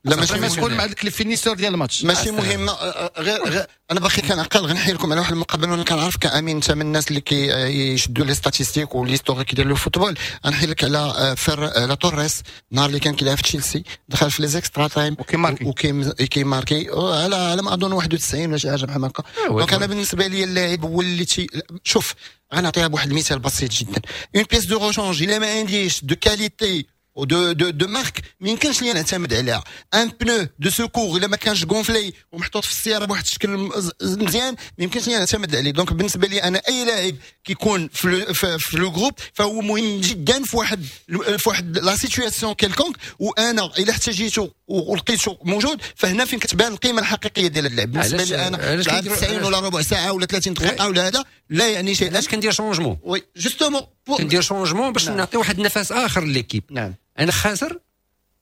لا ماشي مهم مع ديك ال finisseur ديال الماتش ماشي مهم. غير انا باقي كنعقل غنحكي لكم على واحد المقابلة، وانا كنعرف كامين انت من الناس اللي كيشدوا les statistiques و l'historique ديال le football. غنحكي لك على على توريس النهار اللي كان كيلعب في تشيلسي، دخل في les extra time وكيماركي على ما اظن 91 ولا شي حاجة بحال هكا. donc انا بالنسبة لي اللاعب هو اللي شوف غنعطيها بواحد المثال بسيط جدا، une pièce de rechange الا ما عنديش de qualité de marque ما يمكنش ليا نعتمد عليها. un pneu de secours الا ما كانش gonflé ومحطوط في السيارة بواحد الشكل مزيان ما يمكنش ليا نعتمد عليه. donc بالنسبة لي انا اي لاعب كيكون في le groupe فهو مهم جدا في واحد la situation quelconque، وانا الا احتاجيته ولقيته موجود فهنا فين كتبان القيمة الحقيقية ديال اللاعب. بالنسبة لي انا لعب 90 ولا ربع ساعة ولا 30 دقيقة ولا هذا لا يعني شيء. علاش كندير changement؟ oui justement كندير changement باش نعطي واحد النفس اخر l'équipe. نعم. انا خاسر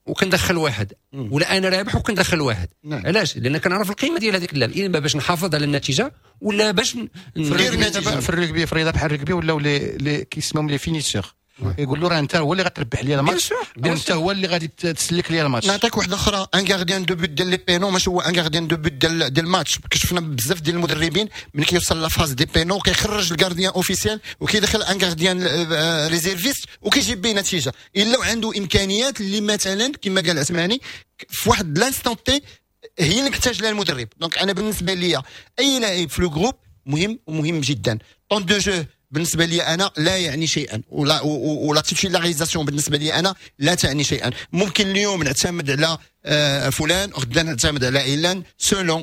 وكندخل واحد، ولا انا رابح وكندخل واحد. نعم. علاش؟ لان كنعرف القيمة ديال هذيك اللاعب، اما باش نحافظ على النتيجة ولا باش ندير النتيجة. في الركبي في الرياضة بحال الركبي ولاو les كيسموهم les finisseurs، يقول له راه انت هو اللي غتربح لي الماتش، انت هو اللي غادي تسلك لي الماتش. نعطيك واحدة اخرى، un gardien de but ديال les pénaux ماشي هو un gardien de but ديال الماتش. شفنا بزاف ديال المدربين ملي كيوصل la phase des pénaux كيخرج ال gardien officiel وكيدخل un gardien réserviste وكيجيب به نتيجة، الا عنده امكانيات اللي مثلا كما قال عثماني في واحد l'instant T هي اللي محتاج لها المدرب. donc انا بالنسبة لي اي لاعب في le groupe مهم ومهم جدا. temps de jeu بالنسبة لي انا لا يعني شيئا، ولا titularisation بالنسبة لي انا لا تعني شيئا. ممكن اليوم نعتمد على فلان وغدا نعتمد على علان selon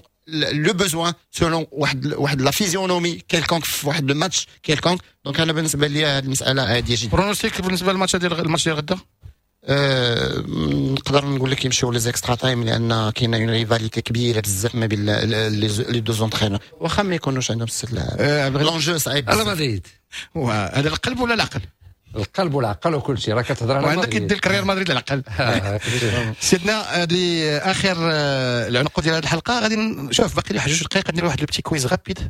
le besoin، selon واحد la physionomie quelconque في واحد ال match quelconque. donc انا بالنسبة لي هذه المسالة عادية جدا. pronostic بالنسبة للماتش ديال الماتش ديال غدا؟ نقدر نقول لك يمشيو les extra time لان كاينه une rivalité كبيرة بزاف ما بين les deux entraîneurs، واخا ما يكونوش عندهم ست لاعب l'enjeu صعيب. على مدريد هذا القلب ولا العقل؟ القلب والعقل وكل شيء، راه كتهضر على وعندك يدير ريال مدريد العقل. سيدنا هذه اخر العنق ديال هذه الحلقة. غادي نشوف باقي لي واحد 2 دقائق ندير واحد le petit quiz rapide،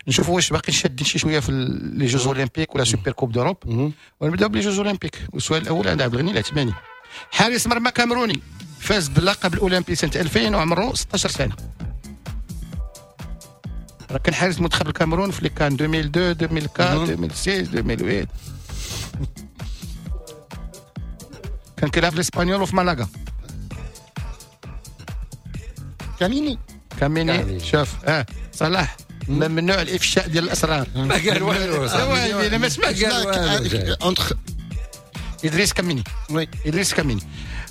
نشوفوا واش باقي شادين شي شوية في les Jeux Olympiques ولا Super Coupe d'Europe. ونبداو ب les Jeux Olympiques. والسؤال الاول عند عبد الغني العثماني، حارس مرمى كاميروني فاز باللقب الاولمبي سنة 2000 وعمره 16 سنة. راه كان حارس منتخب الكاميرون في les CAN 2002 2004 2006 2008. كان كيلعب في الاسبانيول وفي مالاغا. كاميني شوف صلاح ممنوع الافشاء ديال الاسرار. ما قال والو انا ما سمعتش. ادريس كاميني. oui ادريس كاميني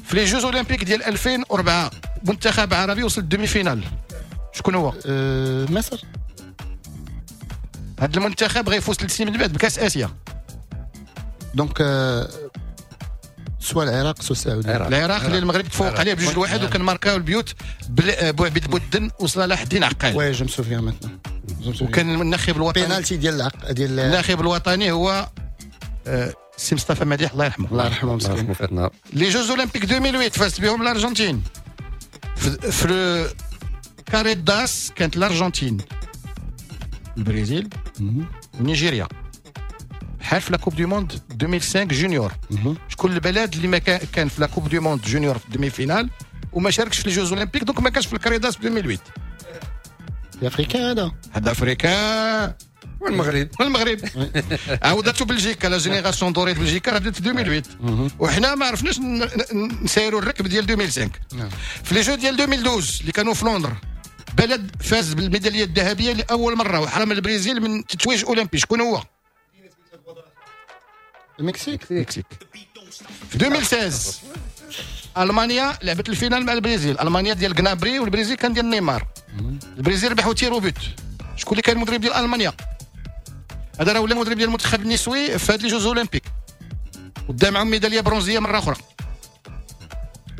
في les Jeux Olympiques ديال 2004 منتخب عربي وصل ال demi-finale، شكون هو؟ مصر. هذا المنتخب غيفوز 3 سنين من بعد بكاس اسيا. donc soit العراق soit السعودية. العراق اللي المغرب تفوق عليه ب2-1 وكان ماركاو البيوت بوعبيد بودن وصلاح الدين عقال. oui je me souviens maintenant. وكان الناخب الوطني بينالتي ديال ديال الناخب الوطني هو سي مصطفى مديح الله يرحمه. الله يرحمه مسكين. les Jeux Olympiques 2008 فازت بهم الارجنتين. في carré d'as كانت الارجنتين، البرازيل ونيجيريا، بحال في la Coupe du Monde 2005 junior. شكون البلد اللي ما كان في la Coupe du Monde junior في demi-finale وما شاركش في les Jeux Olympiques، donc ما كانش في ال carré d'as في 2008؟ africain هذا، هذا africain. والمغرب، والمغرب عاودته بلجيكا، la génération dorée بلجيكا راه بدات في 2008، وحنا ما عرفناش نسايروا الركب ديال 2005. في les Jeux ديال 2012 اللي كانوا في لندن، بلد فاز بالميداليه الذهبية لاول مرة وحرم البرازيل من تتويج اولمبي، شكون هو؟ المكسيك. المكسيك. في 2016 المانيا لعبت ال finale مع البرازيل، المانيا ديال غنابري والبرازيل كان ديال نيمار. البرازيل ربحوا tirs au but. شكون اللي كان المدرب ديال المانيا؟ هذا راه ولا المدرب ديال المنتخب النسوي في هاد les Jeux Olympiques، ودا معهم ميدالية برونزيه مرة اخرى.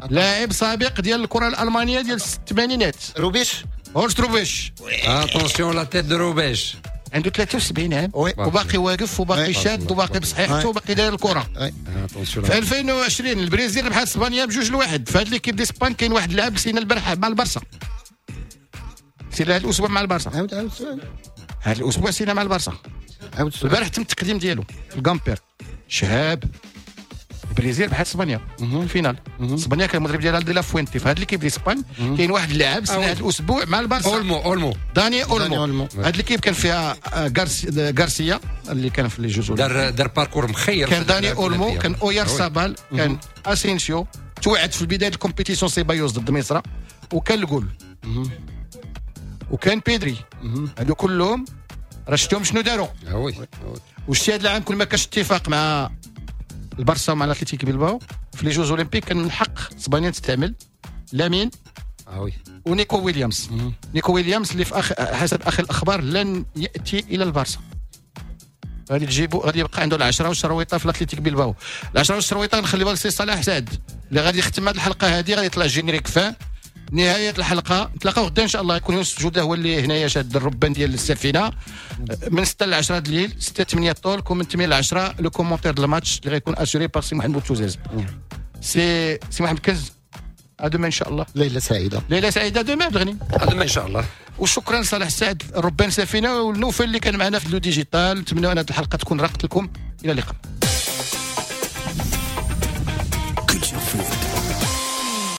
لاعب سابق ديال الكره الالمانية ديال الثمانينات. روبيش، هورست روبيش. attention la tête de روبيش. عنده 73 عام وباقي واقف وباقي شاد وباقي بصحيحته وباقي داير الكره. في 2020 البرازيل ربحت اسبانيا ب2-1. في هاد l'équipe d'Espagne كاين واحد اللاعب سينا البارح مع البارسا، سينا هذا الاسبوع مع البارسا. عاود عاود السؤال. هذا الاسبوع سينا مع البارسا. عاود السؤال. البارح تم التقديم ديالو في الكامبير. شهاب. البرازيل ربحت اسبانيا ال finale. اسبانيا كان المدرب ديالها دي لا فوينتي. في هاد l'équipe d'Espagne كاين واحد اللاعب سنة هذا الاسبوع مع البارسا، اولمو. اولمو، داني اولمو. هاد l'équipe كان فيها غارسيا اللي كان في les Jeux، دار parcours مخير. كان داني اولمو، كان اويار سابال، كان اسينسيو توعد في بداية ال compétition سيبايوس ضد مصر، وكان الجول، وكان بيدري. هادو كلهم راه شفتهم شنو داروا. وشتي هذا العام كل ما كانش اتفاق مع البارسا ومع الاتليتيك بيلباو في les Jeux Olympiques، كان من حق اسبانيا تستعمل لامين ونيكو ويليامز. نيكو ويليامز اللي في حسب اخر الاخبار لن ياتي الى البارسا، غادي تجيبو غادي يبقى عنده العشرة والشرويطه في الاتليتيك بيلباو. العشرة والشرويطه نخليوها لسي صلاح سعد اللي غادي يختم هذه الحلقة هذه، غادي يطلع générique fin نهاية الحلقة. نتلاقاو غدا ان شاء الله، يكون يوسف جوده هو اللي هنايا شاد الربان ديال السفينة من 6 ل 10 الليل، 6 8 talk، ومن 8 ل 10 le commentaire ديال الماتش اللي غيكون assuré par سي محمد بوتوزاز. سي محمد كنز، à demain ان شاء الله. ليلة سعيدة. ليلة سعيدة demain بغني. à demain ان شاء الله. وشكرا لصالح سعد ربان سفينة والنوفل اللي كان معنا في le digital. نتمنى ان هذه الحلقة تكون راقت لكم. الى اللقاء.